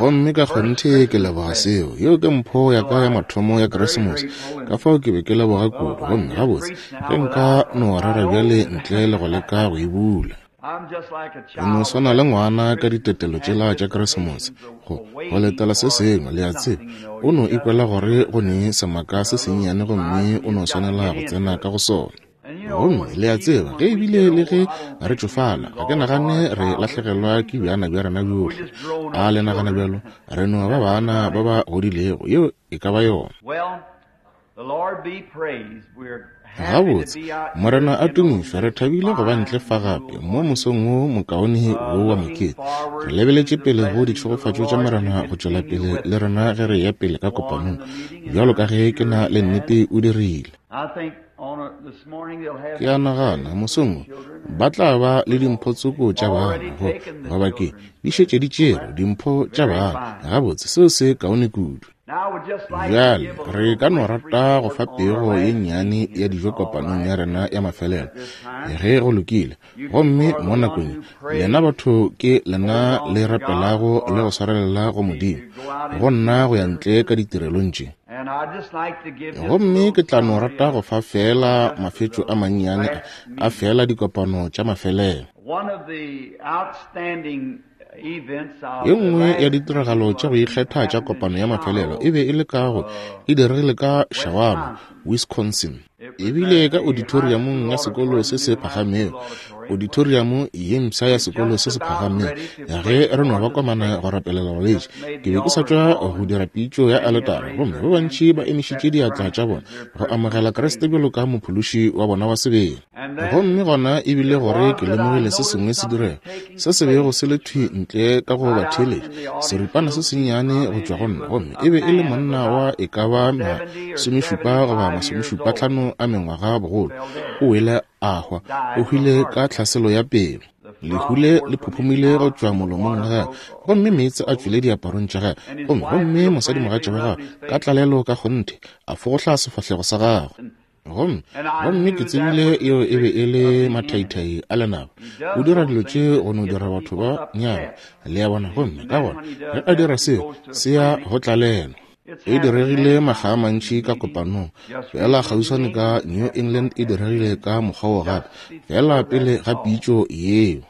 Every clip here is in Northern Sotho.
Gomme ka kgonthe ke leboga seo. Yeo ke mpho ya ka ya mathomo ya Keresemose. Ka fao ke be ke leboga kudu. Gomme gabotse, ge nka no rera bjale ntle le go leka go e bula. Ke no swana le ngwana ka ditetelo tšela tša Keresemose, go, go letela se sengwe, le a tseba. O no ikwela gore go ne semaka se sennyane gomme o no swanela go tsena ka go sona. Gomme le a tseba, ge ebile le ge re tšofala, ga ke nagane re lahlegelwa ke bjana bja rena bjohle. A le nagana bjalo? Re no ba bana ba ba godilego. Yeo e ka ba yona. Gabotse, Morena a tumišwe, re thabile go ba ntle fa gape mo mosong wo mokaone wo wa mokete. Re lebeletše pele go ditšhegofatšo tša Morena go tšwela pele le rena ge re eya pele ka kopanong, bjalo ka ge ke na le nnete o dirile. Ke a nagana, mosong wo, ba tla ba le dimpho tsoko tša bana, go, goba ke, di šetše di tšerwe, dimpho tša bana. Gabotse, seo se kaone kudu. Bjale, re ka no rata go fa pego ye nnyane ya dijo kopanong ya rena ya mafelelo, ge go lokile. Gomme mo nakong ye, lena batho ke lena le rapelago le go swarelela go Modimo, go nna go ya ntle ka ditirelong tše. Gomme ke tla no rata go fa feela mafetšo a mannyane a, a feela dikopano tša mafelelo. Ye nngwe ya ditiragalo tša go ikgetha tša kopano ya mafelelo e be e le ka go e diregile ka Shawano, Wisconsin. E bile ka auditoriamong ya sekolo se se phagamego, auditoriamo ye mpsha ya sekolo se se phagamego. Ge re no ba komana go rapelela balwetši, ke be ke sa tšwa go dira pitšo ya aletara, gomme ba bantši ba emišitše diatla tša bona go amogela Kriste bjalo ka Mophološi wa bona wa sebele. Gomme gona e bile gore ke lemogile se sengwe se direga, se se bego se le thwi ntle ka go batheeletši, seripana se sennyane go tšwa go nna, gomme e be e le monna wa e ka ba masomešupa goba masomešupatlhano a mengwaga bogolo, o wele a hwa, o hwile ka tlhaselo ya pelo. Lehu le le phuphumile go tšwa molomong wa gagwe, gomme meetse a tšwile diaparong tša gagwe, gomme, gomme mosadimogatša wa gagwe, ka tlalelo ka kgonthe, a fogohla sefahlego sa gagwe. Gomme, gomme ke tsebile yeo e be e le mathaithai a lenaba. O dira dilo tše go no dira batho ba nyame, le a bona. Gomme ka gona ge a dira seo, se ya go tlalelwa. E diregile makga a mantši ka kopanong, feela kgauswane ka New England e diregile ka mokgwa wo gape, feela pele ga pitšo yeo.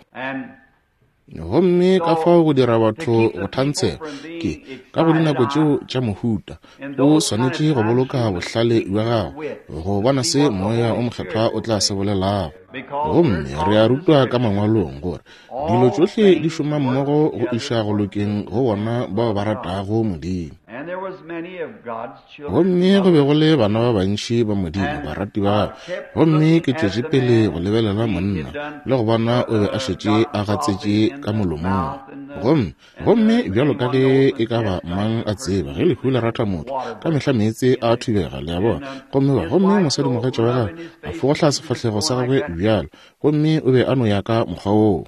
Gomme ka fao go dira batho go thantshega, ke, ka go dinako tšeo tša mohuta, o swanetše go boloka bohlale bja gago, go bona se Moya wo Mokgethwa o tla se bolelago. Gomme re a rutwa ka Mangwalong gore dilo tšohle di šoma mmogo go iša go lokeng go bona bao ba ratago Modimo. Gomme go be go le bana ba bantši ba Modimo, barati ba gagwe. Gomme ke tšwetše pele go lebelela monna, le go bona o be a šetše a gatsetše ka molomong. Gomme, gomme bjalo ka ge e ka ba mang a tseba, ge lehu le ratha motho, ka mehla meetse a thubega, le a bona. Gomme ba, gomme mosadimogatša wa gagwe a fogohla sefahlego sa gagwe bjalo, gomme o be a no ya ka mokgwa woo.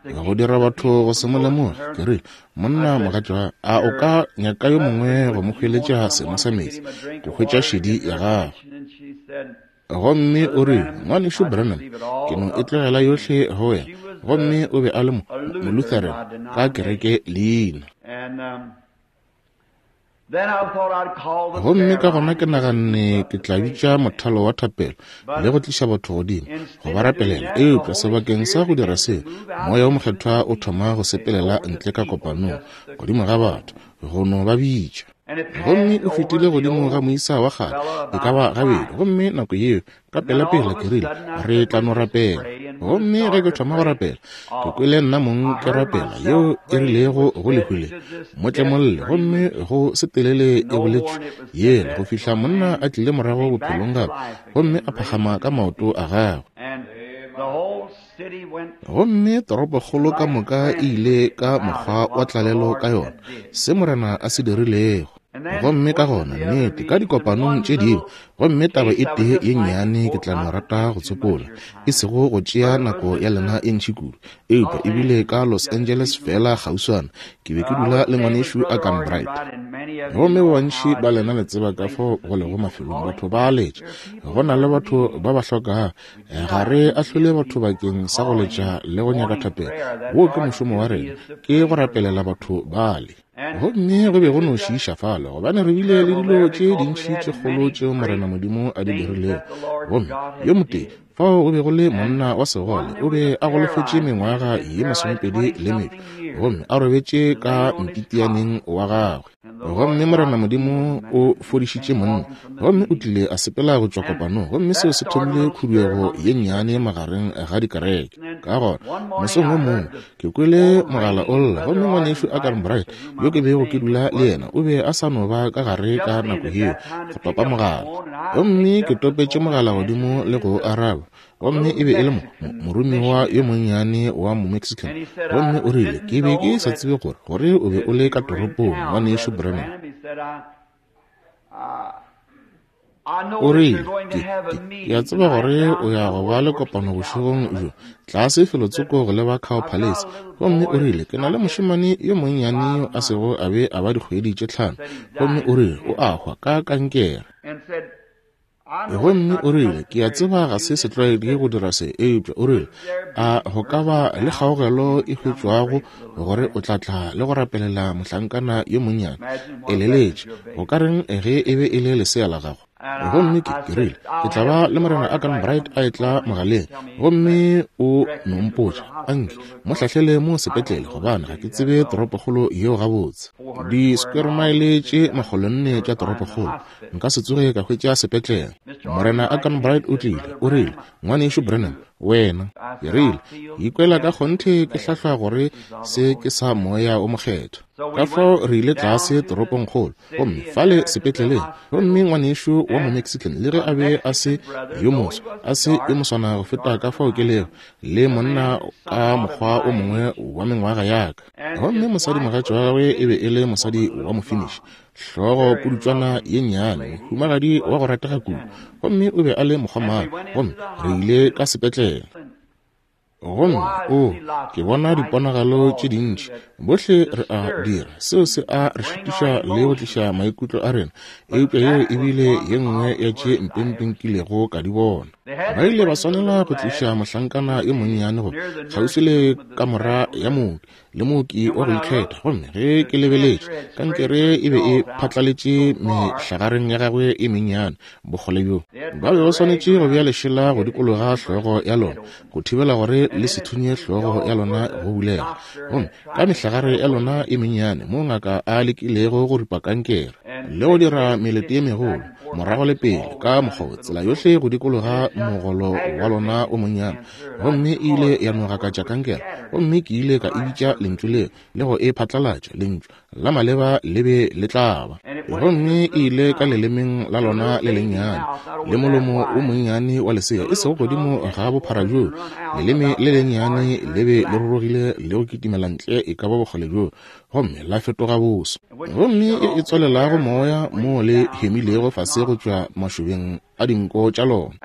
Go dira batho go se mo lemoge, ke rile, Monna mogatša, a o ka nyaka yo mongwe go mo hweletša seno sa meetse, go hwetša šedi ya gagwe? Gomme o rile, Ngwanešu Branham, ke no e tlogela yohle go wena. Gomme o be a le mo, Molutheran, ka kereke leina. Gomme ka gona ke naganne ke tla bitša mothalo wa thapelo le go tliša batho godimo go ba rapelela. Eupša sebakeng sa go dira seo, Moya wo Mokgethwa o thoma go sepelela ntle ka kopanong godimo ga batho, go no ba bitša. Gomme o fetile godimo ga moisa wa kgale e ka ba gabedi, gomme nako yeo Ka pelapela ke rile, Re tla no rapela. Gomme ge ke thoma go rapela, ke kwele nna mong ke rapela yeo e rilego go lehu le, Mo tlemolle, gomme go se telele e boletšwe yela go fihla monna a tlile morago bophelong gape gomme a phagama ka maoto a gagwe. Gomme toropokgolo ka moka e ile ka mokgwa wa tlalelo ka yona, se Morena a se dirilego. Gomme ka gona, nnete, ka dikopanong tše dingwe, gomme taba e tee ye nnyane ke tla no rata go tsopola, e sego go tšea nako ya lena e ntši kudu, eupša e bile ka Los Angeles feela kgauswana, ke be ke dula le Ngwanešu Arganbright. Gomme ba bantši ba lena le tseba ka fao go lego mafelong, batho ba a letša. Go na le batho ba ba hlokago. Ga re ahlole batho bakeng sa go letša le go nyaka thapelo. Woo ke mošomo wa rena, ke go rapelela batho bale. Gomme go be go no šiiša fale, gobane re bile le dilo tše dintši tše kgolo tšeo Morena Modimo a di dirilego. Gomme yo motee fao go be go le monna wa segole, o be a golofetše mengwaga ye 20 le metšo, gomme a robetše ka mpitianeng wa gagwe. Gomme Morena Modimo o fodišitše monna, gomme o tlile a sepela go tšwa kopanong, gomme seo se thomile khuduego ye nnyane magareng ga dikereke. Ka gona, mosong wo mongwe, ke kwele mogala o lla, gomme ngwanešu Arganbright, yo ke bego ke dula le yena, o be a sa no ba ka gare ka nako yeo go topa mogala. Gomme ke topetše mogala godimo le go o araba, gomme e be e le mo, mo, moromiwa yo monnyane wa Momexican. Gomme o rile, Ke be ke sa tsebe gore, gore o be o le ka toropong, Ngwanešu Branham. O rile, Ke, ke, ke a tseba gore o ya go ba le kopano bošegong bjo, tlase felotsoko go leba Cow Palace. Gomme o rile, Ke na le mošemane yo monnyane yo a sego a be a ba dikgwedi tše tlhano, gomme o rile, o a hwa ka kankere. Gomme o rile, Ke a tseba ga se setlwaedi go dira se, eupša, o rile, a go ka ba le kgaogelo e hwetšwago gore o tla tla le go rapelela mohlankana yo monnyane? Eleletše, go ka reng ge e be e le lesea la gago? Gomme ke, ke rile, Ke tla ba le Morena Arganbright a etla mogaleng, gomme o no mpotša, anke mo hlahlele mo sepetlele, gobane ga ke tsebe toropokgolo yeo gabotse. Di-square mile tše 400 tša toropokgolo, nka se tsoge ka hwetša sepetlele. Morena Arganbright o tlile, o rile, Ngwanešu Branham, wena. Ke rile, Ke ikwela ka kgonthe ke hlahlwa gore se ke sa Moya wo Mokgethwa. Ka fao re ile tlase toropongkgolo, gomme fale sepetleleng, gomme ngwanešu wa Momexican, le ge a be a se yo moso, a se yo moswana go feta ka fao ke lego, le monna ka mokgwa o mongwe wa mengwaga ya ka. Gomme mosadimogatša wa gagwe e be e le mosadi wa Mofinish, hlogo pudutšwana ye nnyane, mohumagadi wa go ratega kudu, gomme o be a le mokgomana, gomme re ile ka sepetlele. Gomme, o, ke bona diponagalo tše dintši, bohle re a dira, seo se a re šitiša le go tliša maikutlo a rena, eupša yeo e bile ye nngwe ya tše mpempe nkilego ka di bona. Ba ile ba swanela go tliša mohlankana yo monnyane go kgauswi le kamora ya mooki, le mooki wa go ikgetha. Gomme ge ke lebeletše, kankere e be e phatlaletše mehlagareng ya gagwe e mennyane bokgole bjo. Ba be ba swanetše go bea lešela go dikologa hlogo ya lona, go thibela gore le se thunye hlogo ya lona go bulega. Gomme ka mehlagare ya lona e mennyane, moo ngaka a lekilego go ripa kankere le go dira melete ye megolo, morago le pele, ka mokgwa tsela yohle go dikologa mogolo wa lona o monnyane, gomme e ile ya no gakatša kankere. Gomme ke ile ka e bitša lentšu leo le go e phatlalatša, lentšu la maleba le be le tla ba. Gomme e ile ka lelemeng la lona le lennyane, le molomo wo monnyane wa lesea, e sego godimo ga bophara bjoo, leleme le lennyane le be le rurugile le go kitimela ntle e ka ba bokgole bjoo, gomme la fetoga boso. Gomme e e tswalelago moya moo le hemilego fase go tšwa mašobeng a dinko tša lona.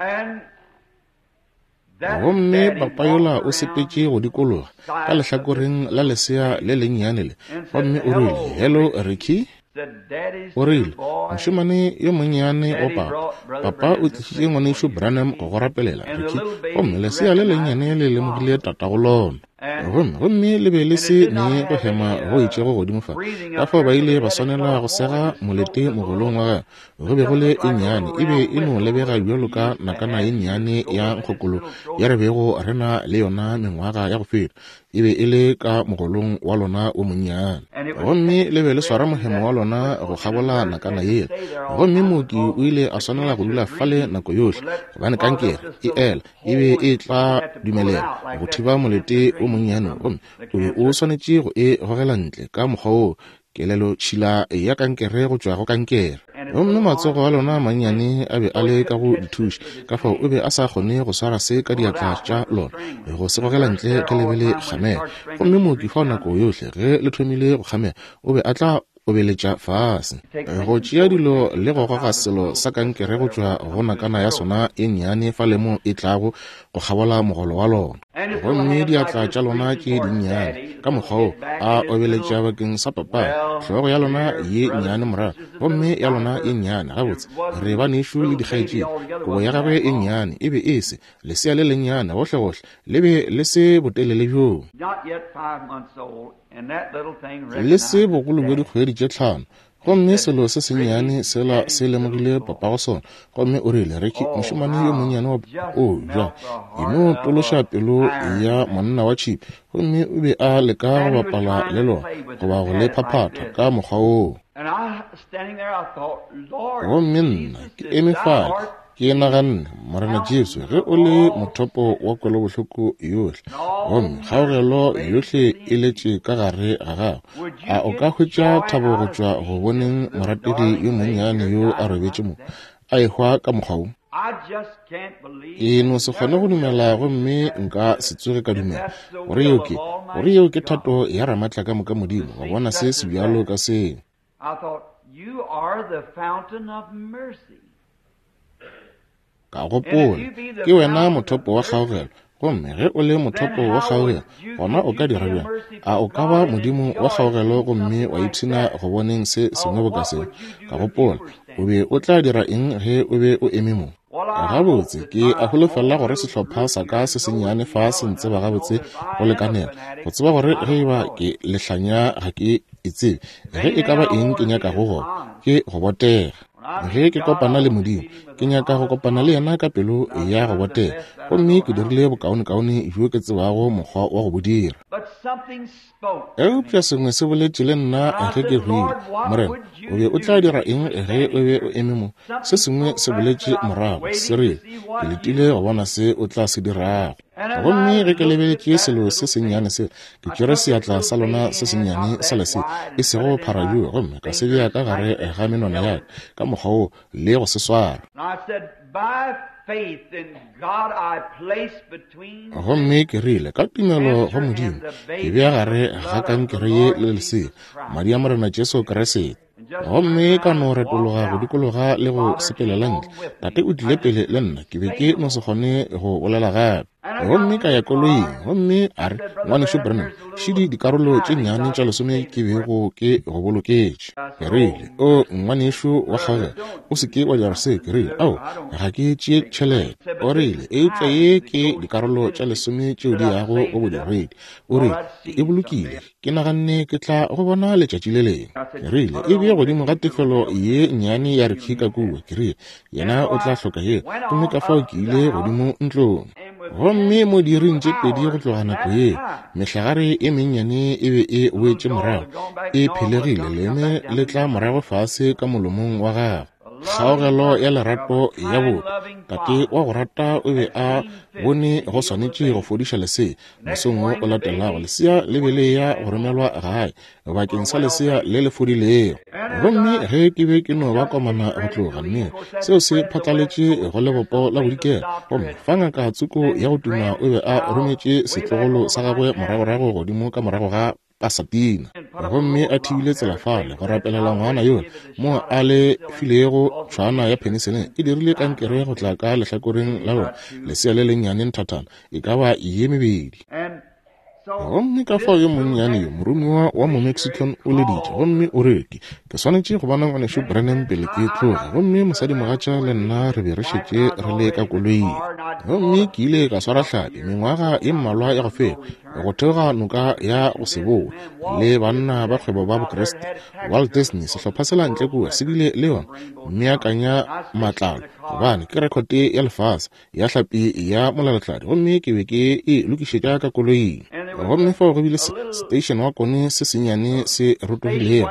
Gomme papa yola o sepetše go dikologa ka lehlakoreng la lesea le lennyane le, gomme o rile, Hello, Ricky. O rile, Mošemane yo monnyane wa papa, papa o tlišitše ngwanešu Branham go go rapelela, Ricky. Gomme lesea le lennyane le lemogile tatago lona. Gomme, gomme le be le se ne go hema go itšego godimo fa, ka fao ba ile ba swanela go sega molete mogolong wa gagwe. Go be go le e nnyane, e be e no lebega bjalo ka nakana ye nnyane ya nkgokolo ya re bego re na le yona mengwaga ya go feta. E be e le ka mogolong wa lona wo monnyane. Gomme le be le swara mohemo wa lona go kgabola nakana yela. Gomme mooki o ile a swanela go dula fale nako yohle, gobane kankere e ela e be e tla dumelela go thiba molete wo monnyane, gomme o be o swanetše go e gogela ntle ka mokgwa woo, kelelotšhila ya kankere go tšwa go kankere. Gomme matsogo a lona a mannyane a be a le ka go dithuši, ka fao o be a sa kgone go swara se ka diatla tša lona, go se gogela ntle ge le be le kgamega. Gomme mooki fao nako yohle ge le thomile go kgamega, o be a tla obeletša fase, go tšea dilo le go goga selo sa kankere go tšwa go nakana ya sona e nnyane fale mo e tlago go kgabola mogolo wa lona. Gomme diatla tša lona tše dinnyane, ka mokgwa wo, a obeletša bakeng sa papa, hlogo ya lona ye nnyane morago, gomme ya lona ye nnyane, gabotse, re banešu le dikgaetšedi. Kobo ya gagwe e nnyane e be e se, lesea le lennyane, gohlegohle, le be le se botelele bjoo. Le se bogolo bjo dikgwedi tše 5. Gomme selo se sennyane sela se lemogile papago sona, gomme o rile, Ricky, mošemane yo monnyane wa o bjang, e no tološa pelo ya monna wa tšhipi. Gomme o be a leka go bapala le lona, goba go le phaphatha ka mokgwa woo. Gomme nna ke eme fale, ke naganne, Morena Jesu, ge o le mothopo wa kwelobohloko yohle, gomme kgaogelo yohle e letše ka gare ga gago, a o ka hwetša thabo go tšwa go boneng morategi yo monnyane yo a robetše mo, a ehwa ka mokgwa wo? Ke no se kgone go dumela, gomme nka se tsoge ka dumela gore yeo ke, gore yeo ke thato ya Ramatlakamoka Modimo, go bona se se bjalo ka seo. Ka gopola, ke wena mothopo wa kgaogelo, gomme ge o le mothopo wa kgaogelo, gona o ka dira bjang? A o ka ba Modimo wa kgaogelo gomme wa ipshina go boneng se sengwe boka seo? Ka gopola, o be o tla dira eng ge o be o eme mo? Gabotse, ke a holofela gore sehlopha sa ka se sennyane fa se ntseba gabotse go lekanela go tseba gore ge e ba ke lehlanya ga ke e tsebe, ge e ka ba eng ke nyakago go, ke go botega. Ge ke kopana le Modimo, ke nyaka go kopana le yena ka pelo ya go botega, gomme ke dirile bokaonekaone bjo ke tsebago mokgwa wa go bo dira. Eupša sengwe se boletše le nna ge ke hwile, Morena, o be o tla dira eng ge o be o eme mo? Se sengwe se boletše morago, se rile, ke letile go bona se o tla se dirago. Gomme ge ke lebeletše selo se sennyane sela, ke tšere seatla sa lona se sennyane sa lesea, e sego bophara bjo, gomme ka se bea ka gare ga menwana ya ka, ka mokgwa wo, le go se swara. Gomme ke rile, ka tumelo go Modimo, ke bea gare ga kankere ye le lesea, madi a Morena Jesu Kriste. Gomme ka no retologa go dikologa le go sepelela ntle. Tate o tlile pele le nna, ke be ke no se kgone go bolela gape. Gomme ka ya koloing, gomme a re, Ngwanešu Branham, šidi dikarolo tše nnyane tša lesome ke bego ke go boloketše. Ke rile, O ngwanešu wa kgaogelo, o se ke wa dira se. Ke rile, Ao, ga ke tšee tšhelete. O rile, Eupša ye ke dikarolo tša lesome tšeo di yago go bodiredi. O rile, Ke e bolokile. Ke naganne ke tla go bona letšatši le lengwe. Ke rile, E bee godimo ga tefelo ye nnyane ya Ricky ka kua. Ke rile, Yena o tla hloka yeo. Gomme ka fao ke ile godimo ntlong. Gomme mo diiring tše pedi go tloga nako yeo, mehlagare e mennyane e be e boetše morago, e phelegile, leme le tla morago fase ka molomong wa gagwe. Kgaogelo ya lerato ya botho, tate wa go rata o be a bone go swanetše go fodiša lesea. Mosong wo o latelago, lesea le be le ya go romelwa gae bakeng sa lesea le le fodilego. Gomme ge ke be ke no ba komana go tloga, mme seo se phatlaletše go lebopo la bodikela, gomme fa ngaka tsoko ya go tuma o be a rometše setlogolo sa gagwe moragorago godimo ka morago ga Pasadena, gomme a thibile tsela fale go rapelela ngwana yola mo a le filego tšhwana ya penicillin, e dirile kankere go tla ka lehlakoreng la lona lesea le lennyane nthathana e ka ba ye mebedi. Gomme ka fao yo monnyane yo moromiwa wa Momexican o leditše gomme o re, Ke swanetše go bona ngwanešu Branham pele ke tloga. Gomme mosadimogatša le nna re be re šetše re le ka koloing. Gomme ke ile ka swara hlapi mengwaga ye mmalwa ya go feta, go theoga noka ya go se bowe, le banna ba kgwebo ba Bokriste. Walt Disney, sehlopha sela ntle kua, se bile le yona meakanya matlalo, gobane ke rekhote ya lefase ya hlapi ya molalatladi, gomme ke be ke e lokišetša ka koloing. Gomme fao go bile station wa kone se sennyane se rotogilego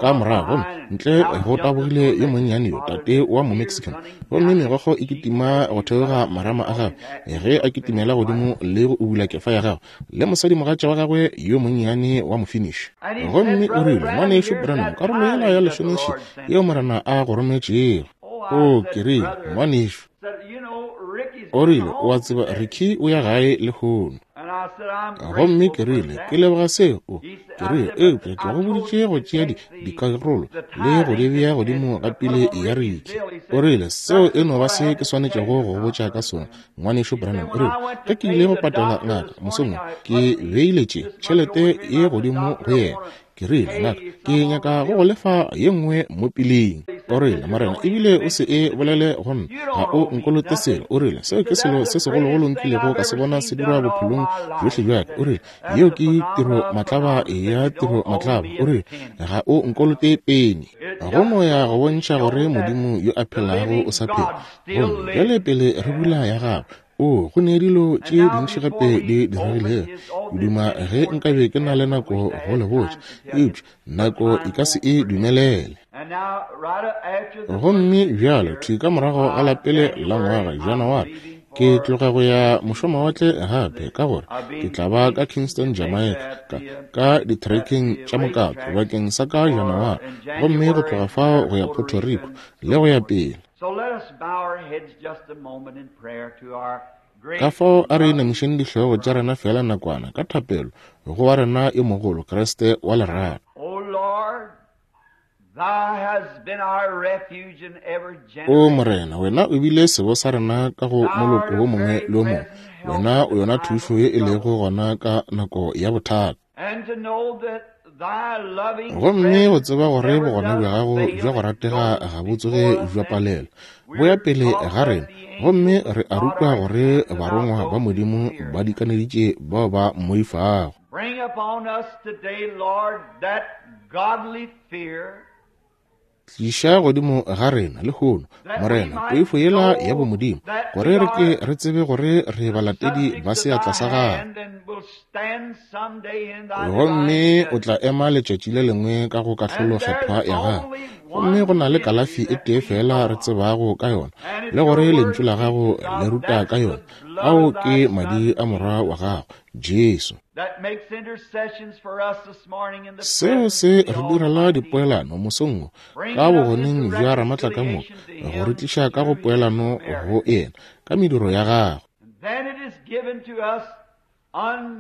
ka morago, gomme ntle go tabogile yo monnyane yo, tate wa Momexican, gomme megokgo e kitima go theoga marama a gagwe ge a kitimela godimo le go ubula kefa ya gagwe, le mosadimogatša wa gagwe yo monnyane wa Mofinish. Gomme o rile, Ngwanešu Branham, karolo yela ya lesomeši yeo Morena a go rometšego. O, ke rile, ngwanešu. O rile, O a tseba, Ricky o ya gae lehono. Gomme ke rile, Ke leboga seo. Ke rile, Eupša ke go boditše go tšea di, dikarolo le go di bea godimo ga pili ya Ricky. O rile, Seo e no ba se ke swanetšego go go botša ka sona, Ngwanešu Branham. O rile, Ge ke ile go patela ngaka mosong wo, ke beile tše, tšhelete ye godimo go yena. Ke rile, Ngaka, ke nyaka go go lefa ye nngwe mo piling. O rile, Morena, ebile o se e bolele go nna, ga o nkolote selo. O rile, Seo ke selo se segologolo nkilego ka se bona se dirwa bophelong bjohle bja ka. O rile, Yeo ke tiro matlaba ya tiro matlaba. O rile, Ga o nkolote peni. Go no ya go bontšha gore Modimo yo a phelago o sa phela. Gomme bjale pele re bula ya gagwe, O, go ne dilo tše dintši gape di diregilego. Ke duma ge nkabe ke na le nako go le botša, eupša nako e ka se e dumelele. Gomme bjalo thwi ka morago ga la pele la ngwaga, Janaware, ke tloga go ya mošomawatle gape, ka gore ke tla ba ka Kingston, Jamaica, ka, ka ditrekeng tša mokato bakeng sa ka Janaware, gomme go tloga fao go ya Puerto Rico le go ya pele. Ka fao a re inamišeng dihlogo tša rena feela nakwana ka thapelo go wa rena yo mogolo, Kriste wa lerato. O Morena, wena o bile sebo sa rena ka go moloko wo mongwe le wo mongwe. Wena o yona thušo ye e lego gona ka nako ya bothata. Gomme go tseba gore bogona bja gago bja go ratega ga bo tsoge bja palelwa, bo ya pele ga rena, gomme re a rutwa gore barongwa ba Modimo ba dikaneditše bao ba mmoifago. Tliša godimo ga rena lehono, Morena, poifo yela ya bomodimo, gore re ke re tsebe gore re balatedi ba seatla sa Gago. Gomme o tla ema letšatši le lengwe ka go kahlolo kgethwa ya Gago. Gomme go na le kalafi e tee feela re tsebago ka yona, le gore Lentšu la Gago le ruta ka yona, ao ke Madi a Morwa wa Gago, Jesu. Seo se re direla dipoelano mosong wo ka bogoneng bja Ramatlakamoka, go re tliša ka go poelano go Yena ka mediro ya Gagwe.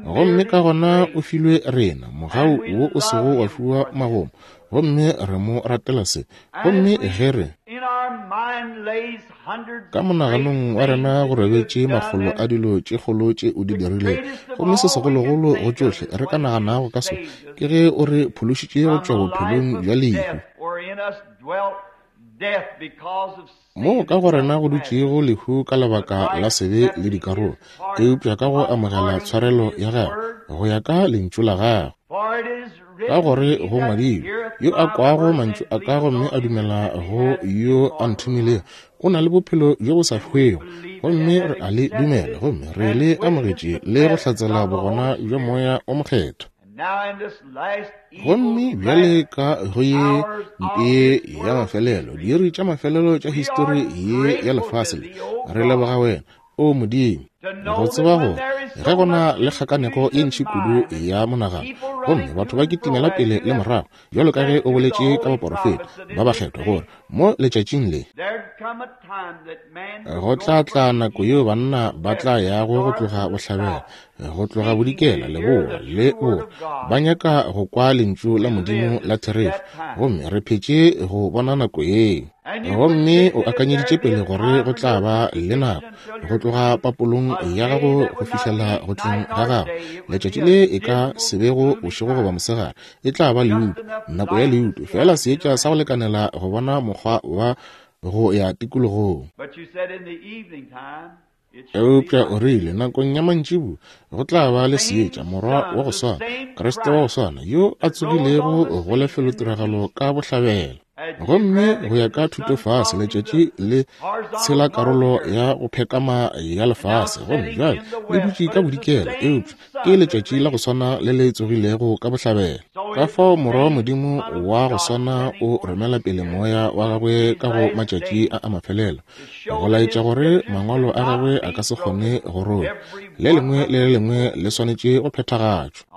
Gomme ka gona o filwe rena mogau wo o sego wa fiwa magomo, gomme re mo ratela se. Gomme ge re Ka monaganong wa rena go robetše makgolo a dilo tše kgolo tše o di dirilego, gomme se segologolo go tšohle re ka naganago ka sona ke ge o re phološitše go tšwa bophelong bja lehu. Moo ka go rena go dutšego lehu ka lebaka la sebe le dikarolo, eupša ka go amogela tshwarelo ya gagwe go ya ka lentšu la gagwe. Ka gore go ngwadilwe, Yo a kwago mantšu a ka gomme a dumela go yo a nthomilego, o na le bophelo bjo bo sa hwego. Gomme re a le dumela, gomme re le amogetše le go hlatsela bogona bja Moya o Mokgethwa. Gomme bjale ka go ye mpe ya mafelelo, diiri tša mafelelo tša histori ye ya lefase le, re leboga Wena, O Modimo, go tseba gore ge go na le kgakanego ye ntši kudu ya monagano, gomme batho ba kitimela pele le morago, bjalo ka ge o boletše ka baporofeta ba bakgethwa, gore mo letšatšing le go tla tla nako yeo banna ba tla yago go tloga bohlabela, go tloga bodikela, leboa le borwa, ba nyaka go kwa lentšu la Modimo la therešo. Gomme re phetše go bona nako yeo. Gomme o akanyeditše pele gore go tla ba le nako go tloga papolong ya gago go fihlela go tleng ga gago. Letšatši le e ka se bego bošego goba mosegare, e tla ba leuto, nako ya leuto, feela seetša sa go lekanela go bona mokgwa wa go ya tikologong. Eupša o rile, nakong ya mantšibu go tla ba le seetša, Morwa wa go swana, Kriste wa go swana, yo a tsogilego go lefelotiragalo ka bohlabela. Gomme go ya ka thutofase, letšatši le tshela karolo ya go phekama ya lefase, gomme bjale le dutše ka bodikela, eupša ke letšatši la go swana le le tsogilego ka bohlabela. Ka fao Morwa wa Modimo wa go swana o romela pele Moya wa Gagwe ka go matšatši a a mafelelo, go laetša gore mangwalo a gagwe a ka se kgone go rola. Le lengwe le le lengwe le swanetše go phethagatšwa.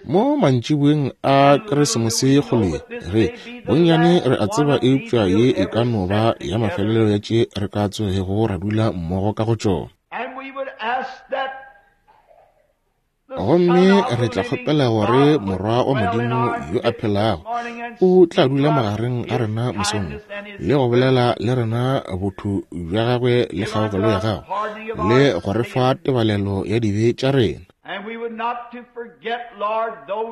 Mo mantšiboeng a Keresemose ye kgolo ye, re bonnyane re a tseba eupša ye e ka no ba ya mafelelo ya tše re ka tsogego ra dula mmogo ka go tšona. Gomme re tla kgopela gore Morwa wa Modimo yo a phelago o tla dula magareng a rena mosong wo, le go bolela le rena botho bja gagwe le kgaogelo ya gagwe, le go re fa tebalelo ya dibe tša rena.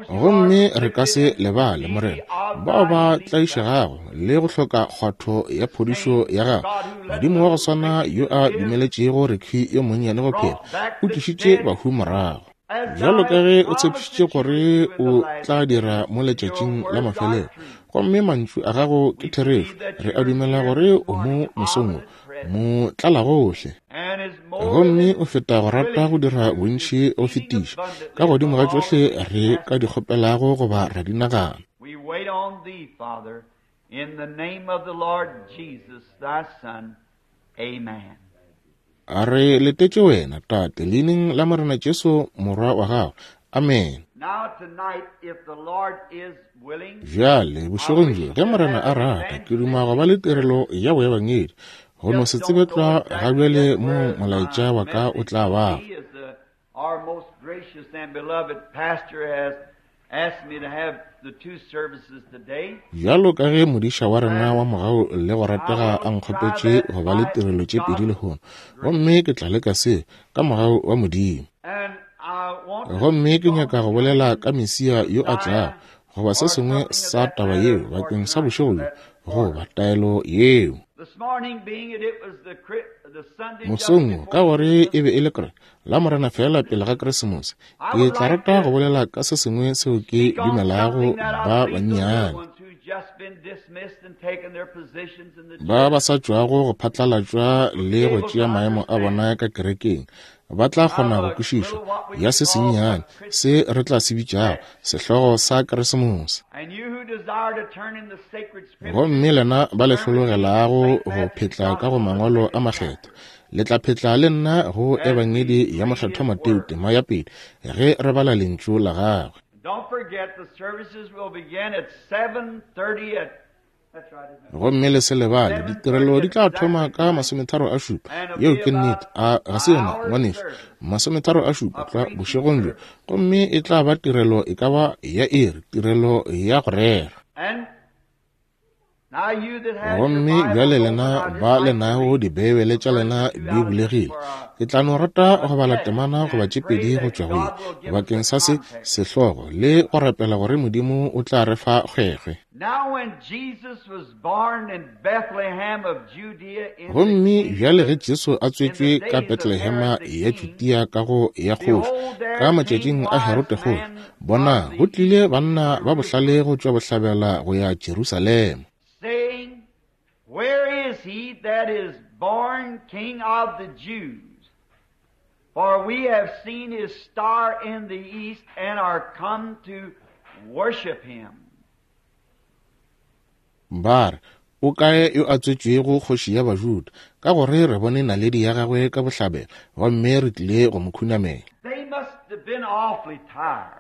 Gomme re ka se lebale, Morena, bao ba tlaišegago le go hloka kgwatho ya phodišo ya gago. Modimo wa go swana yo a dumeletšego Ricky yo monnyane go phela, o tlišitše bahu morago. Bjalo ka ge o tshepišitše gore o tla dira mo letšatšing la mafelelo, gomme mantšu a gago ke therešo, re a dumela gore o mo mosong wo, motlalagohle. Gomme o feta go rata go dira bontši go fetiša, ka godimo ga tšohle re ka di kgopelago goba ra di nagana. We wait on thee, Father, in the name of the Lord Jesus, thy Son. Amen. A re letetše wena, Tate, leineng la Morena Jesu, Morwa wa gago. Amen. Now tonight, if the Lord is willing, Bjale, bošegong bjo, ge Morena a rata, ke duma go ba le tirelo ya boebangedi. Go no se tsebe tlwa ga bjale mo molaetša wa ka o tla bago. He is the, our most gracious and beloved pastor has asked me to have the two services today. Bjalo ka ge modiša wa rena wa mogau le go ratega a nkgopetše go ba le tirelo tše pedi lehono, gomme ke tla leka se ka mogau wa Modimo. And I want to Gomme ke speak on nyaka go bolela ka Mesia yo a tlago, goba se sengwe sa taba yeo bakeng sa bošego bjo, goba taelo yeo. This morning being it, it was the, the Sunday just Mosong wo, ka before gore e be e le kre la Morena feela pele ga Keresemose, ke tla rata go bolela ka se sengwe seo ke speak on dumelago something that I ba believe the little bannyane ones who've just been dismissed and taken their positions in the ba ba church sa tšwago go phatlalatšwa le go able tšea to maemo a understand bona ka kerekeng ba tla kgona of go a kwešiša little what we ya would se call a sennyane Christmas se re tla se bitšago text. sehlogo sa Keresemose. And you who desire to turn in the sacred scriptures, Gomme lena ba le turn with me to hlologelago St. go Matthew's phetla ka go Gospel, the mangwalo a second makgethwa, chapter, le tla phetla le nna go as we Ebangedi ya read his Mokgethwa Mateo word. tema ya pele ge re bala lentšu la gagwe. Don't forget the services will begin at 7:30 at that's right, isn't it? Gomme le se lebale, ditirelo 7:30 di tla thoma exactly ka tonight. 37. And it'll Yeo be ke nnete. about A ga se an yona, hour's ngwanešu? service, 37 a tlwa preaching bošegong bjo. service. Gomme e tla ba tirelo e ka ba ya iri, tirelo ya go rera. And now you that has your Gomme bjale Bibles open, lena I'd just ba like le to nago read Dibeibele the tša first lena two di out of this bulegile, for a, ke tla no rata a go bala text temana goba and tše pray pedi go that tšwa go ye God will give us bakeng a sa se context. sehlogo le go rapela gore Modimo o tla re fa kgwekgwe. Now when Jesus was born in Bethlehem of Judea in the Gomme bjale ge kingdom, Jesu a in the tswetšwe ka days of Betlehema Herod the ya king, Judea ka go ya kgoši, behold, ka there came matšatšing a wise Herode kgoši, men bona, from go the tlile east to banna ba bohlale Jerusalem, go tšwa bohlabela go ya Jerusalema. saying, Where is he that is born King of the Jews? For we have seen his star in the east and are come to worship him. Ba re, O kae yo a tswetšwego kgoši ya Bajuda? Ka gore re bone naledi ya gagwe ka bohlabela, gomme re tlile go mo khunamela. They must have been awfully tired.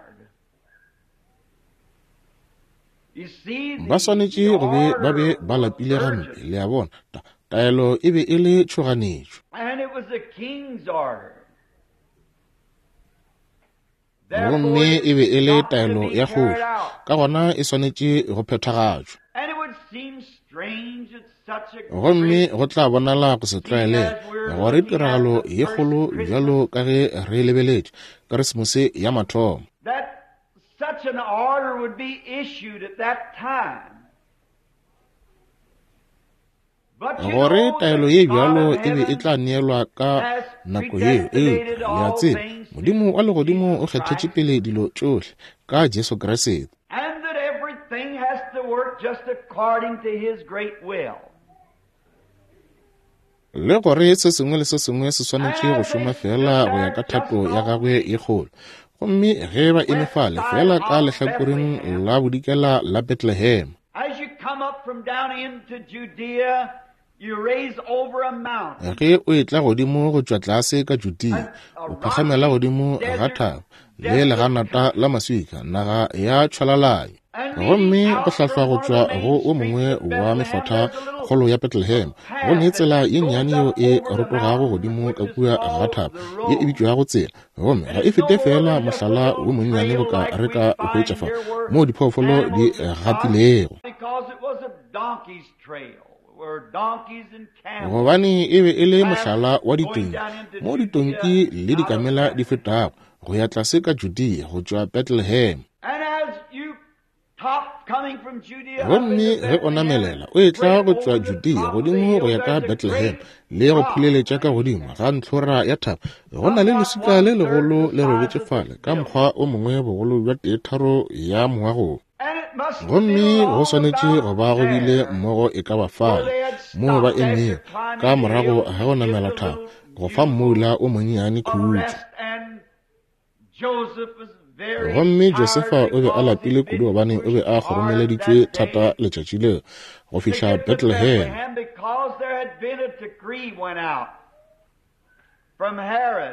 You see, Ba the swanetše go be ba be order ba was lapile gampe, urgent, le a bona. Taelo e be e le tšhoganetšo. and it was the king's order. Therefore, Gomme it e be e le got to taelo be ya carried kgoši, out. ka gona e swanetše go phethagatšwa. And it would seem strange that such a Gomme great, go tla bonala go se seeing tlwaelege as we're gore looking at tiragalo the ye first kgolo Christmas, bjalo ka ge re lebeletše Keresemose ya mathomo, that such an order would be issued at that time. But you gore know taelo that ye God bjalo of e be e heaven tla neelwa ka has nako yeo. Eupša predestinated le a all tseba, things Modimo through wa legodimo Jesus o kgethetše Christ, pele dilo tšohle ka Jesu Kriste, and that everything has to work just according to His great will. le gore se sengwe le se sengwe se swanetše And go as they šoma stood fela go ya there ka just thato ya on gagwe the ye kgolo. Gomme ge ba eme west fale side fela ka of lehlakoreng Bethlehem, la bodikela la Bethlehem, as you come up from down into Judea, you raise over a mountain, ge o etla godimo go tšwa tlase ka Judea, a o phagamela rocky godimo ga desert, thaba le desolate leganata country. la maswika, naga ya tšhwalalanyo. Gomme go hlahlwa go tšwa go o mongwe wa mekgotha kgolo ya Bethlehem, go ne tsela ye nnyane yeo e rotogago godimo ka kua ga thaba, ye e bitšwago tsela. Gomme ga e fete feela mohlala wo monnyane boka re ka o hwetša fa, moo diphoofolo di gatilego. Gobane e be e le mohlala wa ditonki, moo ditonki le dikamela di fetago go ya tlase ka Judea go tšwa Bethlehem. Gomme ge o namelela o etla go tšwa Judea godimo go ya ka Bethlehem le go phuleletša ka godimo ga ntlhora ya thaba, go na le leswika le legolo le robetše fale ka mokgwa o mongwe bogolo bja teetharo ya moago. Gomme go swanetše go ba go bile mmogo e ka ba fale moo ba emego ka morago ga go namela thaba go fa mmoula o monnyane khutšo. Gomme Josefa o be a lapile kudu gobane o be a kgoromeleditšwe thata letšatši leo go fihla Bethlehem.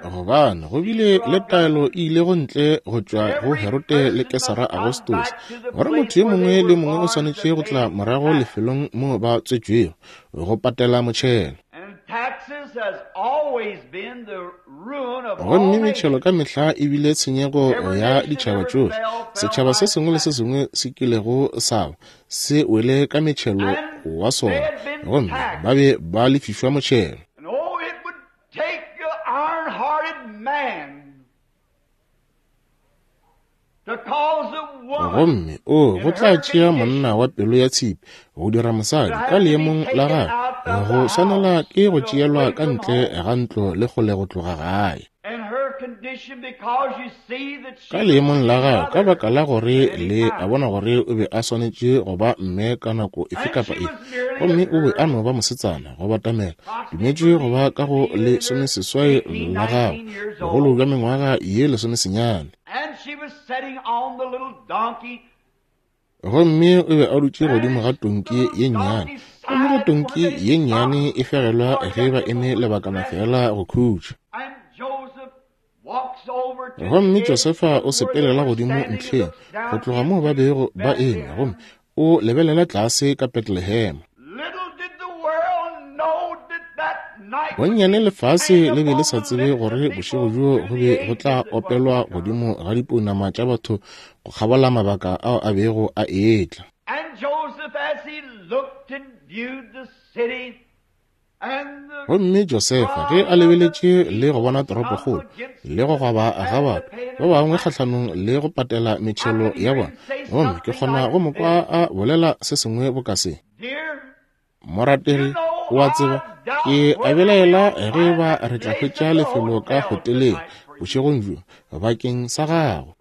Gobane go bile le taelo e ilego ntle go tšwa go Herode le Kesara Augustus, gore motho yo mongwe le mongwe o swanetše go tla morago lefelong moo ba tswetšwego go patela motšhelo. Gomme metšhelo ka mehla e bile tshenyego ya ditšhaba tšohle. Setšhaba se sengwe le se sengwe se kilego sa ba se wele ka metšhelo wa sona, gomme ba be ba lefišwa motšhelo. Gomme o go tla tšea monna wa pelo ya tshipi go dira mosadi ka leemong la gagwe go swanela ke go tšeelwa ka ntle ga ntlo le kgole go tloga gae. Ka leemong la gagwe, ka baka la gore le a bona gore o be a swanetše go ba mme ka nako efe kapa efe, gomme o be a no ba mosetsana go batamela, dumetše go ba ka go lesomeseswai la gagwe, bogolo bja mengwaga ye lesomesenyane. Gomme o be a dutše godimo ga tonki ye nnyane, gomme ge tonki ye nnyane e fegelwa ge ba eme lebakana feela go khutša. Gomme Josefa o sepelela godimo ntlheng go tloga moo ba bego ba eme, gomme o lebelela tlase ka Bethlehem. Bonnyane lefase le be le sa tsebe gore bošego bjo go be go tla opelwa godimo ga dipounama tša batho go kgabola mabaka ao a bego a etla. Gomme Josefa ge a lebeletše le go bona toropokgolo le go gwaba ga batho ba bangwe kgahlanong le go patela metšhelo ya bona, gomme ke kgona go mo kwa a bolela se sengwe boka se: Morategi, o a tseba, ke a belaela ge ba re tla hwetša lefelo ka hoteleng bošegong bjo bakeng sa gago.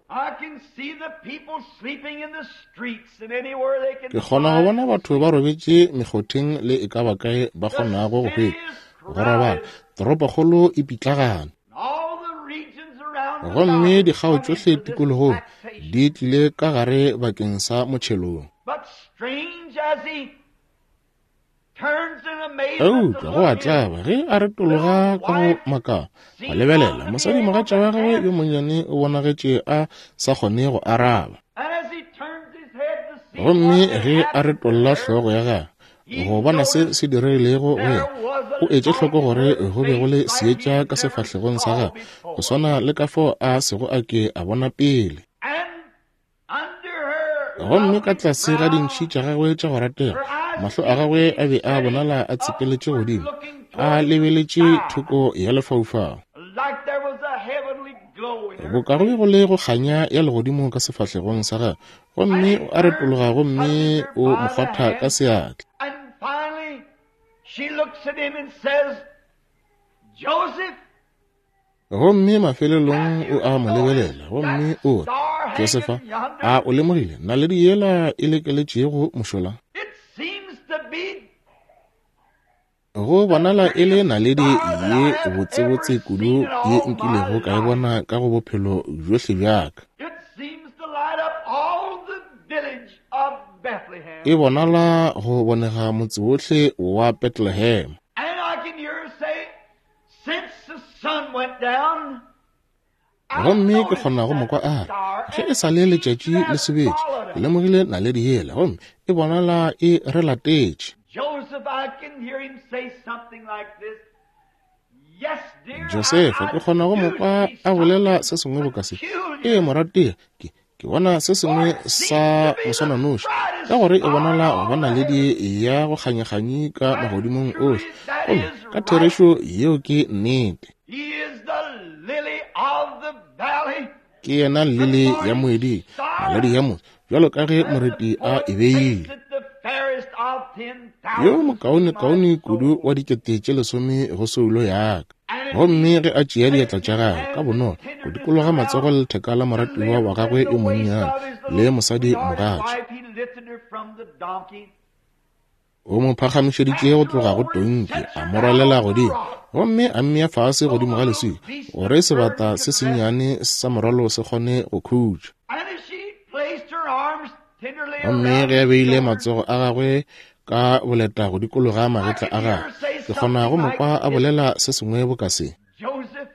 Ke kgona go bona batho ba robetše mekgotheng le e ka ba kae ba kgonago go hwetša go robala. Toropokgolo e pitlagane. Gomme dikgao tšohle tikologong di tlile ka gare bakeng sa motšhelong. Eupša go a tlaba ge a retologa ka go makala a lebelela mosadimogatša wa gagwe yo monnyane o bonagetše a sa kgone go araba. Gomme ge a retolla hlogo ya gagwe go bona se se diregilego go yena, o etše hloko gore go be go le seetša ka sefahlegong sa gagwe go swana le ka fao a sego a ke a bona pele. Gomme ka tlase ga dintšhi tša gagwe tša go ratega, mahlo a gagwe a be a bonala a tsepeletše godimo, a lebeletše thoko ya lefaufau. Boka go be go le go kganya ya legodimo ka sefahlegong sa gagwe, gomme o a retologa gomme o mo kgwatha ka seatla. Gomme mafelelong o a mo lebelela gomme o re, Josefa, a o lemogile naledi yela e lekeletšego mošola? Go bonala e le naledi ye botsebotse kudu ye nkilego ka e bona ka go bophelo bjohle bja ka. E bonala go bonega motse wohle wa Bethlehem. Gomme ke kgona go mo kwa a re, Ge e sa le letšatši le sobetše, ke lemogile naledi yela, gomme e bonala e re latetše. Josefa, ke kgona go mo kwa a bolela se sengwe boka se. Ee, morategi, ke, ke bona se sengwe sa moswananoši, ka gore e bonala go ba naledi ya go kganyakganyi ka magodimong ohle. Gomme ka therešo yeo ke nnete. Ke yena lili ya moeding, naledi ya motse, bjalo ka ge moreti a e beile. Yo mokaonekaone kudu wa 10,000 go soulo ya ka. Gomme ge a tšea diatla tša gagwe ka bonolo go dikologa matsogo le letheka la moratiwa wa gagwe yo monnyane le mosadi mogatša, o mo phagamišeditše go tloga go tonki, a mo rwalela godimo, gomme a mmea fase godimo ga leswika gore sebata se sennyane sa morwalo se kgone go khutša. Gomme ge a beile matsogo a gagwe ka boleta go dikologa magetla a gagwe, ke kgona go mo kwa a bolela se sengwe boka se. Joseph,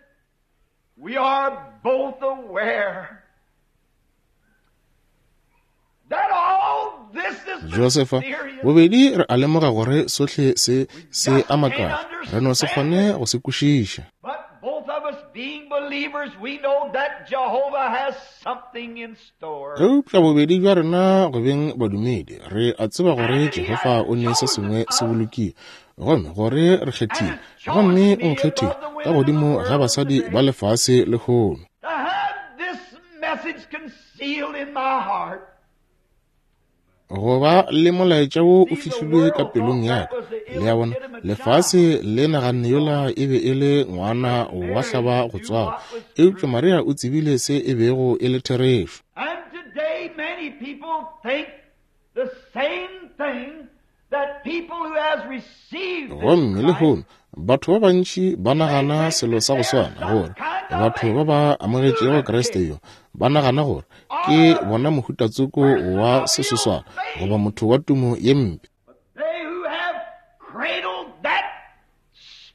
we are both aware that all this is Josefa, mysterious. bobedi re a lemoga gore sohle se se a makala, re no se kgone go se kwešiša. But both of us being believers, we know that Jehovah has something in store. Eupša bobedi bja rena go beng badumedi, re a tseba gore Jehofa o ne se sengwe se bolokile, gomme gore re kgethile, gomme o nkgethile ka godimo ga basadi ba lefase lehono. To have this message concealed in my heart, Go ba le molaetša wo o fihlilwe ka pelong ya ka. Le a bona, lefase le naganne yola e be e le ngwana wa hlaba go tswalwa, eupša Maria o tsebile se e bego e le therešo. And today many people think the same thing that people who has received this Gomme Christ lehono batho ba bantši ba nagana selo sa go swana, gore batho ba ba amogetšego Kriste yo ba nagana gore ke bona mohutatsoko wa sesoswana goba motho wa tumo ye mpe. They who have cradled that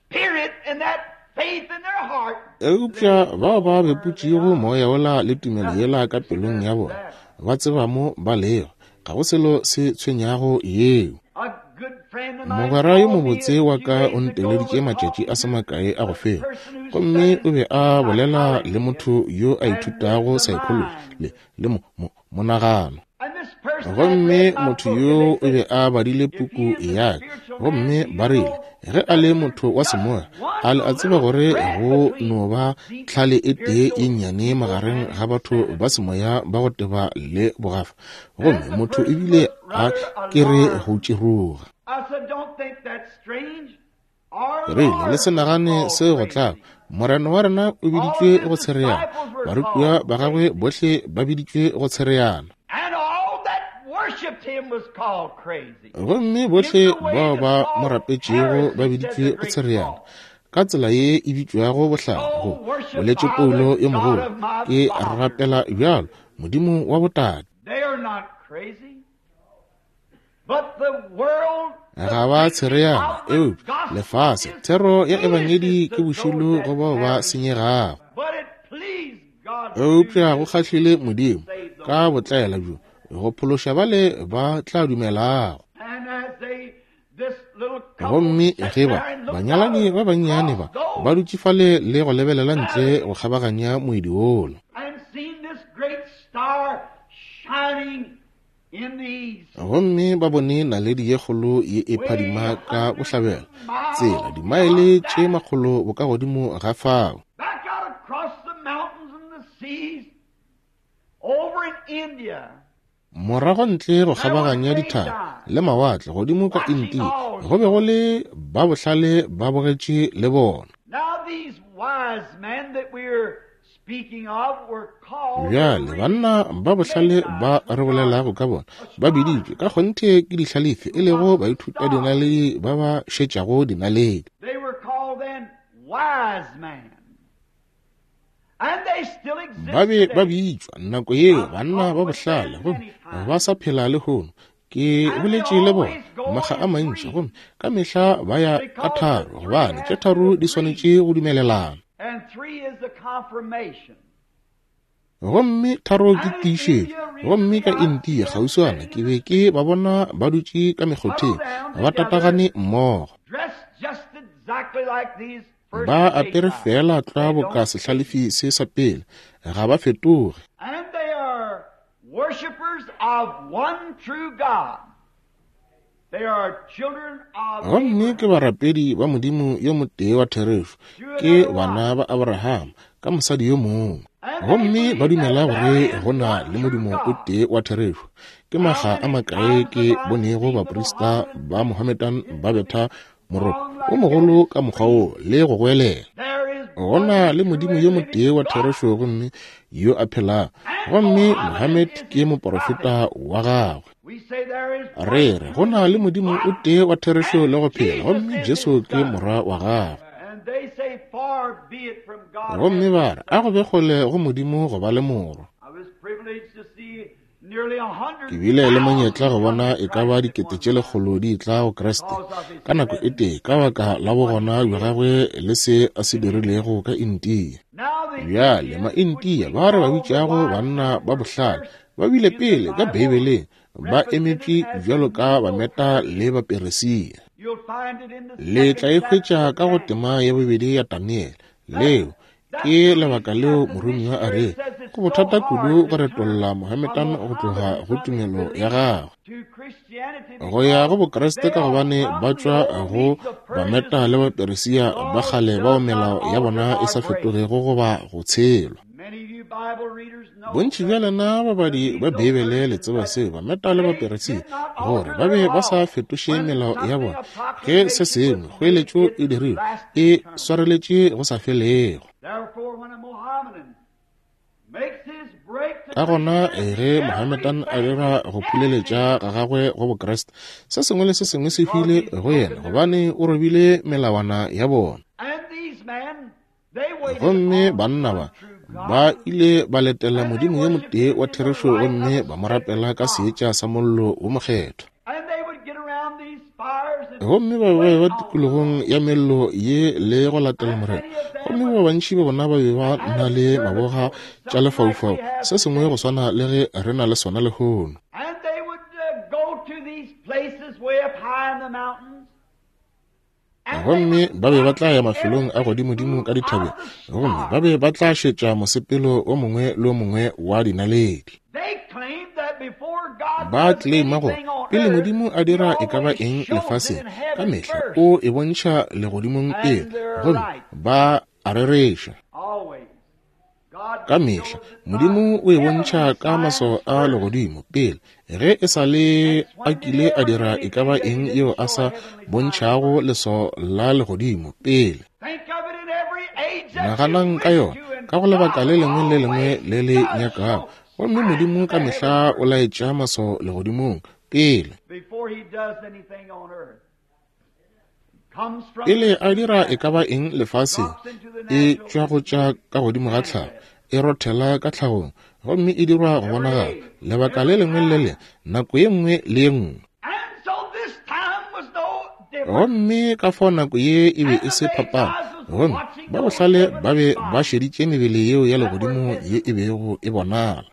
spirit and that faith in their heart, Eupša bao ba beputšego moya wola le tumelo yela ka pelong ya bona, ba tseba mo ba lego, ga go selo se tshwenyago yeo. A good friend of mine Mogwera yo called me mobotse a wa few ka days o ago nteleditše and matšatši talked a se to makae a go a feta, person who gomme o studies be a bolela le psychology motho yo a and ithutago the psychology mind. le le mo, mo, monagano. And this person had Gomme read my motho book and yo they o be said, a badile if he puku is a ya ka, spiritual man, gomme do you ba rile know ge a that le there's motho wa just semoya, one a le a tseba little gore thread go between no ba deep tlhale e tee e spiritual nnyane people magareng and ga batho ba insanity. semoya ba go teba le bogafa, gomme And the motho person ebile was a rather ke re go alarmed. tširoga. I said, don't think that's strange. Our Ke rile, le Lord se was nagane called seo go tlaba. crazy. Morena wa rena o All biditšwe his go tshereana, disciples were barutiwa called ba gagwe crazy. bohle ba biditšwe go tshereana. And all that worshiped him was called crazy. Gomme In bohle the way bao that's ba mo called rapetšego ba heresy, said biditšwe the go great tshereana. Paul. Ka tsela ye e bitšwago bohlale, go Oh, worship boletše I Paulo the yo God mogolo, of my ke fathers. rapela bjalo Modimo wa botate. They are not crazy. But the world, the Ga ba preaching tshereana, of the eupša gospel lefase is thero ya ebangedi foolishness ke to those bošilo that go bao ba perish. senyegago. But it pleased God to do Eupša go this kgahlile to Modimo save those. ka botlaela bjo go phološa bale ba tla dumelago. And as they, this little couple Gomme sat ge ba there and looked out banyalani ba bannyane across ba ba those dutše fale le go lebelela ntle valleys go kgabaganya moedi wola, and seen this great star shining in the east, gomme ba bone naledi ye kgolo ye e way phadima ka hundreds bohlabela, of miles tsela dimaele from tše that, makgolo bokagodimo ga fao. back out across the mountains and the seas, over in India, Morago ntle go there was kgabaganya dithaba Magi le mawatle godimo ka watching India, go be go also. le ba bohlale ba bogetše le bona. Now these wise men that we're speaking of were called the Bjale rich banna ba bohlale Magi, ba which re are bolelago ka bona ba biditšwe ka kgonthe ke dihlalefi, e lego who watch the baithuta stars. dinaledi ba ba šetšago dinaledi. They were called then wise men. And they still exist Ba be ba today. bitšwa nako yeo I've banna talked ba with bohlale, them gomme many times. ba sa phela lehono. Ke And they boletše le bona always go makga a in mantši, threes gomme ka mehla ba ya ka because the tharo, three gobane tše has to tharo di agree. swanetše go dumelelana. And three is the confirmation. Gomme tharo ke tiišetšo. Gomme ka India kgauswana ke be ke ba bona ba dutše ka mekgotheng ba tatagane mmogo. Ba apere feela tlwa boka sehlalefi se sa pele, ga ba fetoge. Gomme ke barapedi ba Modimo yo motee wa therešo, ke bana ba Abraham ka mosadi yo mongwe. Gomme ba dumela gore go na le Modimo o tee wa therešo. Ke makga a makae ke bonego baprista ba Mohammedan ba betha moropo o mogolo ka mokgwa wo le go goelela. Go na le Modimo yo motee wa therešo gomme yo a phelago, gomme Mohammed ke moporofeta wa gagwe. Re re go na le Modimo o tee wa therešo le go phela, gomme Jesu ke Morwa wa gagwe. Gomme ba re, a go be kgole go Modimo go ba le Morwa. Ke bile le monyetla go bona e ka ba 100,000 di tla go Kriste ka nako e tee ka baka la bogona bja gagwe le se a se dirilego ka India. Bjale ma-India ba re ba bitšago banna ba bohlale ba bile pele ka Beibeleng ba emetše bjalo ka Bameta le Baperesia. Le tla e hwetša ka go tema ya bobedi ya Daniele, leo Ke lebaka leo moromiwa a re go bothata kudu go retolla Mohammedan go tloga go tumelo ya gagwe go ya go Bokreste, ka gobane ba tšwa go Bameta le Baperesia ba kgale bao melao ya bona e sa fetogego goba go tshelwa. Bontši bja lena babadi ba Beibele le tseba seo Bameta le Baperesia gore ba be ba sa fetoše melao ya bona ge se sengwe kgoeletšo e dirilwe e swareletše go sa felego. Ka gona ge Mohammedan a dira go phuleletša ga gagwe go Bokreste, se sengwe le se sengwe se hwile go yena gobane o robile melawana ya bona. Gomme banna ba ba ile ba letela Modimo yo motee wa therešo gomme ba mo rapela ka seetša sa mollo wo mokgethwa. Gomme ba be ba tikologong ya mello ye le go latela Morena. Gomme ba bantši ba bona ba be ba na le maboga tša lefaufau, se sengwe go swana le ge re na le sona lehono. Gomme ba be ba tla ya mafelong a godimodimo ka dithabeng, gomme ba be ba tla šetša mosepelo o mongwe le o mongwe wa dinaledi. Ba tleleima gore pele Modimo a dira e ka ba eng lefaseng, ka mehla o e bontšha legodimong pele, gomme ba a rereša. Ka mehla Modimo o e bontšha ka maswao a legodimo pele ge e sa le a kile a dira e ka ba eng yeo a sa bontšhago leswao la legodimo pele. Naganang ka yona ka go lebaka le lengwe le lengwe le le nyakago, gomme Modimo ka mehla o laetša maswao legodimong pele. Pele a dira e ka ba eng lefaseng, e tšwa go tša ka godimo ga tlhago, e rothela ka tlhagong, gomme e dirwa go bonagala lebaka le lengwe le le nako ye nngwe le ye nngwe. Gomme ka fao nako ye e be e se phapano, gomme ba bohlale ba be ba šeditše mebele yeo ya legodimo ye e bego e bonala.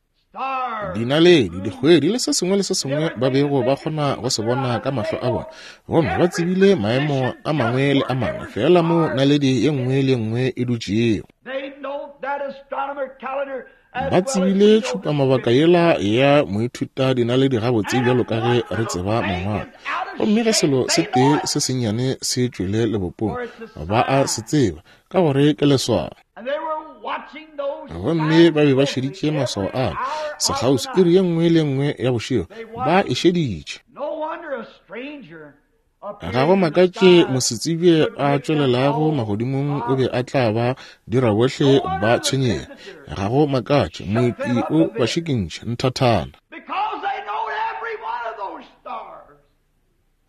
Dinaledi, dikgwedi le se sengwe le se sengwe ba bego ba kgona go se bona ka mahlo a bona, gomme ba tsebile maemo a mangwe le a mangwe fela mo naledi ye nngwe le ye nngwe e dutšego. Ba tsebile tšhupamabaka yela ya moithuta dinaledi gabotse bjalo ka ge re tseba mangwalo. Gomme ge selo se tee se sennyane se tšwele lebopong, ba a se tseba, ka gore ke leswao. Gomme ba be ba šeditše maswao a sekgauswi iri ye nngwe le nngwe ya bošego, ba e šeditše. Ga go makatše mosetsebje a tšwelelago magodimong o be a tla ba dira bohle ba tshwenyege. Ga go makatše moepi o ba šikintšha nthathana.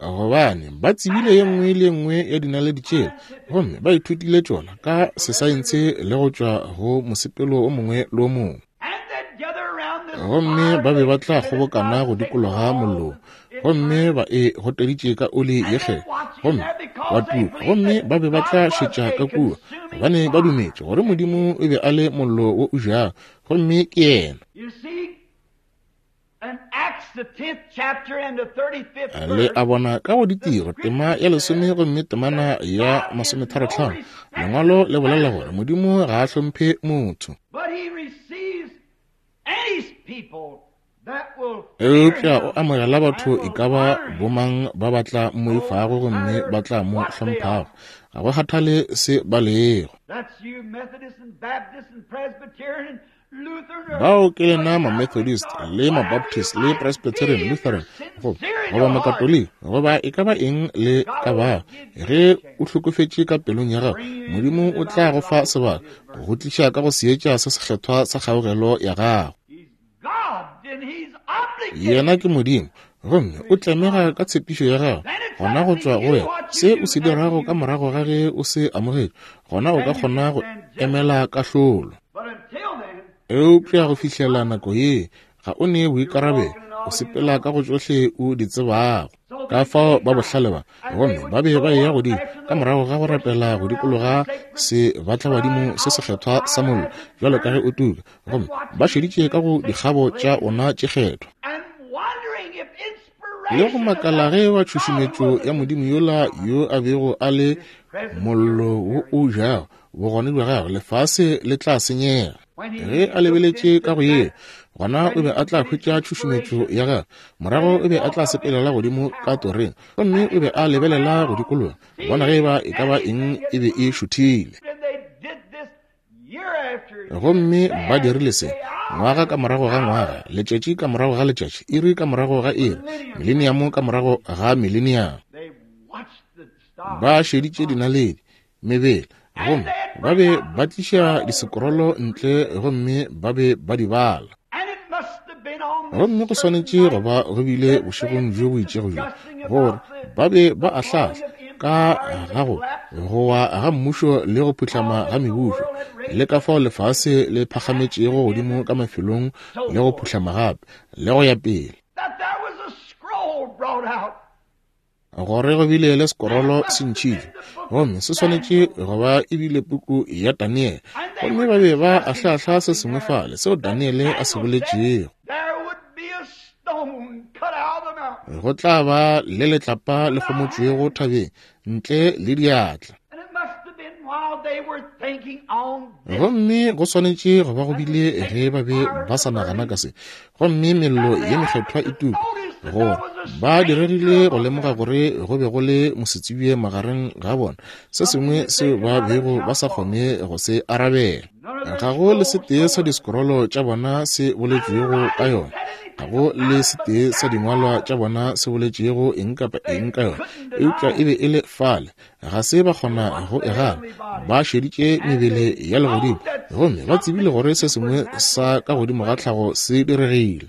Gobane ba tsebile ye nngwe le ye nngwe ya dinaledi tšela, gomme ba ithutile tšona ka sesaense le go tšwa go mosepelo o mongwe le o mongwe. Gomme ba be ba tla kgobokana go dikologa mollong, gomme ba e goteditše ka oli ye kgethwa, gomme wa tuka. Gomme ba be ba tla šetša ka kua, gobane ba dumetše gore Modimo o be a le mollo wo o jago, gomme ke Yena. Le a bona ka go Ditiro, tema ya 10 gomme temana ya 35, Lengwalo le bolela gore Modimo ga a hlomphe motho, eupša o amogela batho e ka ba bomang ba ba tla mmoifago gomme ba tla mo hlomphago, ga go kgathale se ba lego. Bao ke lena Mamethodist le Mabaptist le Presbyterian, Lutheran, goba Makatoliki, goba e ka ba eng le ka ba. Ge o hlokofetše ka pelong ya gago, Modimo o tla go fa sebaka go tliša ka go seetša se sekgethwa sa kgaogelo ya gago. Yena ke Modimo, gomme o tlemega ka tshepišo ya gago. Gona go tšwa go wena se o se dirago ka morago ga ge o se amogetše, gona o ka kgona go emela kahlolo. Eupša go fihlela nako ye, ga o ne boikarabelo, o sepela ka go tšohle o di tsebago. Ka fao ba bohlale ba, gomme ba be ba eya godimo ka morago ga go rapela go dikologa sebatlabadimo se sekgethwa sa mollo bjalo ka ge o tuka, gomme ba šeditše ka go dikgabo tša ona tše kgethwa, le go makala ge ba tšhušumetšo ya Modimo yola yo a bego a le mollo wo o jago bogone bja gagwe, lefase le tla senyega. Ge a lebeletše ka go yeo, gona o be a tla hwetša tšhušumetšo ya gagwe. Morago o be a tla sepelela godimo ka toreng, gomme o be a lebelela go dikologa, bona ge eba e ka ba eng e be e šuthile. Gomme ba dirile se ngwaga ka morago ga ngwaga, letšatši ka morago ga letšatši, iri ka morago ga iri, mileniamo ka morago ga mileniamo. Ba šeditše dinaledi, mebele, gomme ba be ba tliša disekorolo ntle gomme ba be ba di bala. Gomme go swanetše go ba go bile bošegong bjo bo itšego bjo gore ba be ba ahlahla ka ga go gowa ga mmušo le go phuhlama ga mebušo, le ka fao lefase le phagametšego godimo ka mafelong le go phuhlama gape, le go ya pele. Gore go bile le sekorolo se ntšhitšwe, gomme se swanetše go ba e bile puku ya Daniele, gomme ba be ba ahlaahla se sengwe fale seo Daniele a se boletšego. Go tla ba le letlapa le kgomotšwego thabeng ntle le diatla. Gomme go swanetše go ba go bile ge ba be ba sa nagana ka se, gomme mello ye mekgethwa e tuka, gore ba diregile go lemoga gore go be go le mosetsebje magareng ga bona, se sengwe seo ba bego ba sa kgone go se arabela. Ga go le setee sa disekorolo tša bona se boletšwego ka yona, ga go le setee sa dingwalwa tša bona se boletšego eng kapa eng ka yona, eupša e be e le fale. Ga se ba kgona go e gana. Ba šeditše mebele ya legodimo gomme ba tsebile gore se sengwe sa ka godimo ga tlhago se diregile.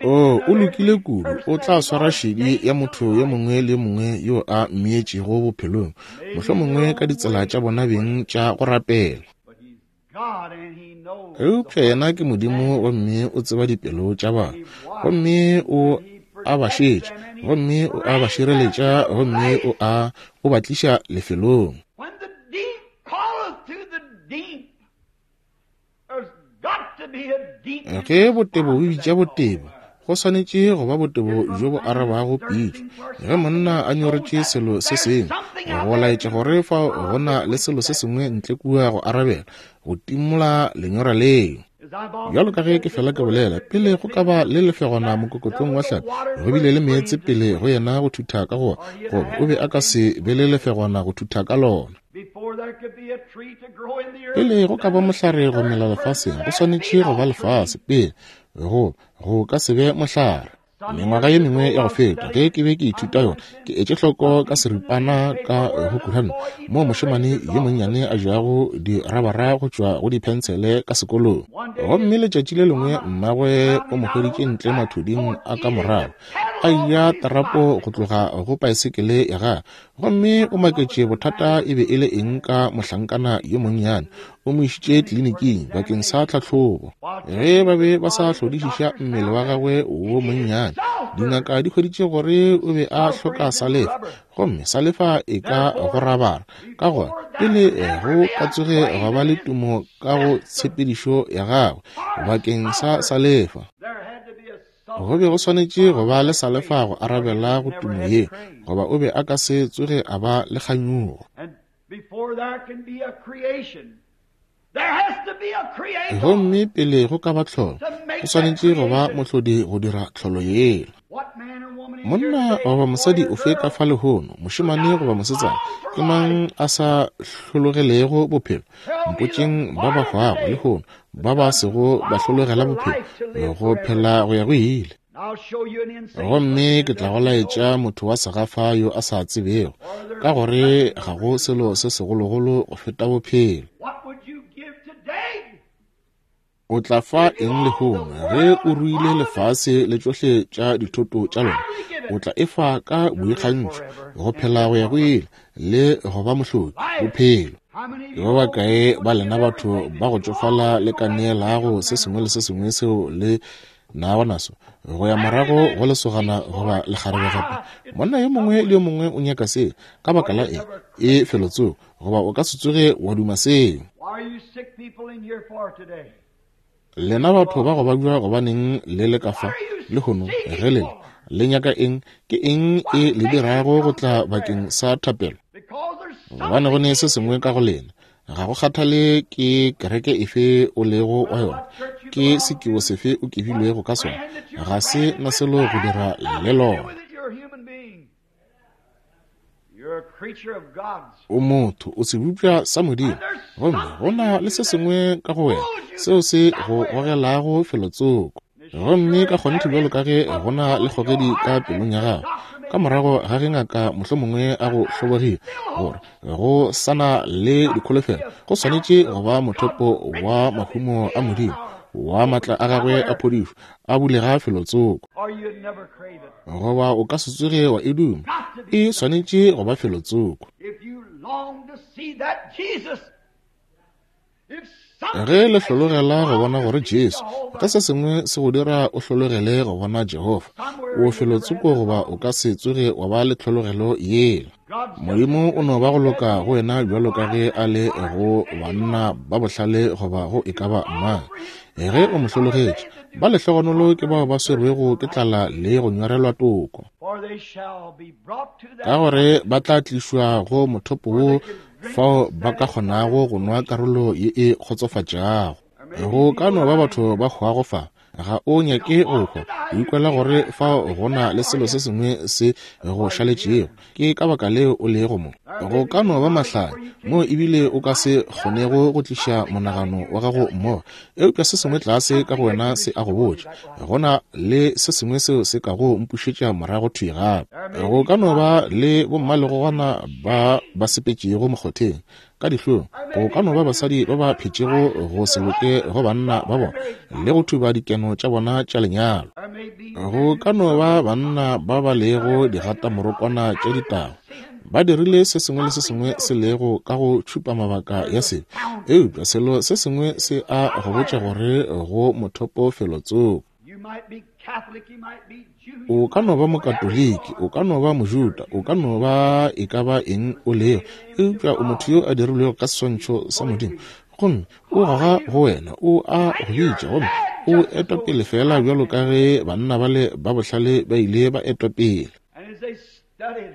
O, o lokile kudu, o tla swara šedi ya motho yo mongwe le yo mongwe yo a mmeetšego bophelong, mohlomongwe ka ditsela tša bona beng tša go rapela. Eupša yena ke Modimo gomme o tseba dipelo tša batho, gomme o a ba šetša, gomme o a ba šireletša, gomme o a o ba tliša lefelong. Ge botebo bo bitša botebo, go swanetše go ba botebo bjo bo arabago pitšo. Ge monna a nyoretše selo se sengwe, go laetša gore fao go na le selo se sengwe ntle kua go arabela, go timola lenyora leo. Bjalo ka ge ke fela ke bolela, pele go ka ba le lefegwana mokokotlong wa hlapi, go bile le meetse pele go yena go thutha ka go goba o be a ka se be le lefegwana go thutha ka lona. Pele go ka ba mohlare go mela lefaseng, go swanetše go ba lefase pele, go go ka se be mohlare. Mengwaga ye mengwe ya go feta, ge ke be ke ithuta yona, ke etše hloko ka seripana ka go kuranta moo mošemane yo monnyane a jago dirabara go tšwa go diphensele ka sekolong. Gomme letšatši le lengwe mmagwe o mo hweditše ntle mathuding a ka morago, a eja tarapo go tloga go paesekele ya gagwe, gomme o maketše bothata e be e le eng ka mohlankana yo monnyane. O mo išitše tleliniking bakeng sa tlhahlobo. Ge ba be ba sa hlodišiša mmele wa gagwe wo monnyane, dingaka di hweditše gore o be a hloka salefa, gomme salefa e ka go rabara. Ka gona, pele go ka tsoge gwa ba le tumo ka go tshepedišo ya gagwe bakeng sa salefa, go be go swanetše go ba le salefa go arabela go tumo ye, goba o be a ka se tsoge a ba le kganyogo. Gomme pele go ka ba tlholo, go swanetše go ba mohlodi go dira tlholo yela. Monna goba mosadi ofe ka fa lehono, mošemane goba mosetsana, ke mang a sa hlologelego bophelo? Mpotšeng ba ba hwago lehono, ba ba sego ba hlologela bophelo, go phela go ya go ile. Gomme ke tla go laetša motho wa segafa yo a sa tsebego, ka gore ga go selo se segologolo go feta bophelo. O tla fa eng lehono ge o ruile lefase le tšohle tša dithoto tša lona? O tla e fa ka boikgantšho go phela go ya go ile le go ba mohloki bophelo. Ke ba bakae ba lena batho ba go tšofala le ka neelago se sengwe le se sengwe seo le nago naso go ya morago go lesogana goba lekgarebe gape? Monna yo mongwe le yo mongwe o nyaka seo. Ka baka la eng? E felotsoko, goba o ka se tsoge wa duma seo. Lena batho ba go babja, gobaneng le le ka fa lehono ge le le nyaka eng? Ke eng e le dirago go tla bakeng sa thapelo? Gobane go ne se sengwe ka go lena. Ga go kgathale ke kereke efe o lego wa yona, ke sekibo sefe o kebilwego ka sona, ga se na selo go dira le lona. O motho, o sebopša sa Modimo, gomme go na le se sengwe ka go wena seo se go gogelago felotsoko. Gomme ka kgonthe bjalo ka ge go na le kgogedi ka pelong ya gago, ka morago ga ge ngaka mohlomongwe a go hlobogile gore go sa na le dikholofelo, go swanetše go ba mothopo wa mahumo a Modimo, wa matla a gagwe a phodišo, a bulega felotsoko, goba o ka se tsoge wa e duma. E swanetše go ba felotsoko. Ge le hlologela go bona gore Jesu, ge se sengwe se go dira o hlologele go bona Jehofa, o felotsoko goba o ka se tsoge wa ba le tlhologelo yela. Modimo o no ba go loka go wena bjalo ka ge a le go banna ba bohlale goba go e ka ba mang. Ge o mo hlologetše, ba lehlogonolo ke bao ba swerwego ke tlala le go nyorelwa toko, ka gore ba tla tlišwa go mothopo wo fao ba ka kgonago go nwa karolo ye e kgotsofatšago. Go ka no ba batho ba hwago fa, ga o nyake go hwa, o ikwela gore fao go na le selo se sengwe se go šaletšego, ke ka baka leo o lego mo. Go ka no ba mahlanya moo ebile o ka se kgonego go tliša monagano wa gago mmogo, eupša se sengwe tlase ka go wena se a go botša go na le se sengwe seo se kago mpušetša morago thwi gape. Go ka no ba le bommalegogwana ba ba sepetšego mokgotheng ka dihlong, go ka no ba basadi ba ba phetšego go se loke go banna ba bona le go thuba dikeno tša bona tša lenyalo, go ka no ba banna ba ba lego digatamorokwana tša ditaba, ba dirile se sengwe le se sengwe se lego ka go tšhupa mabaka ya sebe, eupša selo se sengwe se a go botša gore go mothopo felotsoko. O ka no ba Mokatoliki, o ka no ba Mojuda, o ka no ba e ka ba eng o lego, eupša o motho yo a dirilwego ka seswantšho sa Modimo, gomme o goga go wena, o a go bitša, gomme o etwa pele feela bjalo ka ge banna bale ba bohlale ba ile ba etwa pele.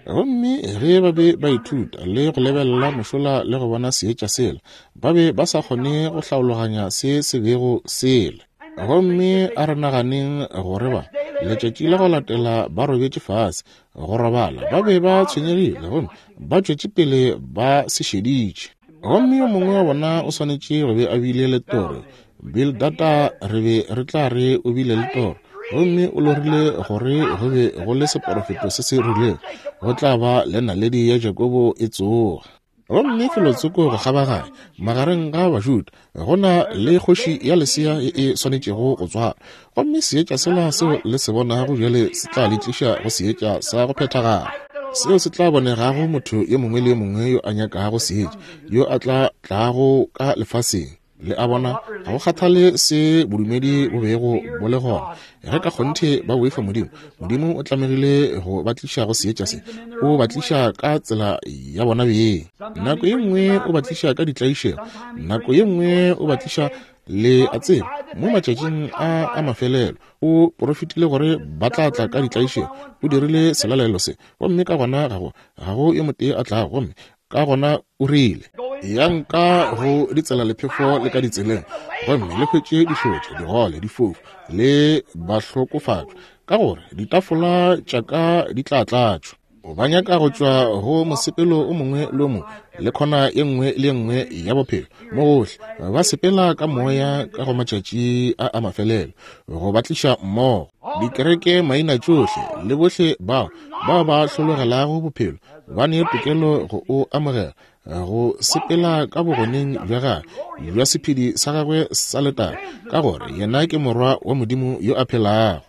Gomme ge ba be ba ithuta le go lebelela mošola le go bona seetša sela, ba be ba sa kgone go hlaologanya se se bego sele. Gomme a re naganeng gore ba, letšatši la go latela ba robetše fase go robala, ba be ba tshwenyegile gomme ba tšwetše pele ba se šeditše. Gomme yo mongwe wa bona o swanetše go be a bile le toro. Bildada, re be re tla re o bile le toro, gomme o lorile gore go be go le seporofeto se se rilego, go tla ba le naledi ya Jakobo e tsoga. Gomme felotsoko go kgabaganya magareng ga Bajuda go na le kgoši ya lesea ye e swanetšego go tswalwa, gomme seetša sela seo le se bonago bjale se tla le tliša go seetša sa go phethagala, seo se tla bonegago motho yo mongwe le yo mongwe yo a nyakago seetša, yo a tla tlago ka lefaseng. Le a bona, ga go kgathale se bodumedi bo bego bo le gona, ge ka kgonthe ba boifa Modimo, Modimo o tlamegile go ba tliša go seetša se. O ba tliša ka tsela ya bona beng. Nako ye nngwe o ba tliša ka ditlaišego, nako ye nngwe o ba tliša, le a tseba, mo matšatšing a a mafelelo o porofetile gore ba tla tla ka ditlaišego. O dirile selalelo se, gomme ka gona ga go, ga go yo motee a tlago, gomme ka gona o rile, Yang ka go ditselalephefo le ka ditseleng, gomme le hwetše dihlotša, digole, difofu le bahlokofatšwa, ka gore ditafola tša ka di tla tlatšwa. Ba nyaka go tšwa go mosepelo o mongwe le o mongwe le khona ye nngwe le ye nngwe ya bophelo mo gohle, ba sepela ka moya ka go matšatši a a mafelelo go ba tliša mmogo. Dikereke maina tšohle le bohle bao bao ba hlologelago bophelo ba ne tokelo go o amogela, go sepela ka bogoneng bja gagwe bja sephedi sa gagwe sa letago, ka gore yena ke Morwa wa Modimo yo a phelago.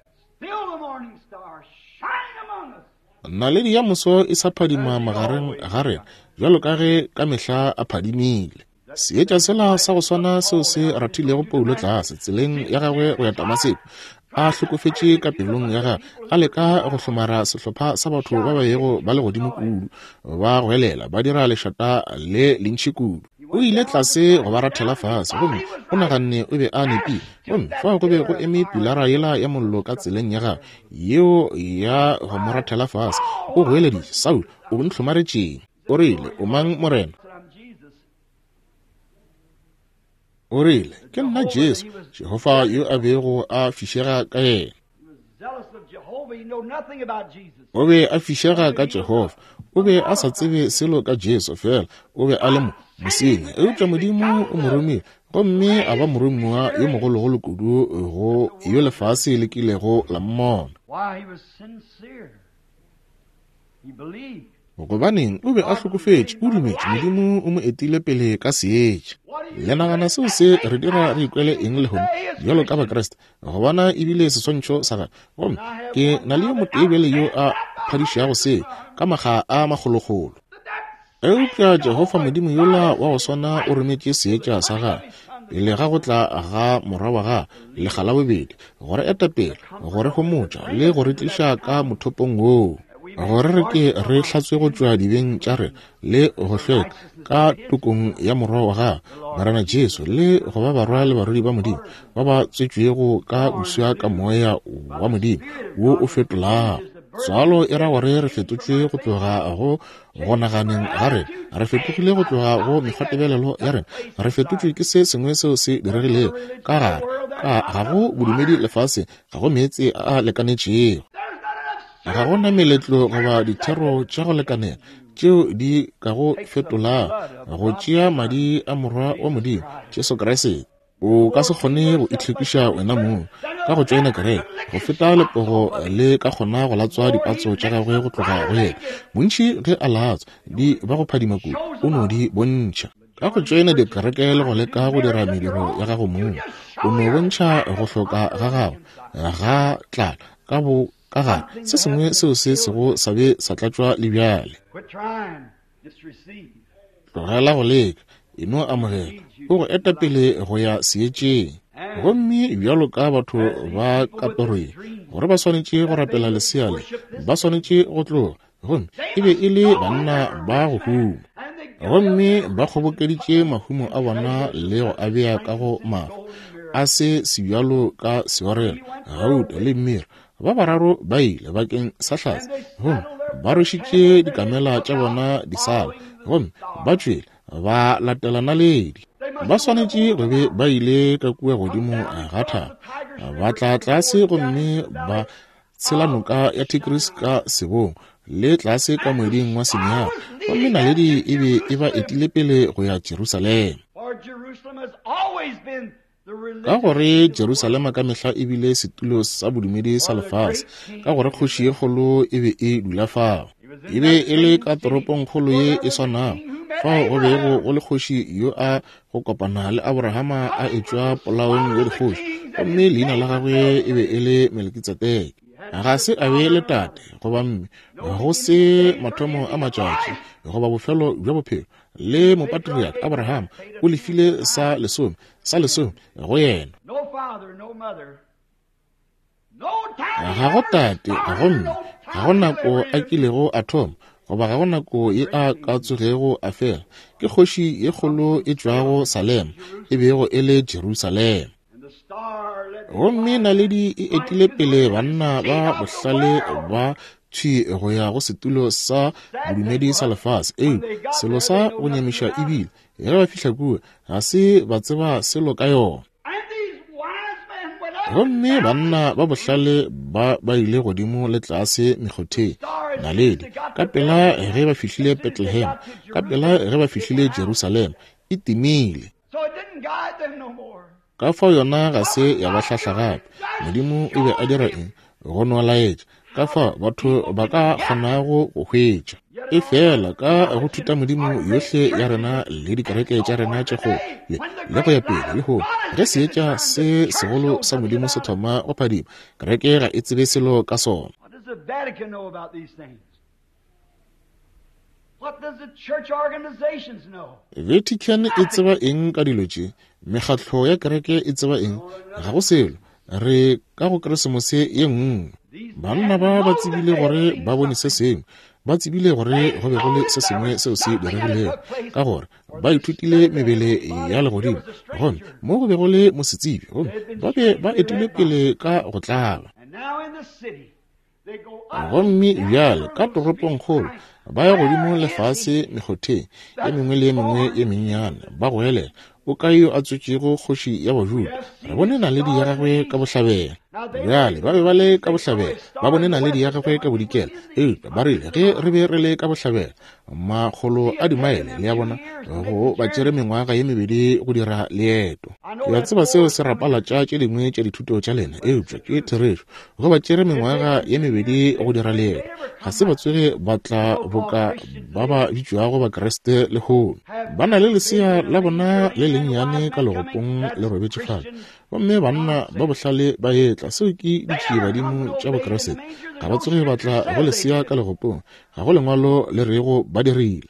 Naledi ya moso e sa phadima magareng ga rena bjalo ka ge ka mehla a phadimile. Seetša sela sa go swana seo se rathilego Paulo tlase tseleng ya gagwe go ya Damaseko, a hlokofetše ka pelong ya gagwe, a leka go hlomara sehlopha sa batho ba ba bego ba le godimo kudu, ba goelela, ba dira lešata le lentši kudu. O ile tlase go ba rathela fase, gomme o naganne o be a nepile. Gomme fao go be go eme pilara yela ya mollo ka tseleng ya gagwe, yeo ya go mo rathela fase. O goeleditše, Saulo, o ntlhomaretšeng? O rile, O mang, Morena? O rile, Ke nna Jesu, Jehofa yo a bego a fišega ka yena. O be a fišega ka Jehofa. O be a sa tsebe selo ka Jesu, fela o be a le mo mosenyi. Eupša Modimo o mo romile, gomme a ba moromiwa yo mogologolo kudu go yo lefase le kilego la mmona. Gobaneng, o be a hlokofetše, o dumetše Modimo o mo etile pele ka seetša. Le nagana seo se re dira re ikwele eng lehono bjalo ka Bakriste, go bona ebile seswantšho sa gagwe? Gomme ke na le yo motee bjale yo a phadišago se ka makga a makgolokgolo. Eupša Jehofa Modimo yola wa go swana o rometše seetša sa gagwe pele ga go tla ga Morwa wa gagwe lekga la bobedi, go re eta pele, go re homotša le go re tliša ka mothopong woo, gore re ke re hlatswe go tšwa dibeng tša rena le go hlweka ka tokong ya Morwa wa gagwe, Morena Jesu, le go ba barwa le barwedi ba Modimo ba ba tswetšwego ka boswa ka Moya wa Modimo wo o fetolago. Tswalo e ra gore re fetotšwe go tloga go go naganeng ga rena, re fetogile go tloga go mekgwatebelelo ya rena, re fetotšwe ke se sengwe seo se diregilego ka gare. Ka ga go bodumedi lefaseng, ga go meetse a a lekanetšego, ga go na meletlo goba dithero tša go lekanela tšeo di ka go fetolago go tšea madi a Morwa wa Modimo, Jesu Kriste. O ka se kgone go itlhwekiša wena mong ka go tšoena kereke go feta lepogo le ka kgona go latswa dipatso tša gagwe go tloga go yena. Bontši ge a latswa di ba go phadima kudu, o no di bontšha. Ka go tšoena dikereke le go leka go dira mediro ya gago mong, o no bontšha go hloka ga gago ga tlala ka bo ka gare, se sengwe seo se sego sa be sa tlatšwa le bjale. Tlogela go leka, e no amogela. O go eta pele go ya seetšeng. Gomme bjalo ka batho ba ka torong, gore ba swanetše go rapela lesea le, ba swanetše go tloga. Gomme e be e le banna ba go huma. Gomme ba kgobokeditše mahumo a bona le go a bea ka go mafa a se sebjalo ka seorelo, gauta le mira. Ba bararo ba ile bakeng sa hlatse, gomme ba rwešitše dikamela tša bona disala, gomme ba tšwele ba latela naledi. Ba swanetše go be ba ile ka kua godimo ga thaba, ba tla tlase gomme ba tshela noka ya Tigris ka sebong le tlase ka moeding wa Sinai, gomme naledi e be e ba etile pele go ya Jerusalema. Ka gore Jerusalema ka mehla e bile setulo sa bodumedi sa lefase, ka gore kgoši ye kgolo e be e dula fao. E be e le ka toropongkgolo ye e swanago fao go bego go le kgoši yo a go kopana le Abrahama a etšwa polaong ya dikgoši, gomme leina la gagwe e be e le Melkitsedeke. Ga se a be le tate goba mme, go se mathomo a matšatši goba bofelo bja bophelo. Le mopatriarch Abrahama o lefile sa lesome, sa lesome go yena. Ga go tate, ga go mme, ga go nako a kilego a thoma, goba ga go nako ye a ka tsogego a fela. Ke kgoši ye kgolo e tšwago Salema, e bego e le Jerusalema. Gomme naledi e etile pele banna ba bohlale ba thwi go ya go setulo sa bodumedi sa lefase. Eupša selo sa go nyamiša ebile ge ba fihla kua, ga se ba tseba selo ka yona. Gomme banna ba bohlale ba ba ile godimo le tlase mekgotheng, naledi, ka pela ge ba fihlile Bethlehem, ka pela ge ba fihlile Jerusalema, e timile. Ka fao yona ga se ya ba hlahla gape. Modimo o be a dira eng? Go no laetša ka fao batho ba ka kgonago go hwetša. Efela ka go thutamodimo yohle ya rena le dikereke tša rena tše kgolo le, le go ya pele lehono, ge seetša se segolo sa Modimo se thoma go phadima, kereke ga e tsebe selo ka sona. Vatican e tseba eng ka dilo tše? Mekgatlo ya kereke e tseba eng? Ga go selo. Re ka go Keresemose ye nngwe. Banna ba ba tsebile gore ba bone se sengwe. Ba tsebile gore go be go le se sengwe seo se diregilego, ka gore ba ithutile mebele ya legodimo, gomme mo go be go le mosetsebje, gomme ba be ba etile pele ka go tlaba. Gomme bjale ka toropongkgolo ba ya godimo le fase mekgotheng e mengwe le e mengwe e mennyane, ba goelela, O kae yo a tswetšego kgoši ya Bajuda? Re bone naledi ya gagwe ka bohlabela. Bjale ba be ba le ka bohlabela, ba bone naledi ya gagwe ka bodikela. Eupša ba rile ge re be re le ka bohlabela, makgolo a dimaele, le a bona, go ba tšere mengwaga ye mebedi go dira leeto. Ke a tseba seo se rapalatša tše dingwe tša dithuto tša lena, eupša ke therešo. Go ba tšere mengwaga ye mebedi go dira leeto. Ga se ba tsoge ba tla boka ba ba bitšwago Bakriste lehono. Ba na le lesea la bona le lennyane ka legopong le robetše fale. Gomme banna ba bohlale ba etla, seo ke ditšiebadimo tša Bokriste. Ga ba tsoge ba tla go lesea ka legopong. Ga go lengwalo le rego ba dirile.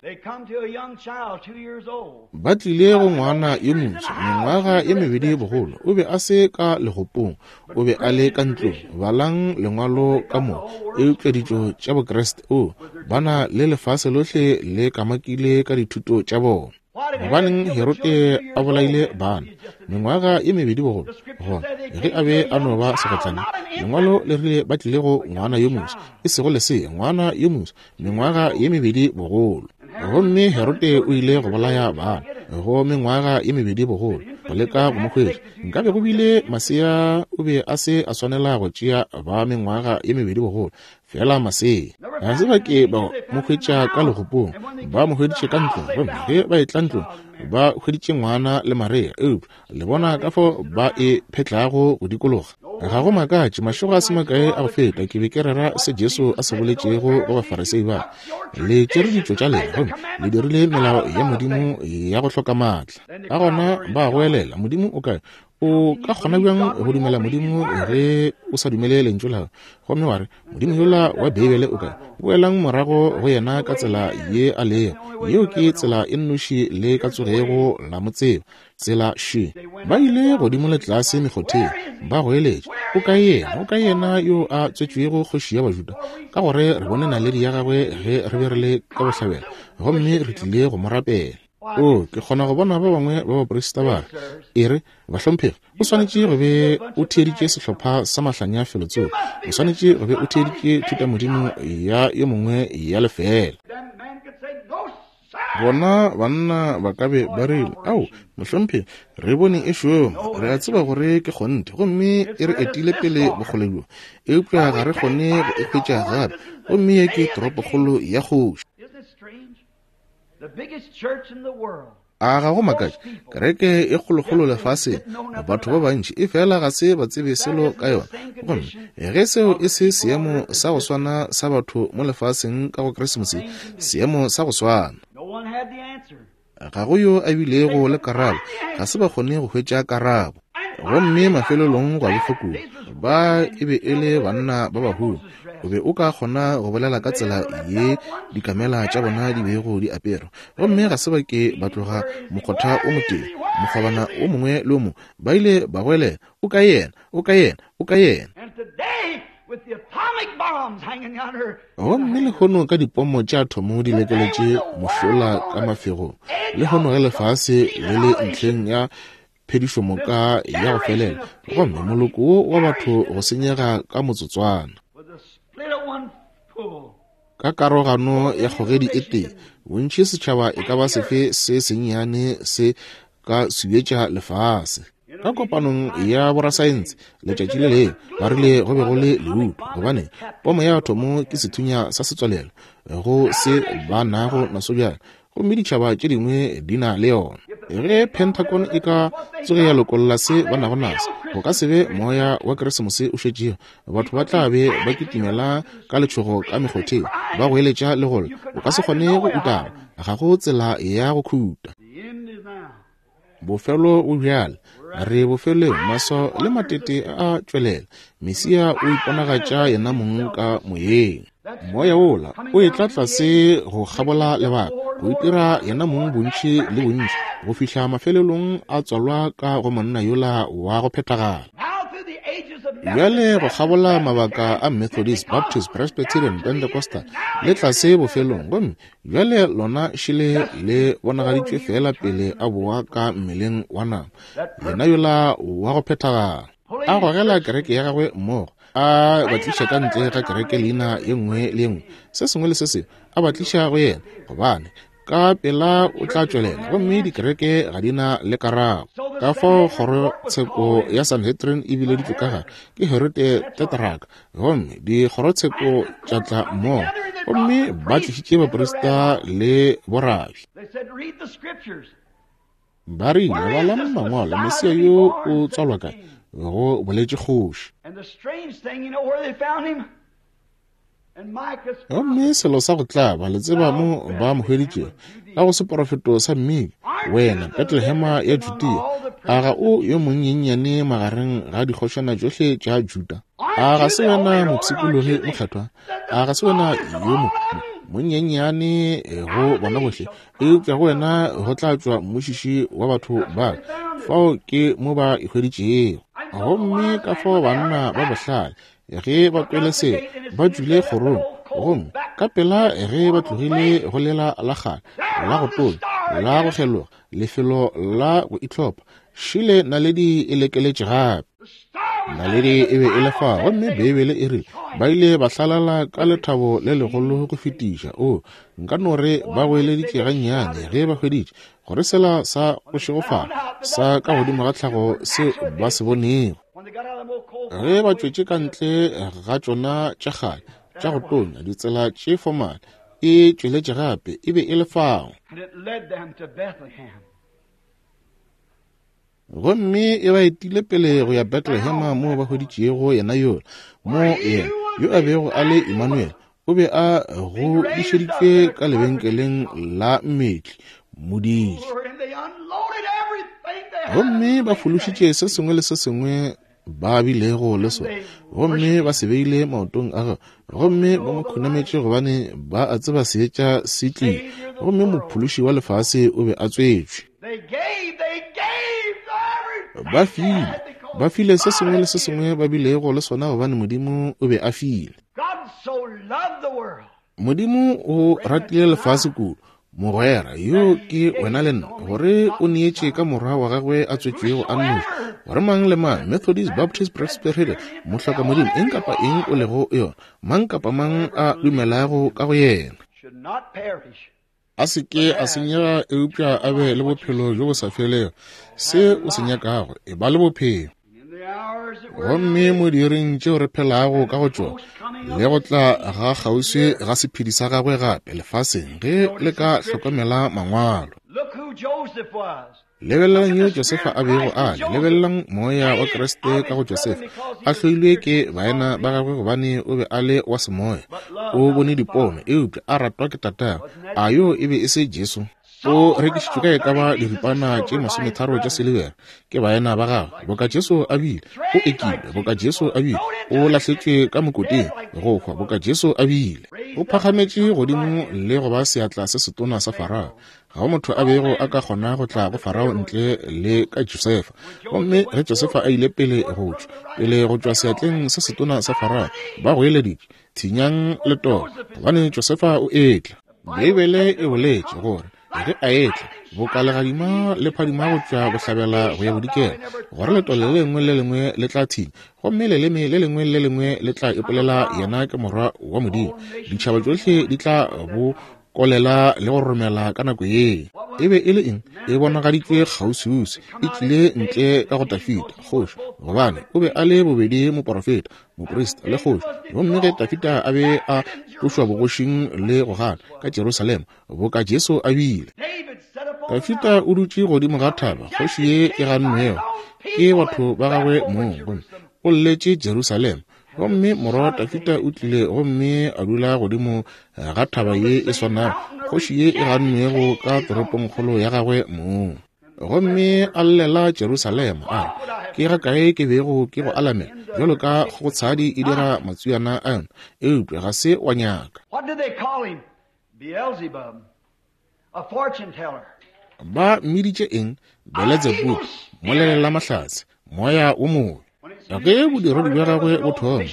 Ba tlile go ngwana yo moswa, mengwaga ye mebedi bogolo. O be a se ka legopong, o be a le ka ntlong. Balang lengwalo ka mo. Eupša ditšo tša Bokriste, o, ba na le lefase lohle le kamakile ka dithuto tša bona. Gobaneng Herode a bolaile bana mengwaga ye mebedi bogolo? Gona ge a be a no ba segotlane, lengwalo le rile ba tlile go ngwana yo moswa, e sego lesea, ngwana yo moswa, mengwaga ye mebedi bogolo. Gomme Herode o ile go bolaya bana go mengwaga ye mebedi bogolo, go leka go mo hwetša. Nkabe go bile masea, o be a se a swanela go tšea ba mengwaga ye mebedi bogolo, Fela masea ga se ba ke ba mo hwetša ka legopong, ba mo hweditše ka ntlong. Gomme ge ba etla ntlong, ba hweditše ngwana le Maria. Eupša le bona ka fao ba e phetlago go dikologa. Ga go makatše, mašego a se makae a go feta ke be ke rera se Jesu a se boletšego go Bafarisei ba. Le tšere ditšo tša lena gomme le dirile melao ya Modimo ya go hloka maatla. Ka gona ba goelela, Modimo o kae? O ka kgona bjang go dumela Modimo ge o sa dumele Lentšu la gagwe? Gomme wa re, Modimo yola wa Beibele o kae? Boelang morago go yena ka tsela ye a lego. Yeo ke tsela e nnoši le ka tsogego la mo tseba. Tsela še. Ba ile godimo le tlase mekgotheng, ba goeletša, O kae yena? O kae yena yo a tswetšwego kgoši ya Bajuda? Ka gore re bone naledi ya gagwe ge re be re le ka bohlabela, gomme re tlile go mo rapela. O, ke kgona go bona ba bangwe ba baprista ba re, E re, bahlomphegi, o swanetše go be o theeditše sehlopha sa mahlanya felotsoko. O swanetše go be o theeditše thutamodimo ya yo mongwe ya lefeela. Bona banna ba ka be ba rile, Ao, mohlomphegi, re bone e šoma. Re a tseba gore ke kgonthe, gomme e re etile pele bokgole bjo. Eupša ga re kgone go e hwetša gape, gomme ye ke toropokgolo ya kgoši. A ga go makatše? Kereke e kgolokgolo lefaseng, batho ba bantši e fela ga se ba tsebe selo ka yona. Gomme ge seo e se seemo sa go swana sa batho mo lefaseng ka go Krisemose, seemo sa go swana. Ga go yo a bilego le karabo, ga se ba kgone go hwetša karabo. Gomme mafelelong gwa befa kudu. Ba e be e le banna ba baholo. O be o ka kgona go bolela ka tsela ye dikamela tša bona di bego di apere. Gomme ga se ba ke ba tloga mokgotha o motee, mokgobana o mongwe le o mongwe. Ba ile ba goelela, O kae yena? O kae yena? O kae yena? Gomme lehono ka dipomo tša athomo di lekeletše mošola ka mafegong, lehono ge lefase le le ntlheng ya phedišomoka ya go felela, gomme moloko wo wa batho go senyega ka motsotswana. Ka karogano ya kgogedi e tee, bontši setšhaba e ka ba sefe se sennyane se ka suetša lefase. Ka kopanong ya borasaense letšatši le lengwe ba rile go be go le leuto, gobane pomo ya athomo ke sethunya sa setswalelo go se ba nago naso bjale, gomme ditšhaba tše dingwe di na le yona. Ge Pentagon e ka tsoge ya lokolla se ba nago naso, go ka se be moya wa Keresemose o šetšego. Batho ba tla be ba kitimela ka letšhogo ka mekgotheng, ba goeletša le go lla. O ka se kgone go utama, ga go tsela ya go khuta. Bofelo bo bjale, re bofelong, maswao le matete a a tšwelela. Mesia o iponagatša yena mong ka moyeng. Moya wola o etla tlase go kgabola lebaka, go itira yena mong bontši le bontši, go fihla mafelelong a tswalwa ka go monna yola wa go phethagala. Bjale go kgabola mabaka a Methodist, Baptist, Presbyterian, Pentecostal, le tlase bofelong, gomme Bjale lona šele le bonagaditšwe feela pele a boa ka mmeleng wa nama, yena yola wa go phethagala. A gogela kereke ya gagwe mmogo, a ba tliša ka ntle ga kereke leina ye nngwe le ye nngwe, se sengwe le se sengwe, a ba tliša go yena, gobane ka pela o tla tšwelela, gomme dikereke ga di na le karabo. Ka fao kgorotsheko ya Sanhedrin e bileditšwe ka gare ke Herode Tetrarch, gomme dikgorotsheko tša tla mmogo, gomme ba tlišitše baprista le borabi. Ba rile, Balang Mangwalo, Mesia yo o tswalwa kae? Go boletše kgoši. Gomme selo sa go tlaba, le tseba mo ba mo hweditšego, ka go seporofeto sa Mika, Wena Betlehema ya Judea, a ga o yo monnyennyane magareng ga dikgošana tšohle tša Juda? A ga se wena mopshikologi mokgethwa? A ga se wena yo mo monnyennyane go bona bohle? Eupša go wena go tla tšwa mmušiši wa batho ba. Fao ke mo ba e hweditšego. Gomme ka fao banna ba bohlale ge ba kwele se ba tšwile kgorong, gomme ka pela ge ba tlogile go lela la kgale la go tonya la go kgeloga lefelo la go itlhopha, šele naledi e lekeletše gape. Naledi e be e le fa, gomme Beibele e rile ba ile ba hlalala ka lethabo le legolo go fetiša. O, nka no re ba goeleditše gannyane ge ba hweditše gore sela sa go šegofala sa ka godimo ga tlhago se ba se bonego. Ge ba tšwetše ka ntle ga tšona tša kgale tša go tonya ditsela tše fomale, e tšweletše gape, e be e le fao. Gomme e ba etile pele go ya Bethlehema moo ba hweditšego yena yola, mo yena yo a bego a le Emmanuel, o be a godišeditšwe ka lebenkeleng la mmetli, modiidi. Gomme ba fološitše se sengwe le se sengwe ba bilego le sona, gomme ba se beile maotong a gagwe, gomme ba mo khunametše gobane ba a tseba seetša se tlile, gomme mophološi wa lefase o be a tswetšwe. Ba file, ba file se sengwe le se sengwe ba bilego le sona gobane Modimo o be a file. Modimo o ratile lefase kudu, mogwera yo ke wena le nna, gore o neetše ka morwa wa gagwe a tswetšwego a nnoši, gore mang le mang, Methodist, Baptist, Presbyterian, mohloka Modimo, eng kapa eng o lego yona, mang kapa mang a dumelago ka go yena, a se ke a senyega eupša a be le bophelo bjo bo sa felego. Se o se nyakago, e ba le bophelo. Gomme mo diiring tšeo re phelago ka go tšona, le go tla ga kgauswi ga sephedi sa gagwe gape lefaseng, ge le ka hlokomela Mangwalo. Lebelelang yo Josefa a bego a le, lebelelang moya wa Kriste ka go Josefa, a hloilwe ke baena ba gagwe gobane o be a le wa semoya, o bone dipono, eupša a ratwa ke tatagwe. A yo e be e se Jesu? O rekišitšwe ka e ka ba diripana tše masometharo tša silibera ke baena ba gagwe, boka Jesu a bile. O ekilwe, boka Jesu a bile. O lahletšwe ka mokoting, go hwa, boka Jesu a bile. O phagametše godimo le go ba seatla se setona sa Farao. Ga go motho a bego a ka kgona go tla go Farao ntle le ka Josefa. Gomme ge Josefa a ile pele go tšwa, pele go tšwa seatleng se setona sa Farao, ba goeleditše, Thinyang letolo, gobane Josefa o etla. Beibele e boletše gore ge a etla, boka legadima le phadima go tšwa bohlabela go ya bodikela, gore letolo le lengwe le lengwe le tla thinya, gomme leleme le lengwe le lengwe le tla ipolela yena ke Morwa wa Modimo. Ditšhaba tšohle di tla bo kolela le go romela ka nako ye. E be e le eng? E bonagaditšwe kgauswiuswi, e tlile ntle ka go Dafida, kgoši, gobane o be a le bobedi moporofeta, moprista le kgoši. Gomme ge Dafida a be a tlošwa bogošing le go gana ka Jerusalema, boka Jesu a bile, Dafida o dutše godimo ga thaba, kgoši ye e gannwego ke batho ba gagwe mong, gomme o lletše Jerusalema. Gomme morwa wa Dafida o tlile gomme a dula godimo ga thaba ye e swanago, kgoši ye e gannwego ka toropongkgolo ya gagwe mong. Gomme a llela Jerusalema, a re, Ke ga kae ke bego ke go alamela bjalo ka kgogotshadi e dira matswiana a yona, eupša ga se wa nyaka. Ba mmiditše eng? Beletsebubu, molelela-mahlatse, moya wo mobe. Ge bodiredi bja gagwe bo thoma,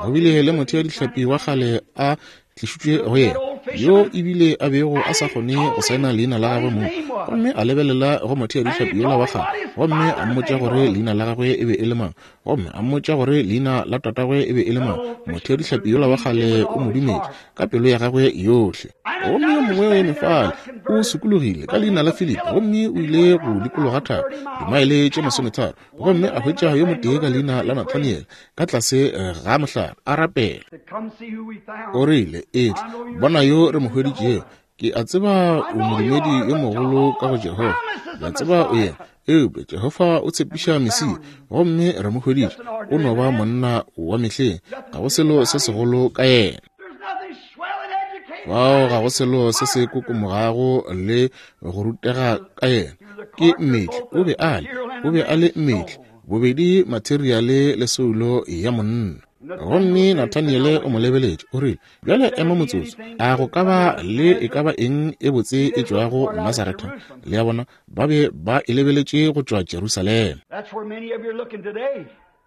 go bile le motheadihlapi wa kgale a tlišitšwe go yena, yo ebile a bego a sa kgone go saena leina la gagwe mong. Gomme a lebelela go motheadihlapi yola wa kgale, gomme a mmotša gore leina la gagwe e be e le mang, gomme a mmotša gore leina la tatagwe e be e le mang. Motheadihlapi yola wa kgale o mo dumetše ka pelo ya gagwe yohle. Gomme yo mongwe o eme fale, o sokologile ka leina la Filipi, gomme o ile go dikologa thaba dimaele tše masometharo, gomme a hwetša yo motee ka leina la Nathaniel ka tlase ga mohlare a rapela. O rile, Etla, bona yo re mo hweditšego. Ke a tseba o modumedi yo mogolo ka go Jehofa. Ke a tseba o yena. Eupša Jehofa o tshepiša Mesia, gomme re mo hweditše. O no ba monna wa mehleng. Ga go selo se segolo ka yena. Fao ga go selo se se kokomogago le go rutega ka yena. Ke mmetli. O be a le, o be a le mmetli, bobedi materiale le soulo ya monna. Gomme Nathaniele o mo lebeletše, o rile, Bjale ema motsotso, a go ka ba le e ka ba eng e botse e tšwago Nazaretha? Le a bona, ba be ba e lebeletše go tšwa Jerusalema.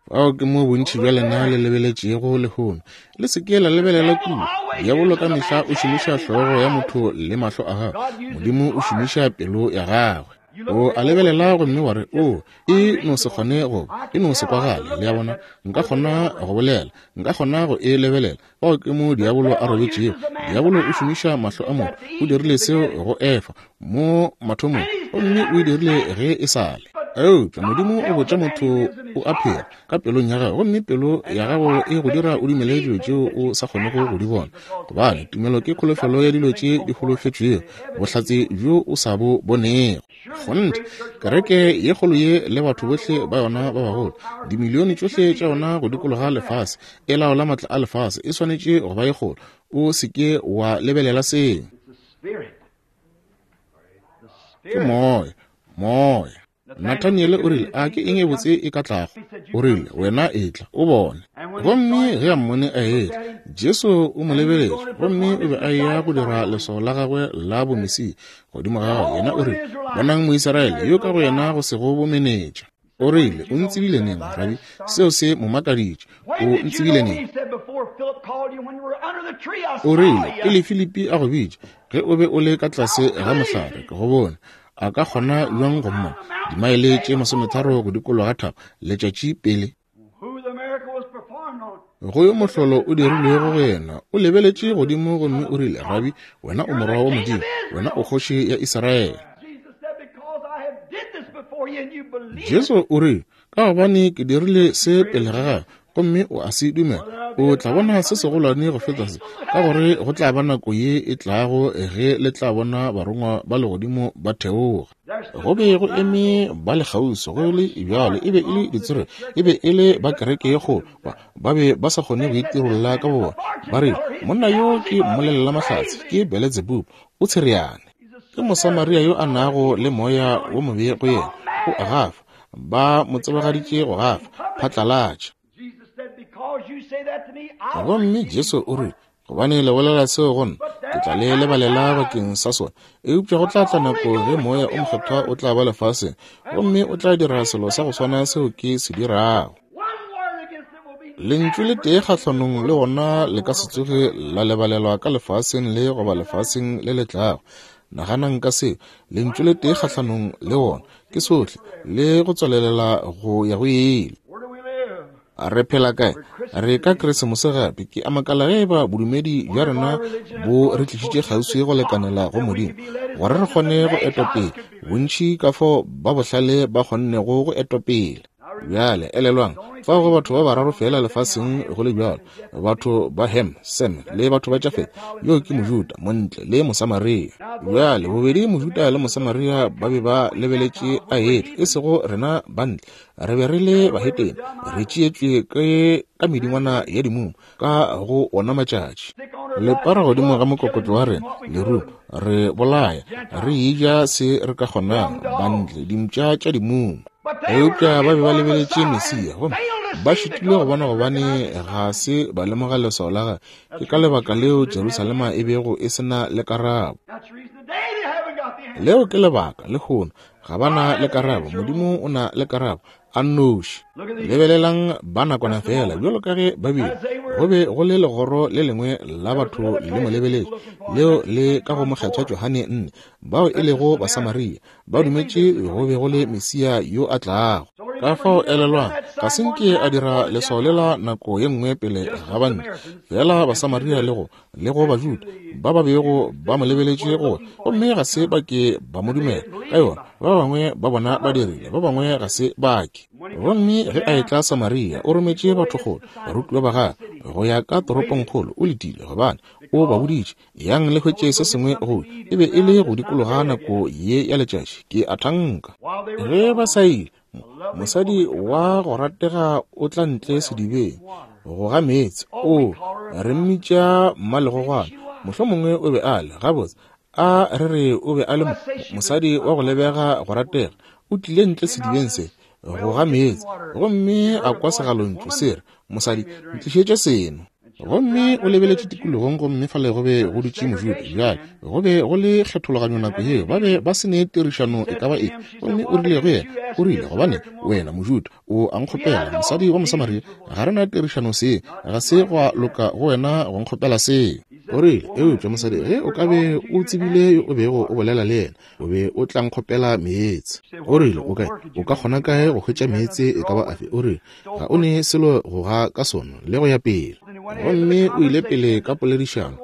Fao ke mo bontši bja lena le lebeletšego lehono. Le se ke la lebelela kua. Diabolo ka mehla o šomiša hlogo ya motho le mahlo a gagwe. Modimo o šomiša pelo ya gagwe. O a lebelela gomme wa re, O, e no se kgone go, e no se kwagale. Le a bona? Nka kgona go bolela. Nka kgona go e lebelela. Fao ke mo diabolo a robetšego. Diabolo o šomiša mahlo a motho. O dirile seo go Efa mo mathomong, gomme o e dirile ge e sa le. Eupša Modimo o botša motho o a phela ka pelong ya gagwe, gomme pelo ya gago e go dira o dumele dilo tšeo o sa kgonego go di bona, gobane tumelo ke kholofelo ya dilo tše di holofetšwego, bohlatse bjo o sa bo bonego. Kgonthe, kereke ye kgolo ye le batho bohle ba yona ba bagolo, dimilione tšohle tša yona go dikologa lefase, e laola matla a lefase, e swanetše go ba ye kgolo. O se ke wa lebelela seo. Ke moya, moya. Nathaniele o rile, A ke eng e botse e ka tlago? O rile, Wena etla, o bone. Gomme ge a mmone a etla, Jesu o mo lebeletše, gomme o be a eya go dira leswao la gagwe la bomesia godimo ga gagwe. Yena o rile, Bonang Moisraele yo ka go yena go sego bomenetša. O rile, O ntsebile neng, Rabi? Seo se mo makaditše. O ntsebile neng? O rile, Pele Filipi a go bitša, ge o be o le ka tlase ga mohlare, ke go bone. A ka kgona bjang go mmona? Dimaele tše masometharo go dikologa thaba, letšatši pele. Go yo mohlolo o dirilwego go yena, o lebeletše godimo gomme o rile, Rabi, wena o Morwa wa Modimo, wena o Kgoši ya Israele. Jesu o rile, Ka gobane ke dirile se pele ga gago, gomme o a se dumela, o tla bona se segolwane go feta se, ka gore go tla ba nako ye e tlago ge le tla bona barongwa ba legodimo ba theoga. Go be go eme ba le kgauswi, go le bjalo e be e le ditsere, e be e le ba kereke ye kgolo, ba, ba be ba sa kgone go itirolla ka bobona. Ba rile, Monna yo ke mmolelelamahlatse, ke Beletsebubu, o tshereane. Ke Mosamaria yo a nago le moya wo mobe go yena. O a gafa. Ba mo tsebagaditše go gafa phatlalatša. Gomme Jesu o rile, Gobane le bolela seo go nna, ke tla le lebalela bakeng sa sona. Eupša go tla tla nako ge Moya o Mokgethwa o tla ba lefaseng, gomme o tla dira selo sa go swana seo ke se dirago. Lentšu le tee kgahlanong le wona le ka se tsoge la lebalelwa ka lefaseng le goba lefaseng le le tlago. Naganang ka seo, lentšu le tee kgahlanong le wona ke sohle le go tswalelela go ya go ile. Re phela kae? Re ka Keresemose gape. Ke a makala ge eba bodumedi bja rena bo re tlišitše kgauswi go lekanela go Modimo, gore re kgone go etwa pele bontši ka fao ba bohlale ba kgonnego go etwa pele. Bjale, elelwang, fao go batho ba bararo feela lefaseng go le bjalo, batho ba Ham, Sem, le batho ba Jafet. Yo ke Mojuda, Montle, le Mosamaria. Bjale, bobedi Mojuda le Mosamaria ba be ba lebeletše a etla, e sego rena Bantle. Re be re le bahetene, re tšeetšwe ke ka medingwana ya dimumu ka go ona matšatši. Lepara godimo ga mokokotlo wa rena, lerumo, re bolaya, re eja se re ka kgonang, bantle, dimpša tša dimumu. Eupša ba be ba lebeletše Mesia, gomme ba šitilwe go bona gobane ga se ba lemoga leswao la gagwe. Ke ka lebaka leo Jerusalema e bego e se na le karabo. Leo ke lebaka lehono ga ba na le karabo. Modimo o na le karabo a nnoši. Lebelelang ba nakwana fela, bjalo ka ge ba bile, go be go le legoro le lengwe la batho le mo lebeletše, leo le ka go Mokgethwa Johane 4, bao e lego Basamaria, ba dumetše go be go le Mesia yo a tlago. Ka fao elelwang, ga se nke a dira leswao lela nako ye nngwe pele ga bantle, fela Basamaria le go le go Bajuda ba ba bego ba mo lebeletše go, gomme ga se ba ke ba mo dumela ka yona. Ba bangwe ba bona ba dirile, ba bangwe ga se ba ke. Gomme ge a etla Samaria, o rometše batho kgole, barutiwa ba gagwe, go ya ka toropongkgolo. O letile, gobane o ba boditše, Yang le hwetše se sengwe go. E be e le go dikologa nako ye ya letšatši, ke a thanka. Ge ba sa ile, Mosadi wa go ratega o tla ntle sedibeng go ga meetse. O, re mmitša mmalegogwana. Mohlomongwe o be a le, gabotse, a re re o be a le mosadi wa go lebega go ratega. O tlile ntle sedibeng se go ga meetse, gomme a kwa segalontšu se re, Mosadi, ntlišetše seno. Gomme o lebeletše tikologong, gomme fale go be go dutše Mojuda. Bjale, go be go le kgethologanyo nako yeo, ba be ba se ne tirišano e ka ba efe. Gomme o rile go yena, o rile, Gobane wena Mojuda o a nkgopela, mosadi wa Mosamaria, ga re na tirišano seng, ga se gwa loka go wena go nkgopela seo. O rile, Eupša mosadi, ge o ka be o tsebile yo o bego o bolela le yena, o be o tla nkgopela meetse. O rile, O kae? O ka kgona kae go hwetša meetse e ka ba afe? O rile, Ga o ne selo go ga ka sona, le go ya pele. Gomme o ile pele ka poledišano.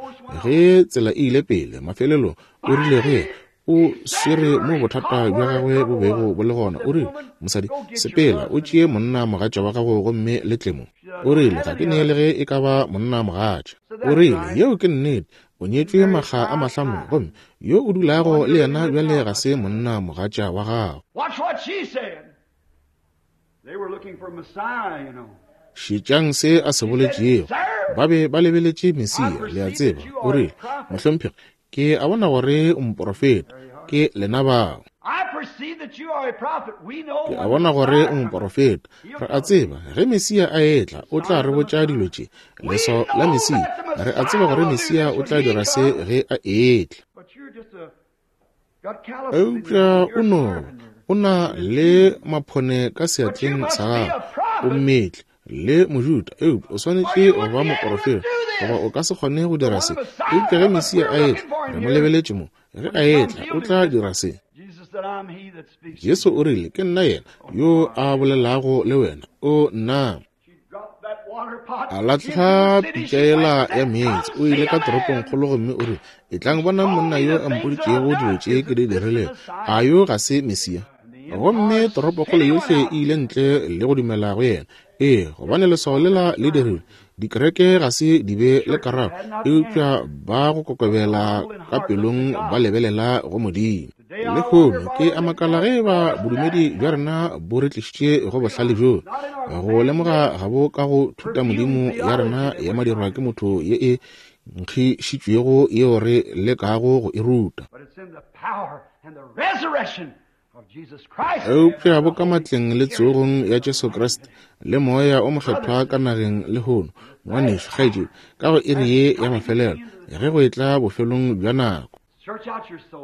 Ge tsela e ile pele, mafelelong o rile go yena, o swere mo bothata bja gagwe bo bego bo le gona. O rile, Mosadi, sepela, o tšee monna mogatša wa gago gomme le tle mo. O rile, Ga ke ne le ge e ka ba monna mogatša. O rile, Yeo ke nnete. O nyetšwe makga a mahlano, gomme yo o dulago le yena bjale ga se monna mogatša wa gago. Šetšang se a se boletšego. Ba be ba lebeletše Mesia, le a tseba. O rile, Mohlomphegi, ke a bona gore o moporofeta. Ke lena bao. Ke a bona gore o moporofeta. Re a tseba ge Mesia a etla, o tla re botša dilo tše. Leswao la Mesia. Re a tseba gore Mesia o tla dira se ge a etla. Eupša o no, o na le maphone ka seatleng sa gago, o mmetli le Mojuda, eupša o swanetše go ba moporofeta, goba o ka se kgone go dira se. Eupša ge Mesia a etla, re mo lebeletše mo, ge a etla, o tla dira se. Jesu o rile, Ke nna yena yo a bolelago le wena. O nna. A lahla pitša yela ya meetse. O ile ka toropongkgolo gomme o rile, Etlang bonang monna yo a mpoditšego dilo tše ke di dirilego. A yo ga se Mesia? Gomme toropokgolo yohle e ile ntle le go dumela go yena. Ee, gobane leswao lela le dirilwe. Dikereke ga se di be le karabo, eupša ba go kokobela ka pelong ba lebelela go Modimo. Lehono ke a makala ge eba bodumedi bja rena bo re tlišitše go bohlale bjo, go lemoga ga bo ka go thutamodimo ya rena ya madirwa ke motho ye e nkgišitšwego yeo re lekago go e ruta. Eupša bo ka matleng le tsogong ya Jesu Kriste le Moya o Mokgethwa ka nageng lehono, ngwanešu, kgaetšedi, ka go iri ye ya mafelelo, ge go etla bofelong bja nako.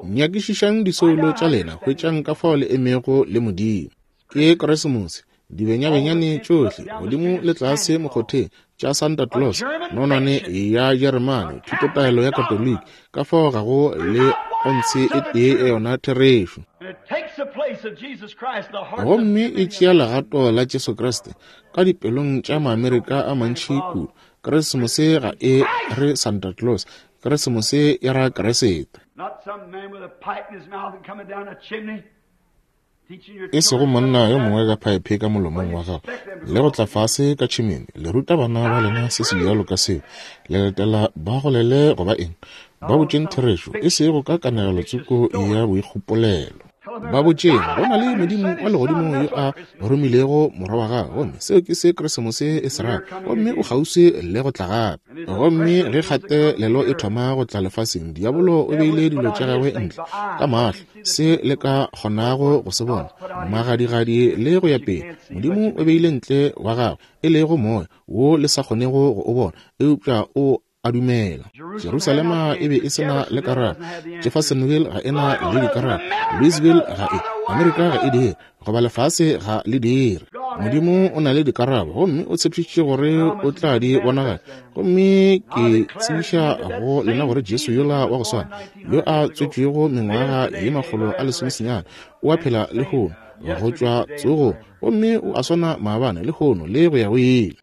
Nyakišišang disoulo tša lena, hwetšang ka fao le emego le Modimo. Ke Keresemose, dibenyabenyane tšohle godimo le tlase mokgotheng tša Santa Claus, nonwane ya Jeremane, thutotaelo ya Katoliki, ka fao ga go le ontshe e tee ya yona therešo. Gomme e tšea legato la Jesu Kriste ka dipelong tša Maamerika a mantši kudu. Keresemose ga e re Santa Claus, Keresemose e ra Keresete. E sego monna yo mongwe ka phaephe ka molomong wa gagwe le go tla fase ka tšhimene le ruta bana ba lena se se bjalo ka seo, le letela ba golele goba eng. Ba botšeng therešo, e sego ka kanegelo tsoko ya boikgopolelo. Ba botšeng go na le Modimo wa legodimo yo a romilego morwa wa gagwe, gomme seo ke se Keresemose e se rago, gomme o kgauswi le go tla gape. Gomme ge kgatelelo e thoma go tla lefaseng, diabolo o beile dilo tša gagwe ntle ka mahlo, se le ka kgonago go se bona, magadigadi le go ya pele. Modimo o beile ntle wa gagwe, e lego moya wo le sa kgonego go o bona, eupša o a dumela. Jerusalema e be e se na le karabo, Jeffersonville ga e na le dikarabo, Louisville ga e, Amerika ga e dire, goba lefase ga le dire. Modimo o na le dikarabo, gomme o tshepišitše gore o tla di bonagatša. Gomme ke tsebiša go lena gore Jesu yola wa go swana, yo a tswetšwego mengwaga ye 190, o a phela lehono, go tšwa tsogong, gomme o a swana maabane, lehono, le go ya go ile.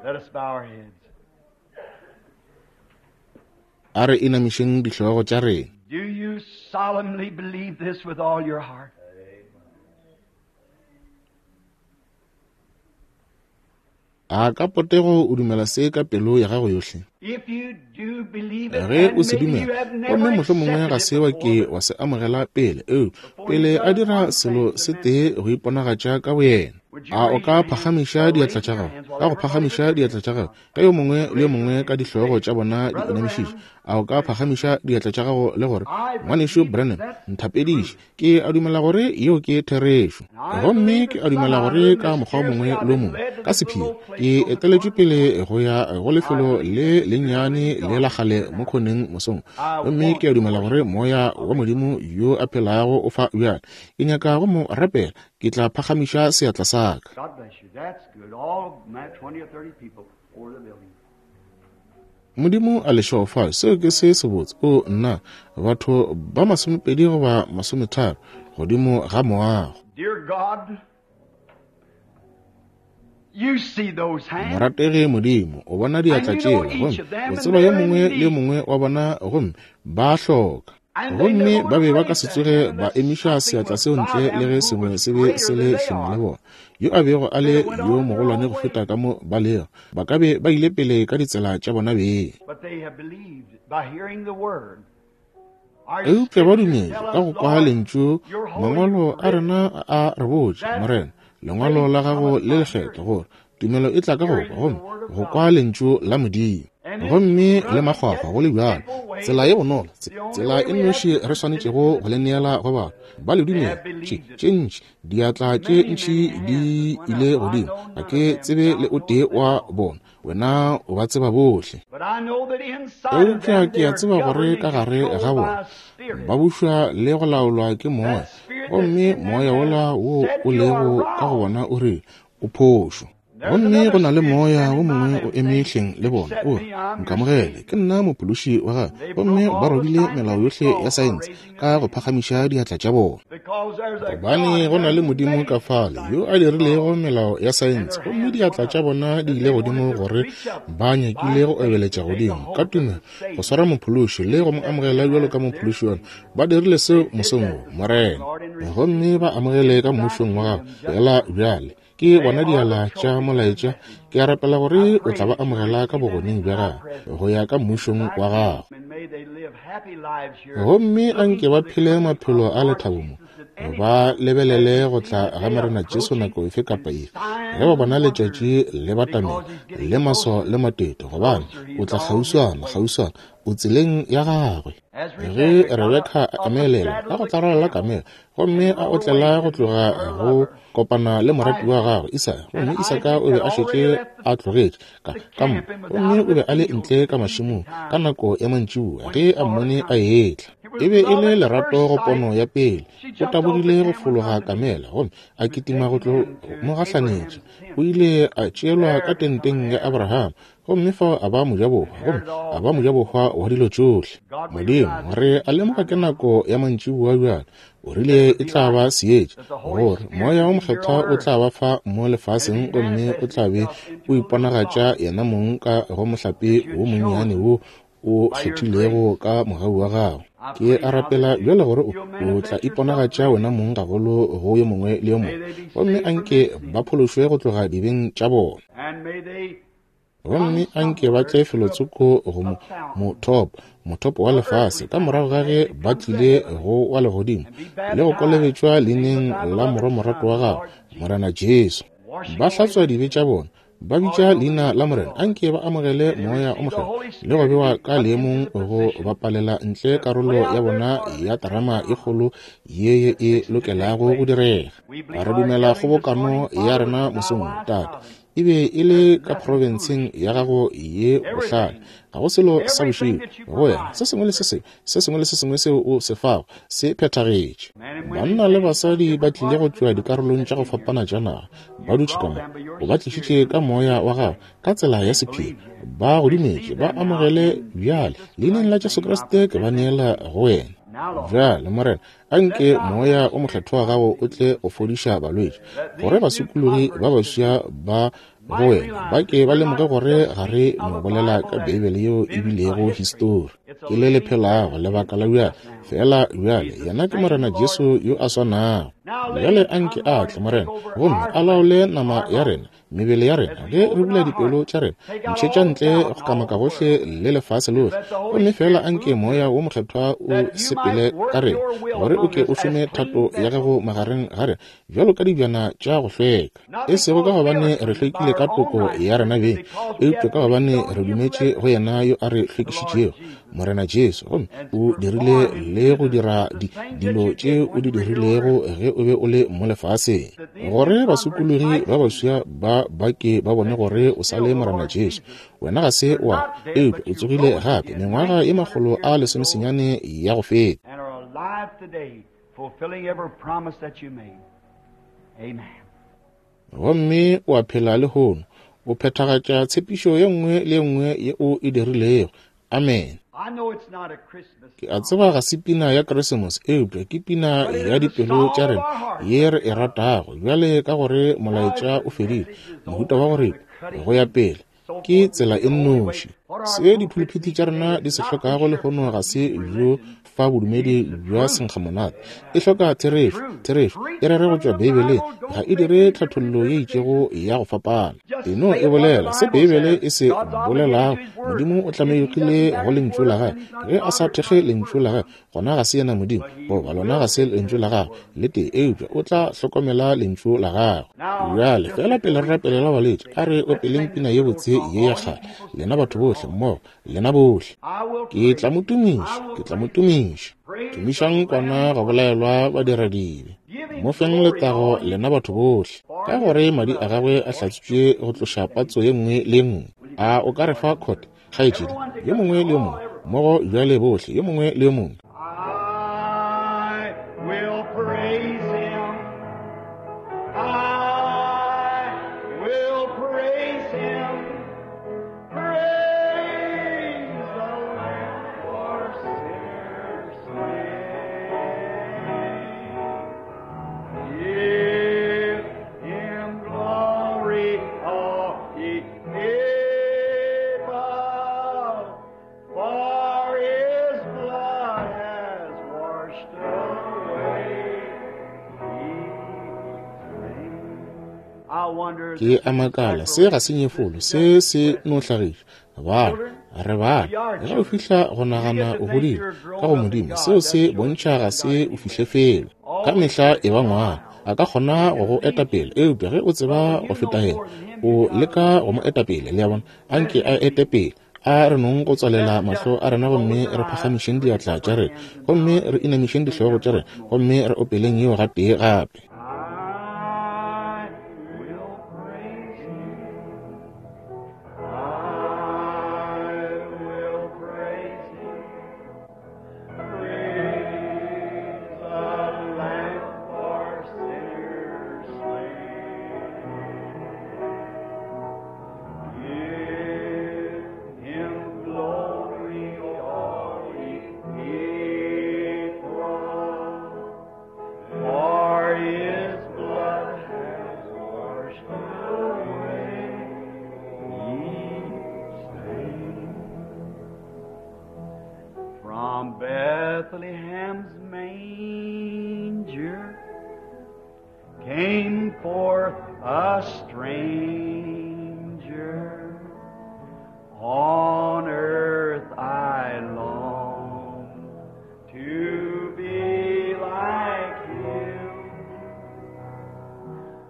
A re inamišeng dihlogo tša rena. Do you solemnly believe this with all your heart? A ka potego o dumela se ka pelo ya gago yohle? Ge o se dumela, gomme mohlomongwe ga se wa ke wa se amogela pele, eo pele a dira selo se tee go iponagatša ka boyena, a o ka phagamiša diatla tša gago? Ka go phagamiša diatla tša gago, ge yo mongwe le yo mongwe ka dihlogo tša bona di inamišiše, a o ka phagamiša diatla tša gago le gore, Ngwanešu Branham, nthapediše. Ke a dumela gore yeo ke therešo. Gomme ke a dumela gore ka mokgwa o mongwe le o mongwe, ka sephiri, ke eteletšwe pele go ya go lefelo le lennyane le la kgale mo khoneng mosong. Gomme ke a dumela gore Moya wa Modimo yo a phelago o fa bjale. Ke nyaka go mo rapela. Ke tla phagamiša seatla sa ka. God bless you. That's good. All 20 or 30 people over the building. Modimo a le šegofatše. Seo ke se sebotse. O nna, batho ba 20 goba 30 godimo ga moago. Dear God, you see those hands. Morategi Modimo, o bona diatla tšela, gomme o tseba yo mongwe le yo mongwe wa bona, gomme ba hloka. Gomme ba be ba ka se tsoge ba emiša seatla seo ntle le ge sengwe se be se le hleng le bona, yo a bego a le yo mogolwane go feta ka mo ba lego. Ba ka be ba ile pele ka ditsela tša bona beng. Eupša ba dumetše ka go kwa lentšu. Mangwalo a rena a re botša, Morena, lengwalo la gago le lekgethwa, gore tumelo e tla ka go kwa, gomme go kwa lentšu la Modimo. Gomme le makgwakgwa go le bjalo, tsela ye bonolo, tsela e nnoši re swanetšego go le neela go batho ba le dumela. Tše ntši diatla tše ntši di ile godimo, ga ke tsebe le o tee wa bona, wena o ba tseba bohle. Eupša ke a tseba gore ka gare ga bona ba bušwa le go laolwa ke moya, gomme moya wola wo o lego ka go bona o rile o phošo. Gomme go na le moya wo mongwe o eme hleng le bona, o re, Nkamogele, ke nna mophološi wa gago. Gomme ba robile melao yohle ya saense ka go phagamiša diatla tša bona. Gobane go na le Modimo ka fale yo a dirilego melao ya saense, gomme diatla tša bona di ile godimo gore ba nyakile go obeletša godimo ka tumelo go swara mophološi le go mo amogela bjalo ka mophološi wa Ba dirile seo mosong wo, Morena, gomme ba amogele ka mmušong wa gago feela bjale. Ke bona diala tša molaetša, ke a rapela gore o tla ba amogela ka bogoneng bja gago go ya ka mmušong wa gago. Gomme a nke ba phele maphelo a lethabo mo, ba lebelele go tla ga Morena Jesu nako efe kapa efe. Ge ba bona letšatši le batamela, le maso le matete, gobane o tla kgauswana, kgauswana, o tseleng ya gagwe. Ge Rebeka a emelela ka go tlarala la kamela, gomme a otlela go tloga go kopana le morati wa gagwe Isaka, gomme Isaka o be a šetše a tlogetše ka ka mo, gomme o be a le ntle ka mašemong ka nako ya mantšiboa ge a mmone a etla. E be e le lerato go pono ya pele. O tabogile go fologa kamela gomme a kitima go tlo mo gahlanetša. O ile a tšeelwa ka tenteng ya Abraham, gomme fao a ba mojabohwa, gomme a ba mojabohwa wa dilo tšohle. Modimo, re a lemoga ke nako ya mantšiboa bjale. O rile e tla ba seetša, gore Moya wo Mokgethwa o tla ba fa mo lefaseng gomme o tla be o iponagatša yena mong ka go mohlape wo monnyane wo o kgethilego ka mogau wa gago. Ke a rapela bjale gore o tla iponagatša wena mong gagolo go yo mongwe le yo mongwe, gomme anke ba phološwe go tloga dibeng tša bona. Gomme anke ba tle felotsoko go mothopo, mothopo wa lefase, ka morago ga ge ba tlile go wa legodimo le go kolobetšwa leineng la Morwa morato wa gago, Morena Jesu. Ba hlatswa dibe tša bona, ba bitša leina la Morena, anke ba amogele Moya o Mokgethwa le go bewa ka leemong go bapalela ntle karolo ya bona ya terama e kgolo ye ye e lokelago go direga. Re dumela kgobokano ya rena mosong, Tate, e be e le ka profenseng ya gago ye bohlale. Ga go selo sa bošego go wena. Se sengwe le se sengwe, se sengwe le se sengwe seo o se fago se phethagetše. Banna le basadi ba tlile go tšwa dikarolong tša go fapana tša naga, ba dutše ka mo. O ba tlišitše ka moya wa gago ka tsela ya sephiri. Ba go dumetše, ba amogele bjale. Leineng la Jesu Kriste ke ba neela go wena. Bjale, Morena, anke Moya o Mokgethwa wa gago o tle go fodiša balwetši, gore basokologi ba baswa ba go wena ba ke ba lemoge gore ga re no bolela ka Beibele yeo e bilego histori. Ke le le phelago lebaka la bjale, fela bjale yena ke Morena Jesu yo a swanago. Bjale anke a tle, Morena, gomme a laole nama ya rena, mebele ya rena, ge re bula dipelo tša rena, ntšhetša ntle go kamaka gohle le lefase lohle, gomme fela anke Moya wo Mokgethwa o sepele ka rena, gore o ke o šome thato ya gago magareng ga rena bjalo ka dibjana tša go hlweka, e sego ka gobane re hlwekile ka toko ya rena beng, eupša ka gobane re dumetše go yena yo a re hlwekišitšego, Morena Jesu, gomme o dirile le go dira dilo tše o di dirilego ge o be o le mo lefaseng, gore basokologi ba baswa ba ba ke ba bone gore o sa le Morena Jesu. Wena ga se wa, eupša o tsogile gape mengwaga ye 119 ya go feta. Gomme o a phela lehono, o phethagatša tshepišo ye nngwe le ye nngwe ye o e dirilego. Amen. Ke a tseba ga se pina ya Keresemose, eupša ke pina ya dipelo tša rena ye re e ratago. Bjale ka gore molaetša o fedile, mohuta wa gore go ya pele ke tsela e nnoši. Se diphuluphithi tša rena di se hlokago lehono ga se bjo fa bodumedi bja senkgamonate. E hloka therešo. Therešo e rere go tšwa Beibeleng, ga e dire tlhathollo ye itšego ya go fapana. E no e bolela se Beibele e se bolelago. Modimo o tlamegile go lentšu la gagwe. Ge a sa thekge lentšu la gagwe, gona ga se yena Modimo, goba lona ga se lentšu la gagwe le tee, eupša o tla hlokomela lentšu la gagwe. Bjale, fela pele re rapelela balwetši, a re opeleng pina ye botse ye ya kgale, lena batho bohle mmogo, lena bohle. Ke tla mo tumiša, ke tla mo tumiša. Tumišang kwana go bolaelwa badiradibe. Mo feng letago lena batho bohle, ka gore madi a gagwe a hlatswitšwe go tloša patso ye nngwe le ye nngwe. A o ka re fa khote, kgaetšedi? Yo mongwe le yo mongwe mmogo bjale, bohle, yo mongwe le yo mongwe. I will praise him. I will praise him. Praise the Lamb for sinners slain. Give him glory, all ye people, for his blood has washed away the I wonder. Ke a makala, se ga se nyefolo, se se no hlagiša. Bana, re bana. Ge o fihla go nagana o godile ka go Modimo, seo se bontšha ga se o fihle felo. Ka mehla e ba ngwana. A ka kgona go go eta pele, eupša ge o tseba go feta yena, o leka go mo eta pele. Le a bona? Anke a ete pele. A re nong go tswalela mahlo a rena gomme re phagamišeng diatla tša rena, gomme re inamišeng dihlogo tša rena, gomme re opeleng yeo gatee gape. I will praise Him. I will praise Him. Praise the Lamb for sinners slain. Give Him glory, all ye people. For His blood has washed away each stain. From Bethlehem's manger came forth a stranger. On earth I long to be like him.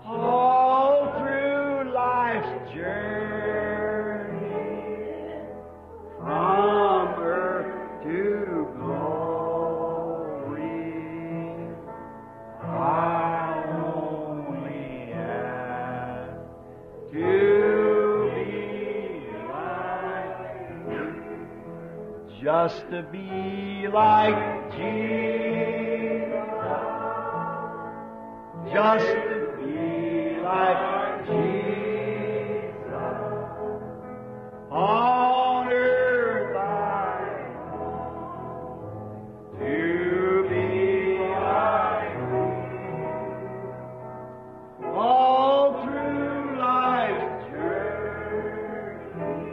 All through life's journey, from earth to glory, I only ask to be like him, just to be like Jesus, just to be like Jesus. On earth I long to be like Thee. All through life's journey,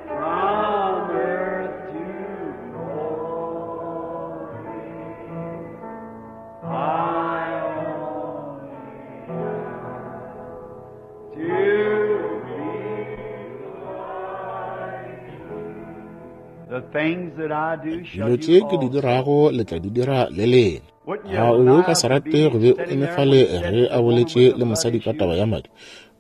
from earth to glory, I only ask to be like Thee. The things that I do shall Dilo you tše ke di also. dirago le tla di dira le lena. Wouldn't you A o be o ka like se to rate be go be o sitting eme there fale when he said ge to a the woman boletše with the le blood mosadi ka issue, taba ya madi?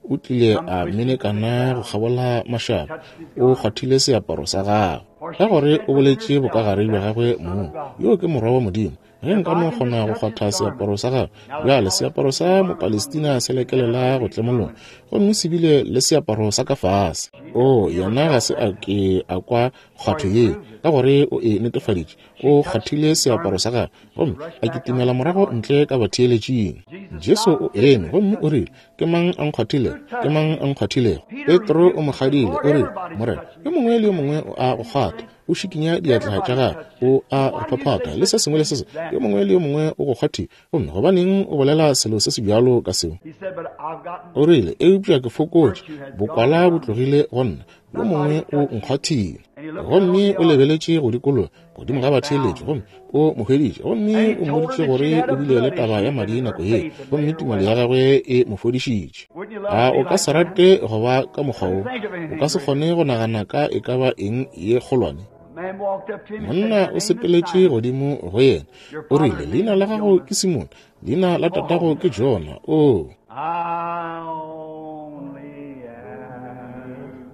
O tlile come a twisting through the menekana go crowd, kgabola mašaba, touched his o garment. kgwathile seaparo sa gagwe. For Ka she gore said o within boletše herself, bokagare bja That's gagwe the Son mong, of God. yo ke Morwa wa Modimo. Ge If nka I no can just kgona go touch his kgwatha garment. seaparo sa gagwe. Now the Bjale seaparo sa Palestinian garment on the Mopalestina se had a lekelela go leaf tlemologa, garment. gomme se bile le seaparo sa ka fase. She O didn't hear yena ga herself se a that time, ke a kwa for kgwatho he yeo, proved it. ka gore o e netefaditše. She O touched kgwathile his seaparo garment sa gagwe, and she gomme rushed a back out kitimela to the morago audience. ntle ka batheeletšing. Jesus Jesu stopped o dead eme and gomme o touched rile, him. Ke mang a nkgwathilego? Who Ke touched mang me? a nkgwathilego? Peter Petro rebuked o mo him and said, kgadile, Lord, o rile, everybody's Morena, touching yo you. mongwe le yo mongwe o a go kgwatha, o šikinya diatla tša Everybody's gagwe, touched you. o a Why go do you phaphatha, say le se such a sengwe le thing se as sengwe. that? Yo mongwe le yo mongwe o go kgwathile, gomme gobaneng o bolela selo se se bjalo ka seo? He said, But I've gotten O rile, eupša ke fokotše, virtue has gone bokwala bo from me. tlogile go nna, yo mongwe Somebody o touched me. nkgwathile. And he looked out on Gomme the o audience lebeletše go dikologa godimo and ga he batheeletši, found gomme her. o mo hweditše, gomme And he o told her mmoditše that she gore had o a bile le blood taba issue ya and madi her nako ye, faith had gomme made her tumelo ya well. gagwe e mo fodišitše. Wouldn't you love A to be o ka like se that? rate go ba ka mokgwa Couldn't wo? think of O anything ka se greater. kgone go nagana ka e ka ba eng ye kgolwane? A man walked up to him and said, Monna Your o name is sepeletše Simon. godimo go yena, Your o father's rile, name Leina is la gago Jonah. ke Simone, leina la tatago Oh, ke Jona. O I only ask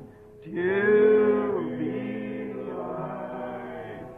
to be like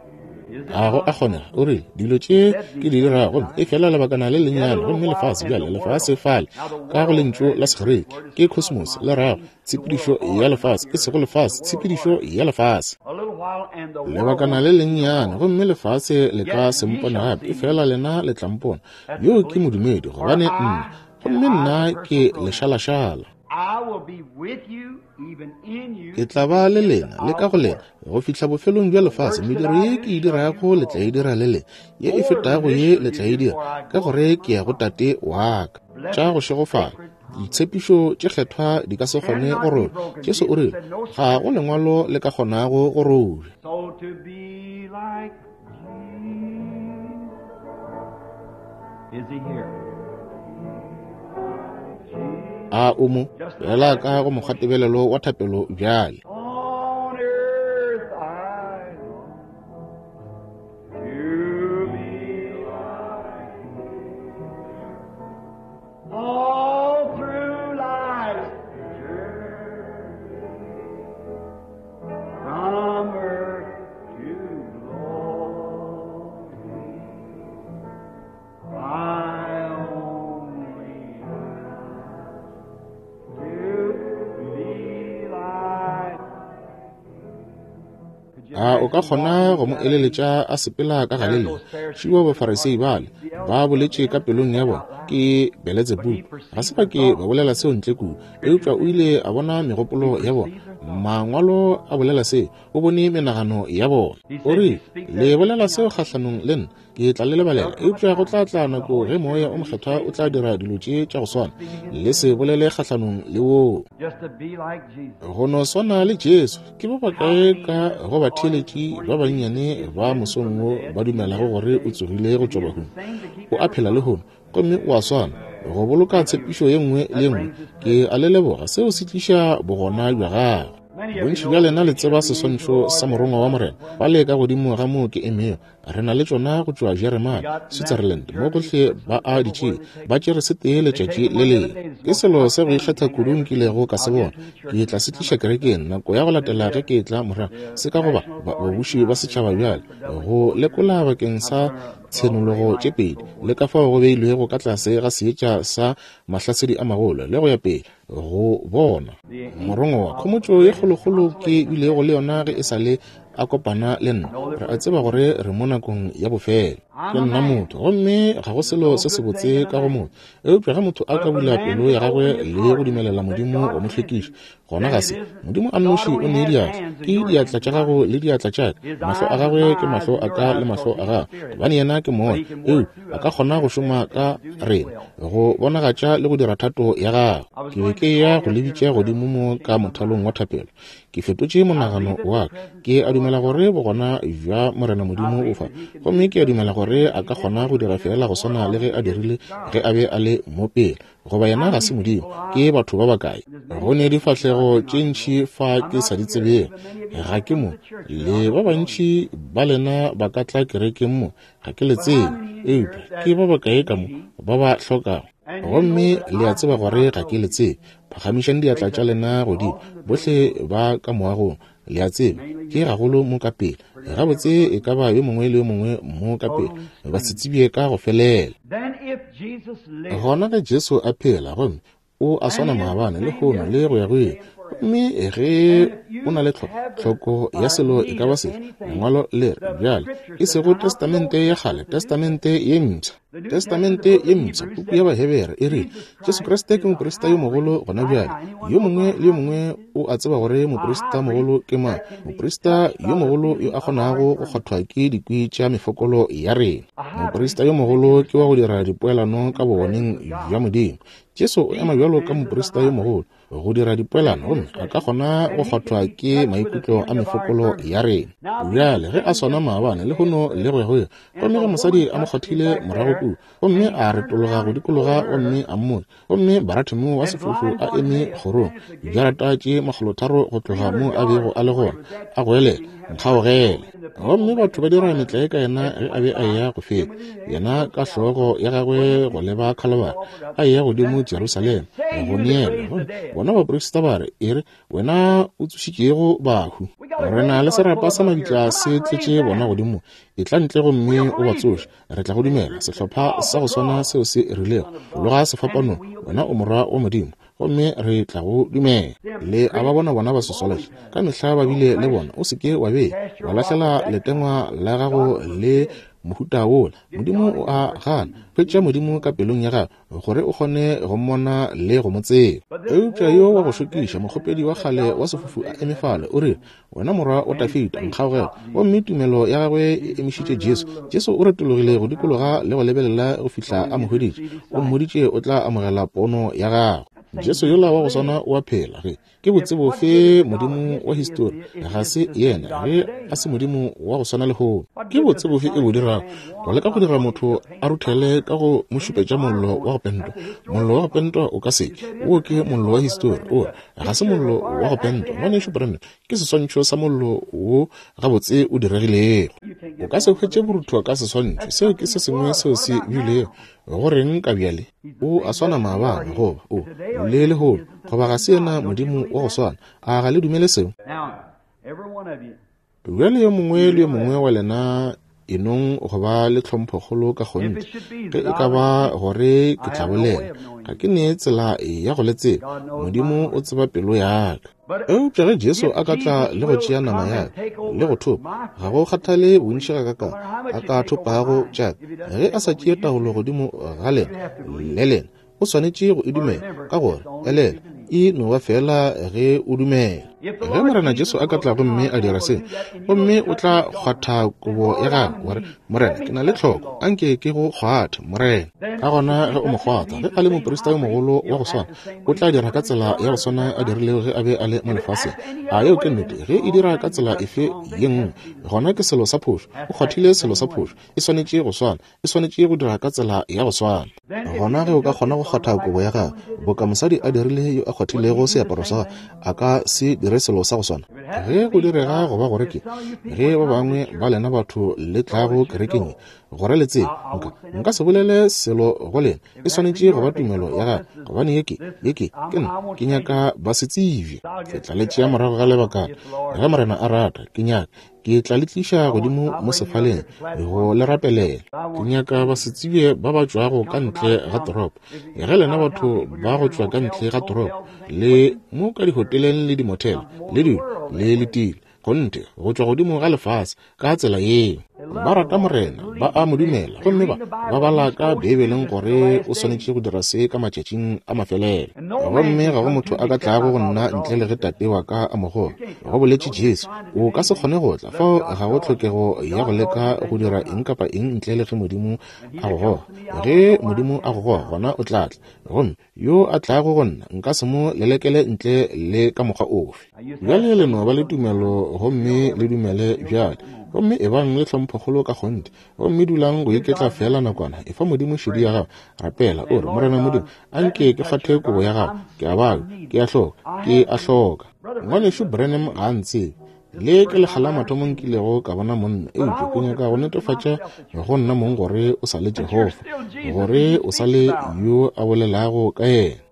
you. Is it a go a possible? kgonega. O rile, dilo tše Said ke these di things, dirago, gomme e I fela lebakana le Yet a lennyane, little gomme while lefase and the bjale lefase world. fale. Now the Ka go world lentšu there la is the Segerike Greek word is ke cosmos, cosmos, le rago means the tshepedišo world ya order, not lefase, the e earth, sego the lefase, world tshepedišo order. ya lefase. A little while and the world Lebakana won't le see me no lennyane, more. gomme lefase le ka Yet se ye mpone shall gape, see e me. fela lena le tla mpona. That's the Yo ke believer. modumedi, For gobane nna, I and gomme I, nna the ke personal pronoun, lešalašala. I will be with you, even in you, Ke to tla the ba le end lena, le ka of go the lena, world. go fihla bofelong bja The lefase. works that Mediro I ye do ke e shall you dirago do le tla e also. dira le lena, ye e More than fetago this ye shall le you tla e do, dira, for I ka go unto gore my ke ya go Father. Tate wa ka. Tša go Blessed šegofala, sacred promise ditshepišo tše kgethwa di ka se kgone go cannot be robja. broken. Jesu o Jesus rile, said, No ga go scripture. lengwalo le ka kgonago go robja. So to be like Jesus. Is he here? A o mo Just look fela at ka it go this morning. mokgwatebelelo wa thapelo bjale. On earth I long to be like All through life's journey, from earth to glory, I only ask to be like. A o ka kgona go mo eleletša a sepela ka Galilea? Šiwa Bafarisei bale ba boletše ka pelong ya bona, ke Beletsebubu. Ga se ba ke ba bolela seo ntle kudu, eupša o ile a bona megopolo ya bona. Mangwalo a bolela seo, o bone menagano ya bona. O rile, Le bolela seo kgahlanong le nna, ke tla le lebalela. Eupša go tla tla nako ge Moya o Mokgethwa o tla dira dilo tše tša go swana. Le se bolele kgahlanong le woo. Just to be like Jesus. Go no swana le Jesu. Ke ba bakae ka go batheeletši ba bannyane ba mosong wo ba dumelago gore o tsogile go tšwa bahung? O a phela lehono, gomme o a swana, go boloka tshepišo ye nngwe le ye nngwe. Ke a le leboga. Seo se tliša bogona bja gagwe. Bontši bja lena le tseba seswantšho sa morongwa wa Morena fale ka godimo ga moo ke emego. Re na le tšona go tšwa Jeremane, Switzerland, mo gohle ba a di tšea. Ba tšere se tee letšatši le lengwe. Ke selo sa go ikgetha kudu nkilego ka se bona. Ke tla se tliša kerekeng nako ya go latela ge ke etla morago. Se ka goba babuši ba setšhaba bjale go lekola bakeng sa tshenologo tše pedi le ka fao go beilwego ka tlase ga seetša sa mahlasedi a magolo le go ya pele go bona morongwa wa khomotšo ye kgolokgolo ke bilego le yona ge e sa le a kopana le nna. Re a tseba gore re mo nakong ya bofelo. Ke nna motho, gomme ga go selo se sebotse ka go motho. Eupša ge motho a ka bula pelo ya gagwe le go dumelela Modimo go mo hlwekiša, gona ga se Modimo a nnoši o ne diatla. Ke diatla tša gago le diatla tša ka. Mahlo a gagwe ke mahlo a ka le mahlo a gago, gobane yena ke moya. Eupša a ka kgona go šoma ka rena, go bonagatša le go dira thato ya gagwe. Ke be ke eya go le bitša godimo mo ka mothalong wa thapelo. Ke fetotše monagano wa ka. Ke a dumela gore bogona bja Morena Modimo bo fa, gomme ke a dumela gore a ka kgona go dira feela go swana le ge a dirile ge a be a le mo pele. Goba yena ga se Modimo. Ke batho ba bakae? Go ne difahlego tše ntši fa ke sa di tsebego. Ga ke mo. Le ba bantši ba lena ba ka tla kerekeng mo. Ga ke le tsebe. Eupša ke ba bakae ka mo ba ba hlokago? Gomme le a tseba gore ga ke le tsebe. Phagamišang diatla tša lena godimo, bohle ba ka moagong. Le a tseba, ke gagolo mo ka pele. Gabotse e ka ba yo mongwe le yo mongwe mo ka pele, ba se tsebje ka go felela. Gona ge Jesu a phela, gomme o a swana maabane, lehono, le go ya go ile, gomme ge o na le tlhoko ya selo e ka ba sefe, Lengwalo le re, bjale, e sego Testamente ya Kgale, Testamente ye Mpsha. Testamente ye Mpsha, puku ya Bahebere e rile, Jesu Kriste ke moprista yo mogolo gona bjale. Yo mongwe le yo mongwe o a tseba gore moprista mogolo ke mang, moprista yo mogolo yo a kgonago go kgwathwa ke dikwi tša mefokolo ya rena. Moprista yo mogolo ke wa go dira dipoelano ka bogoneng bja Modimo. Jesu o ema bjalo ka moprista yo mogolo go dira dipoelano gomme a ka kgona go kgwathwa ke maikutlo a mefokolo ya rena. Bjale ge a swana maabane, lehono le go ya go ile, gomme ge mosadi a mo kgwathile morago kua, gomme a retologa go dikologa gomme a mmotša, gomme Baratimeo wa sefofu a eme kgorong, dijarata tše 300 go tloga mo a bego a le gona, a goelela, Nkgaogele! Gomme batho ba dira metlae ka yena ge a be a eya go feta, yena ka hlogo ya gagwe go leba Khalabari, a eya godimo Jerusalema go neelwa. Gomme bona baprista ba re, E re, wena o tsošitšego bahu, re na le serapa sa mabitla se tletše bona godimo, etla ntle gomme o ba tsoše, re tla go dumela. Sehlopha sa go swana seo se rilego, Fologa sefapanong, wena o Morwa wa Modimo, gomme re tla go dumela. Le a ba bona bona ba sosološa, ka mehla ba bile le bona. O se ke wa be wa lahlela letengwa la gago le mohuta wola. Modimo o a gana. Hwetša Modimo ka pelong ya gago, gore o kgone go mmona le go mo tseba. Eupša yo wa go šokiša, mokgopedi wa kgale wa sefofu a eme fale, o rile, Wena Morwa wa Dafida, nkgaogele. Gomme tumelo ya gagwe e emišitše Jesu. Jesu o retologile go dikologa le go lebelela go fihla a mo hweditše. O mmoditše o tla amogela pono ya gagwe. Jesu yola wa go swana o a phela. Ge ke botse bofe Modimo wa histori ga se yena, ge a se Modimo wa go swana lehono? Ke botse bofe e bo dirago go leka go dira motho a ruthele ka go mo šupetša mollo wa go pentwa? Mollo wa go pentwa o ka se ke. Wo ke mollo wa histori. O ga se mollo wa go pentwa. Ngwanešu Branham, ke seswantšho sa mollo wo gabotse o diregilego. O ka se hwetše borutho ka seswantšho. Seo ke se sengwe seo se bilego. Go reng ka bjale? O a swana maabane, goba o le lehono, goba ga se yena Modimo wa go swana. A ga le dumele seo? Bjale yo mongwe le yo mongwe wa lena enong go ba le tlhomphokgolo ka kgonthe. Ge e ka ba gore ke tla bolela, ga ke ne tsela ya go le tseba. Modimo o tseba pelo ya ka. Eupša ge Jesu a ka tla le go tšea nama ya ka le go thopa, ga go kgathale bontši ga ka a ka thopago tša ka, ge a sa tšee taolo godimo ga lena le lena, o swanetše go e dumela, ka gore elela e no ba fela ge o dumela. Ge Morena Jesu a ka tla gomme a dira se, gomme o tla kgwatha kobo ya gagwe, wa re, Morena, ke na le tlhoko, anke ke go kgwathe, Morena. Ka gona ge o mo kgwatha, ge a le moprista yo mogolo wa go swana, o tla dira ka tsela ya go swana a dirilego ge a be a le mo lefaseng. A yeo ke nnete? Ge e dira ka tsela efe ye nngwe, gona ke selo sa phošo. O kgwathile selo sa phošo. E swanetše go swana. E swanetše go dira ka tsela ya go swana. Gona ge o ka kgona go kgwatha kobo ya gagwe, boka mosadi a dirile yo a kgwathilego seaparo sa gagwe, a ka se dire selo sa go swana. Ge go direga go ba gore ke ge ba bangwe ba lena batho le tlago kerekeng ye, gore le tsebe, nka, nka se bolele selo go lena. E swanetše go ba tumelo ya gagwe, gobane ye ke, ye ke, ke nna, ke nyaka ba se tsebje. Ke tla le tšea morago ga lebakana, ge Morena a rata. Ke nyaka, ke tla le tliša godimo mo sefaleng go le rapelela. Ke nyaka basetsebje ba ba tšwago ka ntle ga toropo. Ge lena batho ba go tšwa ka ntle ga toropo le mo ka dihoteleng le dimothele le dilo le letile, kgonthe go tšwa godimo ga lefase ka tsela yeo. Ba rata Morena, ba a mo dumela, gomme ba ba bala ka Beibeleng gore o swanetše go dira se ka matšatšing a mafelelo. Gomme ga go motho a ka tlago go nna ntle le ge Tate wa ka a mo goga, go boletše Jesu. O ka se kgone go tla, fao ga go tlhokego ya go leka go dira eng kapa eng ntle le ge Modimo a go goga. Ge Modimo a go goga, gona o tla tla. Gomme yo a tlago go nna nka se mo lelekele ntle le ka mokgwa ofe. Bjale le no ba le tumelo gomme le dumele bjale, gomme ebang le tlhomphokgolo ka kgonthe, gomme dulang go iketla feela nakwana. Efa Modimo šedi ya gago, rapela o re, Morena Modimo, anke ke kgwathe kobo ya gago, ke a babja, ke a hloka, ke a hloka. Ngwanešu Branham ga a ntsebe. Le ke lekga la mathomo nkilego ka bona monna, eupša ke nyaka go netefatša go nna mong gore o sa le Jehofa, gore o sa le yo a bolelago ka yena.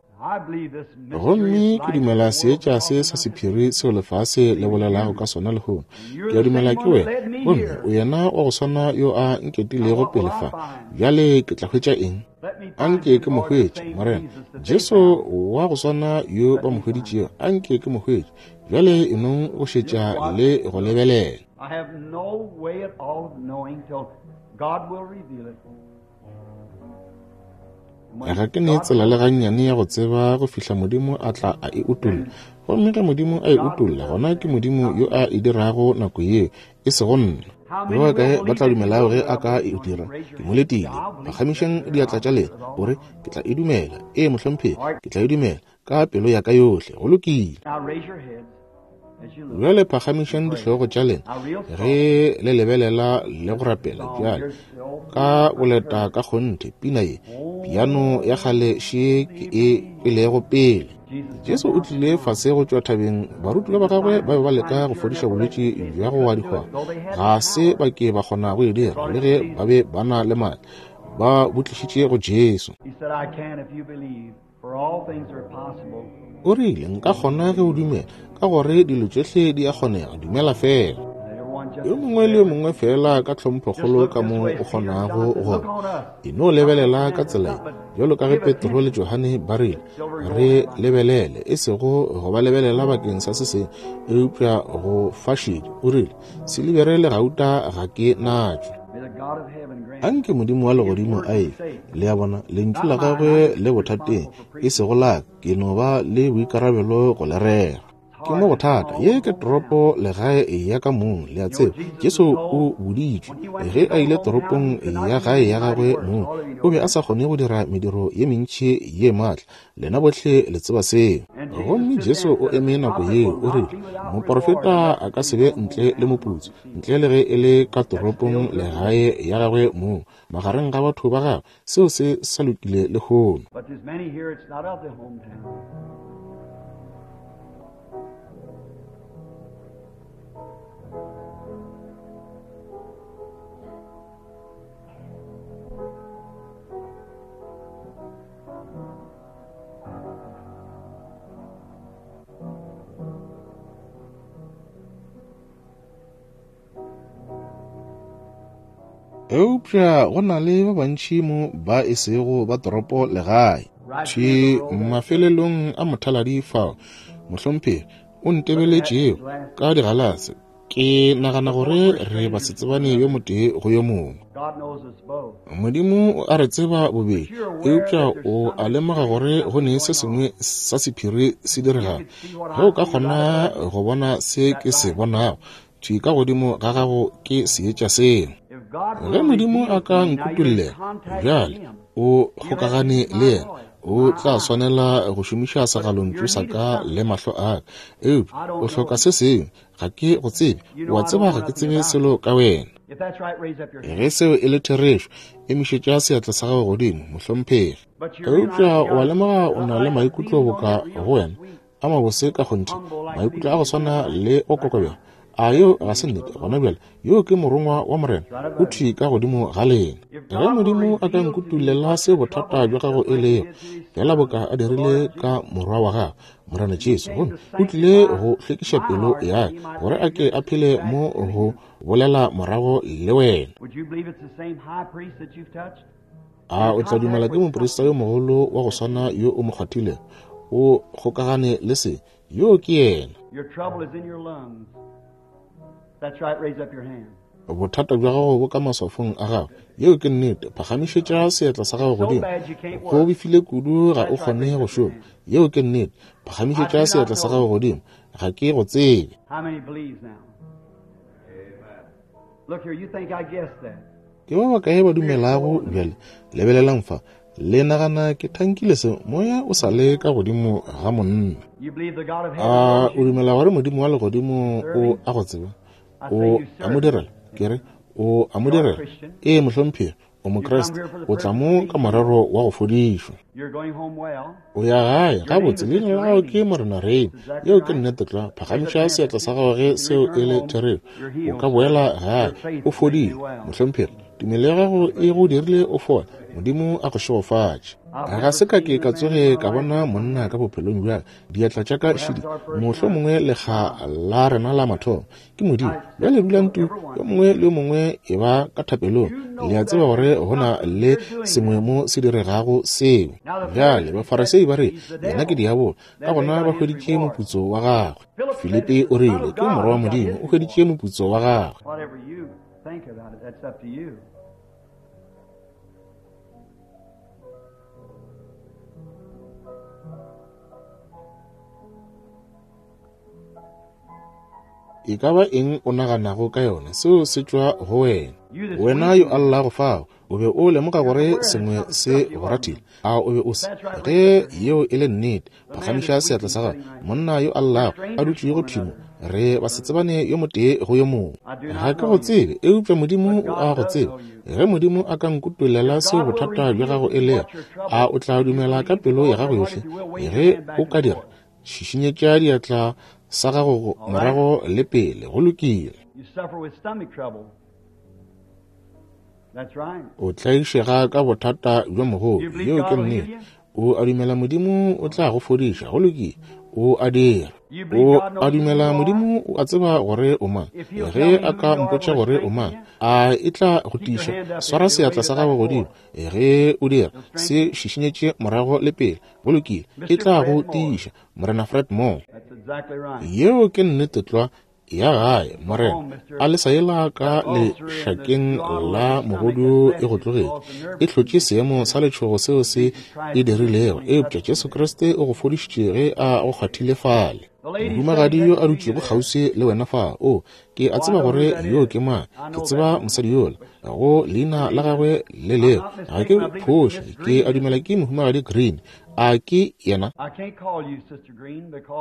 Gomme ke dumela seetša se sa sephiri seo lefase le bolelago ka sona lehono. Ke a dumela ke wena, gomme o yena wa go swana yo a nketilego pele fa. Bjale ke tla hwetša eng? Anke ke mo hwetše, Morena. Jesu wa go swana yo ba mo hweditšego, anke ke mo hwetše. Bjale e nong go šetša le go lebelela. I have no way at all of knowing till God will reveal it. Ga ke ne tsela le gannyane ya go tseba go fihla Modimo a tla a e utolla. Gomme ge Modimo a e utolla, gona ke Modimo yo a e dirago nako yeo, e sego nna. Ba bakae ba tla dumelago ge a ka e dira? Ke mo letile. Phagamišang diatla tša lena, o re, Ke tla e dumela. Ee, mohlomphegi, ke tla e dumela ka pelo ya ka yohle. Go lokile. Bjale phagamišang dihlogo tša lena ge le lebelela le go rapela bjale ka boleta ka kgonthe. Pina ye, piano ya kgale še ke e kwelego pele. Jesu o tlile fase go tšwa thabeng, barutiwa ba gagwe ba be ba leka go fodiša bolwetši bja go wa dihwang. Ga se ba ke ba kgona go e dira, le ge ba be ba na le maatla. Ba bo tlišitše go Jesu. O rile, Nka kgona ge o dumela, ka gore dilo tšohle di a kgonega, dumela feela. Yo mongwe le yo mongwe feela ka tlhomphokgolo ka mo o kgonago go e no lebelela ka tsela ye, bjalo ka ge Petro le Johane ba rile, re lebelele, e sego go ba lebelela bakeng sa se sengwe, eupša go fa šedi. O rile, Silibere le gauta ga ke natšo. Anke Modimo wa legodimo a e fe. Le a bona, lentšu la gagwe le bothateng, e sego la ka. Ke no ba le boikarabelo go le rera. Ke mo bothata. Ye ke toropo legae ya ka mong, le a tseba. Jesu o boditšwe, ge a ile toropong ya gae ya gagwe mong, o be a sa kgone go dira mediro ye mentši ye maatla. Lena bohle le tseba seo. Gomme Jesu o eme nako yeo, o rile, Moporofeta a ka se be ntle le moputso, ntle le ge e le ka toropong legae ya gagwe mong, magareng ga batho ba gagwe. Seo se sa lokile lehono. But there's many here, it's not of the hometown. Eupša go na le ba bantši mo ba e sego ba toropo legae. Thwi mafelelong a mothaladi fao, mohlomphegi o ntebeletšego ka digalase, ke nagana gore re basetsebane yo motee go yo mongwe. Modimo o a re tseba bobedi, eupša o a lemoga gore go ne se sengwe sa sephiri se diregago. Ge o ka kgona go bona se ke se bonago, thwi ka godimo ga gago ke seetša seo. Ge Modimo a ka nkutollela, bjale o kgokagane le yena, o tla swanela go šomiša segalontšu sa ka le mahlo a ka. Eupša o hloka se sengwe. Ga ke go tsebe. O a tseba ga ke tsebe selo ka wena. Ge seo e le therešo, emišetša seatla sa gago godimo, mohlomphegi. Eupša o a lemoga o na le maikutlo boka go wena a mabose ka kgonthe, maikutlo a go swana le go kokobela. A yeo ga se nnete? Gona bjale, yo ke morongwa wa Morena, o thwi ka godimo ga lena. Ge Modimo a ka nkutullela se bothata bja gago e lego, feela boka a dirile ka Morwa wa gagwe, Morena Jesu, gomme o tlile go hlwekiša pelo ya ka, gore a ke a phele mo go bolela morago le wena. A o tla dumela ke moprista yo mogolo wa go swana yo o mo kgwathilego? O kgokagane le se. Yo ke yena. Bothata bja gago bo ka maswafong a gago. Yeo ke nnete. Phagamišetša seatla sa gago godimo. Go befile kudu ga o kgone go šoma. Yeo ke nnete. Phagamišetša seatla sa gago godimo. Ga ke go tsebe. Ke ba bakae ba dumelago bjale? Lebelelang fa. Le nagana ke thankile se? Moya o sa le ka godimo ga monna. A o dumela gore Modimo wa legodimo o a go tseba? O a mo direla? Ke re, o a mo direla? Ee, mohlomphegi, o Mokriste. O tla mo ka morero wa go fodišwa. O ya gae gabotse. Leina la gago ke Morena Rain. Yeo ke nnete tlwa. Phagamiša seatla sa gago ge seo e le therešo. O ka boela gae o fodile, mohlomphegi. Tumelo ya gago e go dirile o fole. Modimo a go šegofatše. Ga se ka ke ka tsoge ka bona monna ka bophelong bja ka. Diatla tša ka šidi, mohlomongwe lekga la rena la mathomo. Ke Modimo. Bjale dulang tu, yo mongwe le yo mongwe e ba ka thapelong. Le a tseba gore go na le sengwe mo se diregago seo. Bjale Bafarasei ba re, Yena ke diabolo. Ka gona ba hweditše moputso wa gagwe. Filipi o rile, Ke Morwa wa Modimo. O hweditše moputso wa gagwe. Think about it. That's up to you. E ka ba eng o naganago ka yona, seo se tšwa go wena. Wena yo a llago fao, o be o lemoga gore sengwe se go rathile, a o be o se? Ge yeo e le nnete, phagamiša seatla sa gago. Monna yo a llago a dutšego thwi mo, re basetsebane yo motee go yo mongwe. Ga ke go tsebe, eupša Modimo o a go tseba. Ge Modimo a ka nkutollela seo bothata bja gago e lego, a o tla dumela ka pelo ya gago yohle? Ge o ka dira, šišinyetša diatla sa gago morago le pele. Go lokile. O tlaišega ka bothata bjo mogolo. Yeo ke nnete. O a dumela Modimo o tla go fodiša. Go lokile. O a dira. O a dumela Modimo o a tseba gore o mang. Ge a ka mpotša gore o mang, a e tla go tiiša? Swara seatla sa gago godimo. Ge o dira, se šišinyetše morago le pele. Go lokile. E tla go tiiša. Morena Fred Moore. Yeo ke nnete tlwa. Ya gae, Morena, a le sa yela ka lešakeng la mogodu e go tlogetše, e hlotše seemo sa letšhogo seo se e dirilego, eupša Jesu Kriste o go fodišitše ge a go kgwathile fale. Mohumagadi yo a dutšego kgauswi le wena fa, o, ke a tseba gore yo ke mang, ke tseba mosadi yola, go leina la gagwe le leo, ga ke phoše, ke a dumela ke Mohumagadi Green. A ke yena?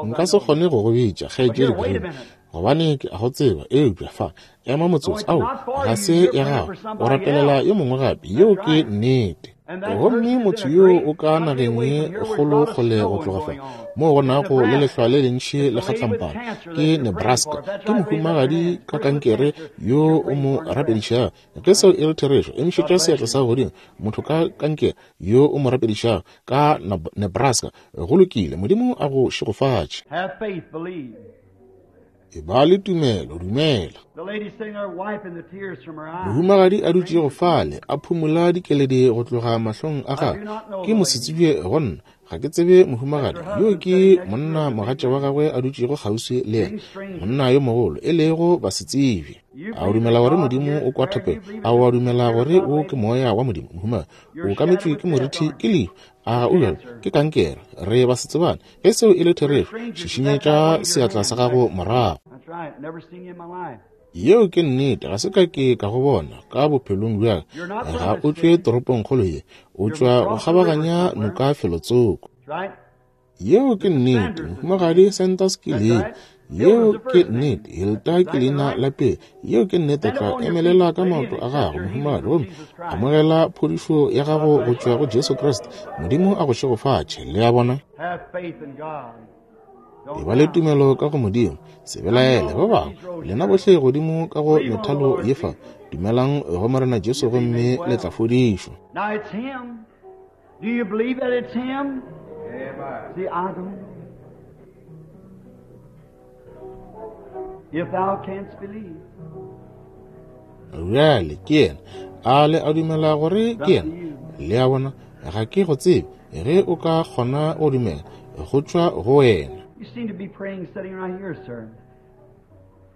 Nka se kgone go go bitša Kgaetšedi Green, gobane ke a go tseba, eupša fa, ema motsotso. Ao, ga se ya gago. O rapelela yo mongwe gape. Yeo ke nnete. Gomme motho yoo o ka nageng ye kgolo kgole go tloga fa, moo go nago le lehlwa le lentši le kgatlampana, ke Nebraska. Ke mohumagadi ka kankere yo o mo rapedišago. Ge seo e le therešo, emišetša seatla sa godimo. Motho ka kankere yo o mo rapedišago ka Nebraska. Go lokile. Modimo a go šegofatše. E ba le tumelo, dumela. Mohumagadi a dutšego fale, a phumola dikeledi go tloga mahlong a gagwe, ke mosetsebje go nna. Ga ke tsebe mohumagadi yo, ke monna mogatša wa gagwe a dutšego kgauswi le yena, monna yo mogolo, e lego basetsebje. A o dumela gore Modimo o kwa thapelo? A o a dumela gore wo ke Moya wa Modimo? Mohumagadi, o kametšwe ke morithi, ke lehu. A ga o bjalo? Ke kankere. Re basetsebane. Ge seo e le therešo, šišinyetša seatla sa gago morago. Yeo ke nnete, ga se ka ke ka go bona ka bophelong bja ka. Ga o tšwe toropongkgolo ye, o tšwa go kgabaganya noka felotsoko. Yeo ke nnete, Mohumagadi Sanders ke leina. Yeo ke nnete, Hilda ke leina la pele. Yeo ke nnete, tla emelela ka maoto a gago, mohumagadi, gomme amogela phodišo ya gago go tšwa go Jesu Kriste. Modimo a go šegofatše. Le a bona? E ba le tumelo ka go Modimo. Se belaele, ba bangwe lena bohle godimo ka go methalo ye fa, dumelang go Morena Jesu gomme le tla fodišwa. Now it's him. Do you believe that it's him? Amen. See, I don't know. If thou canst believe. Bjale ke yena. A le a dumela gore ke yena? Le a bona, ga ke go tsebe. Ge o ka kgona go dumela, go tšwa go wena. You seem to be praying sitting right here, sir.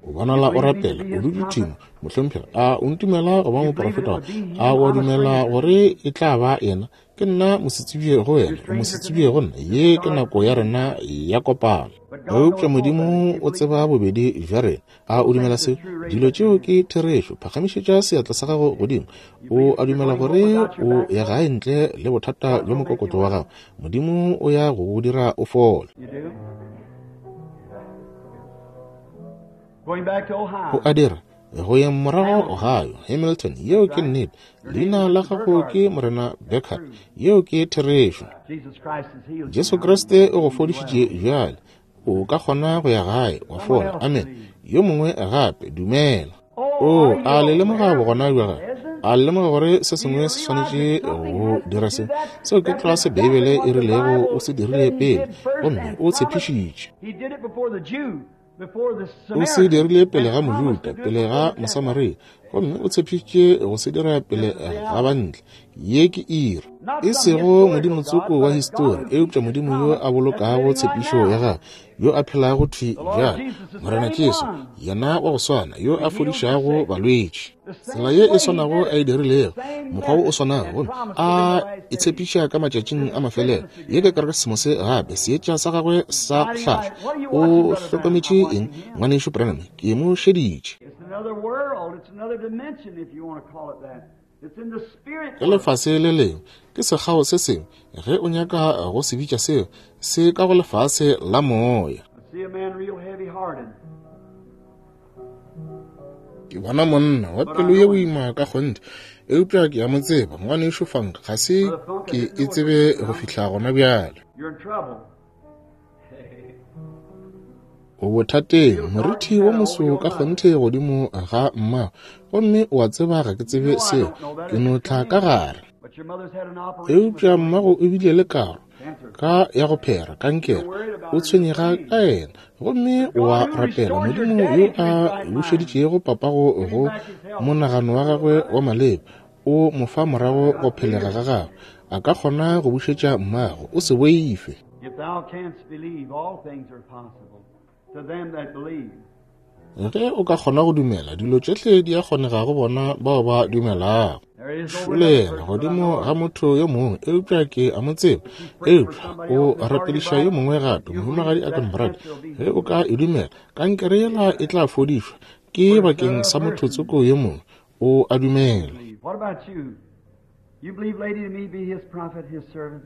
O bonala o rapela, o dutše thimo, mohlomphegi. A o ntumela go ba moprofeta wa? A o a dumela gore e tla ba yena? Ke nna mosetsebje go wena, o mosetsebje go nna. Ye ke nako ya rena ya kopano. Eupša Modimo o tseba bobedi bja rena. A o dumela seo? Dilo tšeo ke therešo. Phagamišetša seatla sa gago godimo. O a dumela gore o ya gae ntle le bothata bja mokokotlo wa gago? Modimo o ya go go dira o fole. O a dira? Go yeng morago Ohio, Hamilton, yeo ke nnete. Leina la gago ke Morena Beckert. Yeo ke therešo. Jesu Kriste o go fodišitše bjale. O ka kgona go ya gae wa fola. Amen. Yo mongwe gape, dumela. O a le lemoga bogona bja gagwe? A le lemoga gore se sengwe se swanetše go dira se? Seo ke tlwa se Beibele e rilego o se dirile pele, gomme o tshepišitše. O se dirile pele ga Mojuda, pele ga Mosamaria, gomme o tshepišitše go se dira pele ga bantle. Ye ke iri. E sego modimotsoko wa histori, eupša Modimo yo a bolokago tshepišo ya gagwe, yo a phelago thwi bjale, Morena Jesu, yena wa go swana, yo a fodišago balwetši. Tsela ye e swanago a e dirilego, mokgwa wo o swanago, gomme a e tshepiša ka matšatšing a mafelelo. Ye ke kerekesemose gape, seetša sa gagwe sa go hlahla. O hlokometše eng, Ngwanešu Branham? Ke mo šeditše. Ke lefase le lengwe, ke sekgao se sengwe, ge o nyaka go se bitša seo, se ka go lefase la moya. Ke bona monna wa pelo ye boima ka kgonthe, eupša ke a mo tseba, Ngwanešu Funk, ga se ke e tsebe go fihla gona bjale. O bothateng, morithi wo moso ka kgonthe godimo ga mmago, gomme o a tseba ga ke tsebe seo, ke no tla ka gare. Eupša mmago o bile le karo ka ya go phera kankere, o tshwenyega ka yena, gomme o a rapela Modimo yo a bušeditšego papago go monagano wa gagwe wa maleba, o mo fa morago go phelega ga gagwe, a ka kgona go bušetša mmago. O se boife. If thou canst believe, all things are possible to them that believe. Ge o ka kgona go dumela, dilo tšohle di a kgonega go bona bao ba dumelago. Šolela godimo ga motho yo mongwe, eupša ke a mo tseba. Eupša o rapediša yo mongwe gape, Mohumagadi Akenbrad. Ge o ka e dumela, kankere yela e tla fodišwa. Ke bakeng sa motho tsoko yo mongwe. O a dumela. What about you? You believe, lady, to me be his prophet, his servant?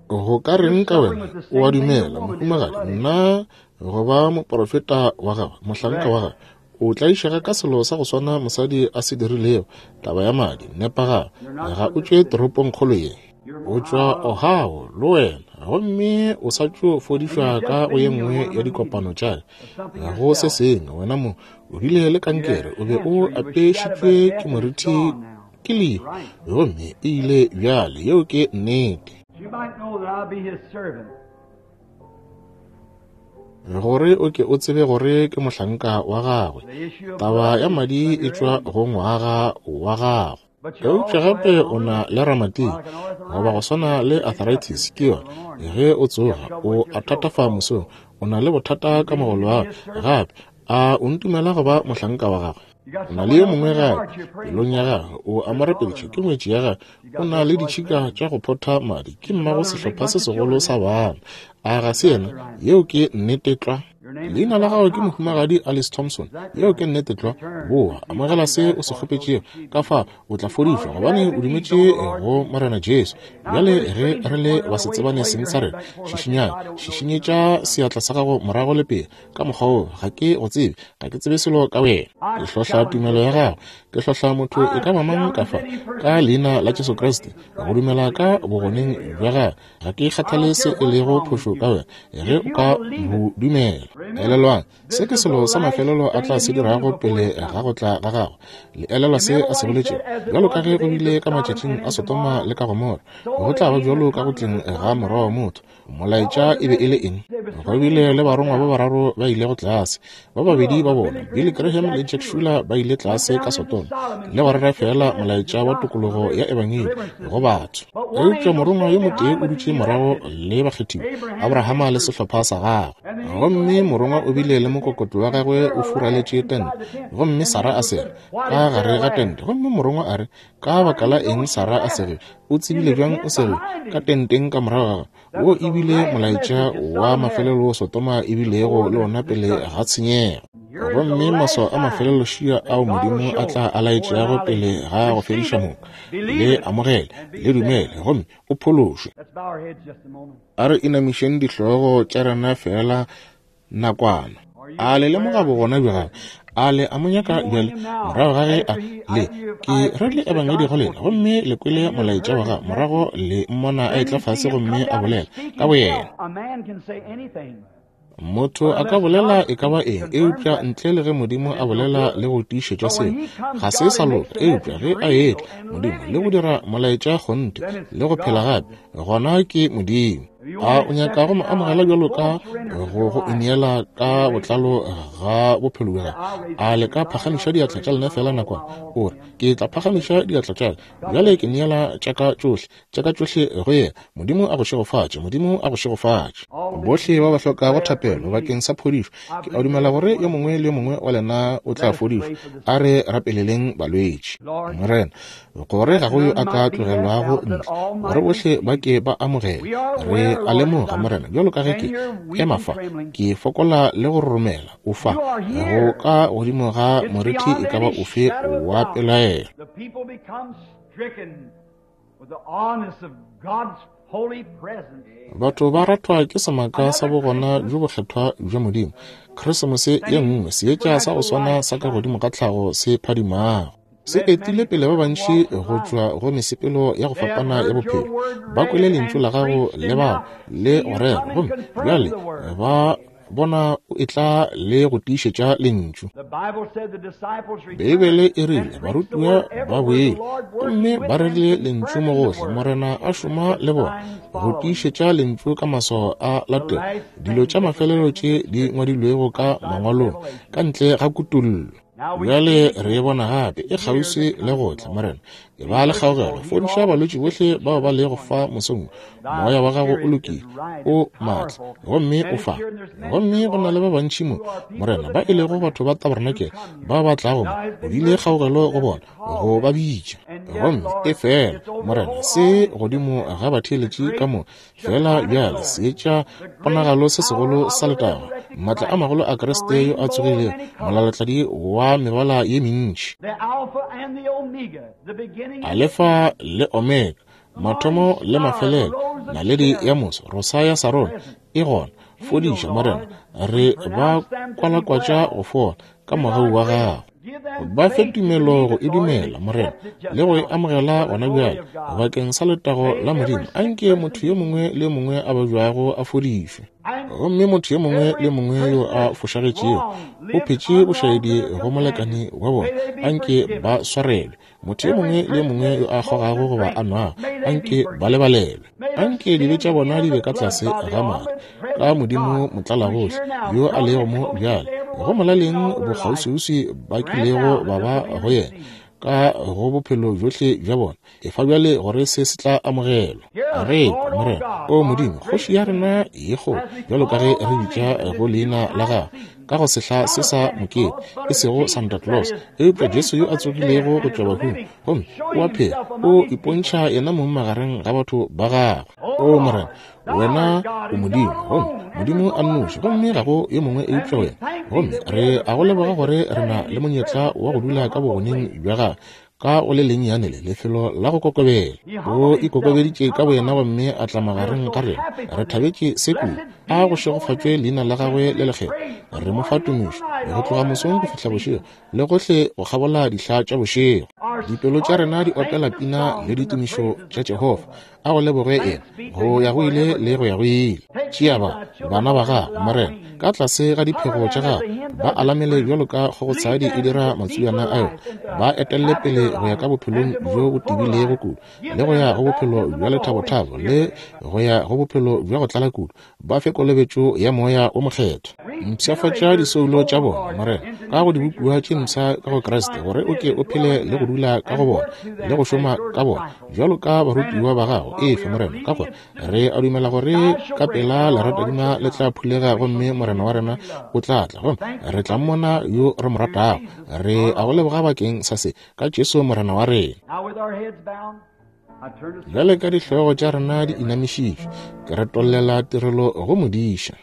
Go ka reng ka wena? O a dumela, mohumagadi, nna go ba moprofeta wa gagwe, mohlanka wa gagwe? O tlaišega ka selo sa go swana mosadi a se dirilego, taba ya madi. Nepagala. Ga o tšwe toropongkgolo ye. O tšwa Ohio, le wena, gomme o sa tšo fodišwa ka go ye nngwe ya dikopano tša ka. Go se sengwe, wena mo, o bile le kankere, o be o apešitšwe ke morithi ke lehu, gomme e ile bjale. Yeo ke nnete. You might know that I'll be his servant. Gore o ke o tsebe gore ke mohlanka wa gagwe. Taba ya madi e tšwa go ngwaga wa gago. Eupša gape o na le ramatic, goba go swana le arthritis, ke yona. Ge o tsoga, o a thatafa mosong, o na le bothata ka mogolo wa gago. Gape, a o ntumela go ba mohlanka wa gagwe? O na le yo mongwe gape pelong ya gagwe, o a mo rapediša, ke ngwetši ya gagwe, o na le ditšhika tša go photha madi, ke mmago sehlopha se segolo sa bana. A ga se yena? Yeo ke nnete tlwa. Leina la gago ke Mohumagadi Alice Thompson. Yeo ke nnete tlwa. Boa, amogela se o se kgopetšego, ka fa o tla fodišwa, gobane o dumetše go Morena Jesu. Bjale ge re le basetsebane seng sa rena, šišinyang, šišinyetša seatla sa gago morago le pele, ka mokgwa wo, ga ke go tsebe, ga ke tsebe selo ka wena. Ke hlohla tumelo ya gago, ke hlohla motho e ka ba mang ka fa, ka leina la Jesu Kriste, go dumela ka bogoneng bja gagwe. Ga ke kgathale se e lego phošo ka wena, ge o ka bo dumela. Elelwang, se ke selo sa mafelelo a tla se dirago pele ga go tla ga gagwe. Le elelwa se a se boletšego? Bjalo ka ge go bile ka matšatšing a Sodoma le ka Gomora, go tla ba bjalo ka go tleng ga Morwa wa motho. Molaetša e be e le eng? Go bile le barongwa ba bararo ba ilego tlase. Ba babedi ba bona, Billy Graham le Jack Shuler, ba ile tlase ka Sodoma le go rera feela molaetša wa tokologo ya ebangedi go batho. Eupša morongwa yo motee o dutše morago le bakgethiwa, Abrahama le sehlopha sa gagwe. Gomme morongwa o bile le mokokotlo wa gagwe o furaletše tente, gomme Sara a sega ka gare ga tente. Gomme morongwa a re, Ka baka la eng Sara a sege? O tsebile bjang o sege ka tenteng ka morago ga gagwe? Wo e bile molaetša wa mafelelo wo Sodoma e bilego le ona pele ga tshenyego. Gomme maswao a mafelelo šia ao Modimo a tla a laetšago pele ga go fediša moka. Le amogele, le dumele, gomme o phološwe. A re inamišeng dihlogo tša rena feela nakwana. A le lemoga bogona bja gagwe? A le a mo nyaka bjale? Morago ga ge a le ke rerile ebangedi go lena, gomme le kwele molaetša wa gagwe, morago le mmona a etla fase gomme a bolela ka boyena. Motho a ka bolela e ka ba eng, eupša ntle le ge Modimo a bolela le go tiišetša seo, ga se sa loka. Eupša ge a etla Modimo le go dira molaetša kgonthe le go phela gape, gona ke Modimo. A o nyaka go mo amogela bjalo ka go go ineela ka botlalo ga bophelo bja gago? A le ka phagamiša diatla tša lena feela nakwana? O re, Ke tla phagamiša diatla tša ka. Bjale ke neela tša ka tšohle, tša ka tšohle go yena. Modimo a go šegofatše. Modimo a go šegofatše. Bohle ba ba hlokago thapelo bakeng sa phodišo, ke a dumela gore yo mongwe le yo mongwe wa lena o tla fodišwa. A re rapeleleng balwetši. Morena, gore ga go yo a ka tlogelwago ntle, gore bohle ba ke ba amogele. Re a lemoga, Morena, bjalo ka ge ke ema fa, ke fokola le go roromela, o fa, go ka godimo ga morithi e ka ba ofe wa pelaelo. Batho ba ratwa ke semaka sa bogona bjo bokgethwa bja Modimo. Krisemose ye nngwe, seetša sa go swana sa ka godimo ga tlhago se phadimago. Se etile pele ba bantši go tšwa go mesepelo ya go fapana ya bophelo. Ba kwele lentšu la gago le bala le go rera, gomme bjale ba bona o etla le go tiišetša lentšu. Beibele e rile barutiwa ba boele gomme ba rerile lentšu mo gohle, Morena a šoma le bona go tiišetša lentšu ka maswao a latela dilo tša mafelelo tše di ngwadilwego ka mangwalong ka ntle ga kutollo. Bjale re e bona gape e kgauswi le go tla, Morena. E ba le kgaogelo, fodiša balwetši bohle bao ba lego fa mosong. Moya wa gago o lokile, o maatla, gomme o fa. Gomme go na le ba bantši mo, Morena, ba e lego batho ba tabernakel ba ba tlago mo. O bile kgaogelo go bona, go ba bitša. Gomme e fela, Morena, se godimo ga batheeletši ka mo, Fela bjale seetša ponagalo se segolo sa letago, maatla a magolo a Kriste yo a tsogilego, molalatladi wa mebala ye mentši, Alefa le Omega, mathomo le mafelelo, naledi ya moso, rosa ya Sarona, e gona. Fodiša, Morena, re ba kwalakwatša go fola ka mogau wa gago. Ba fe tumelo go e dumela, Morena, le go e amogela gona bjale, bakeng sa letago la Modimo. Anke motho yo mongwe le yo mongwe a babjago a fodišwe. Gomme motho yo mongwe le yo mongwe yo a fošagetšego o phetše bošaedi go molekani wa bona, anke ba swarelwe. Motho yo mongwe le yo mongwe yo a kgogago goba a nwago, anke ba lebalelwe. Anke dibe tša bona di be ka tlase ga madi, ka Modimo motlalagohle yo a lego mo bjale, go molaleng bokgauswiuswi ba kilego ba ba go yena ka go bophelo bjohle bja bona. Efa bjale gore se se tla amogelwa. Re kwa, Morena, O Modimo, Kgoši ya rena ye kgolo, bjalo ka ge re bitša go leina la Gago, ka go sehla se sa mokete, e sego Santa Claus, eupša Jesu yo a tsogilego go tšwa bahung, gomme o a phela, o ipontšha yena mong magareng ga batho ba gagwe. O Morena, wena o Modimo, gomme Modimo a nnoši, gomme ga go yo mongwe eupša wena. Gomme re a go leboga gore re na le monyetla wa go dula ka bogoneng bja gago, ka go le lennyane le lefelo la go kokobela. O ikokobeditše ka boyena gomme a tla magareng ga rena. Re thabetše se kudu. A go šegofatšwe leina la gagwe le lekgethwa. Re mo fa tumišo go tloga mosong go fihla bošego le gohle go kgabola dihla tša bošego. Dipelo tša rena di opela pina le ditumišo tša Jehofa. A go leboge yena go ya go ile le go ya go ile. Tšea ba bana ba gago, Morena, ka tlase ga diphego tša gago, ba alamele bjalo ka kgogotshadi e dira matswiana a yona, ba etelle pele go ya ka bophelong bjo bo tebilego kudu, le go ya go bophelo bja lethabothabo, le go ya go bophelo bja go tlala kudu, ba fe kolobetšo ya Moya wo Mokgethwa. Mpshafatša disoulo tša bona, Morena, ka go dibopiwa tše mpsha ka go Kriste, gore o ke o phele le go dula ka go bona, le go šoma ka bona, bjalo ka barutiwa ba gago. Efe, Morena, ka gore re a dumela gore ka pela leratadima le tla phulega gomme Morena wa rena o tla tla, gomme re tla mmona yo re mo ratago. Re a go leboga bakeng sa se, ka Jesu Morena wa rena. Bjale ka dihlogo tša rena di inamišitšwe, ke retollela tirelo go modiša.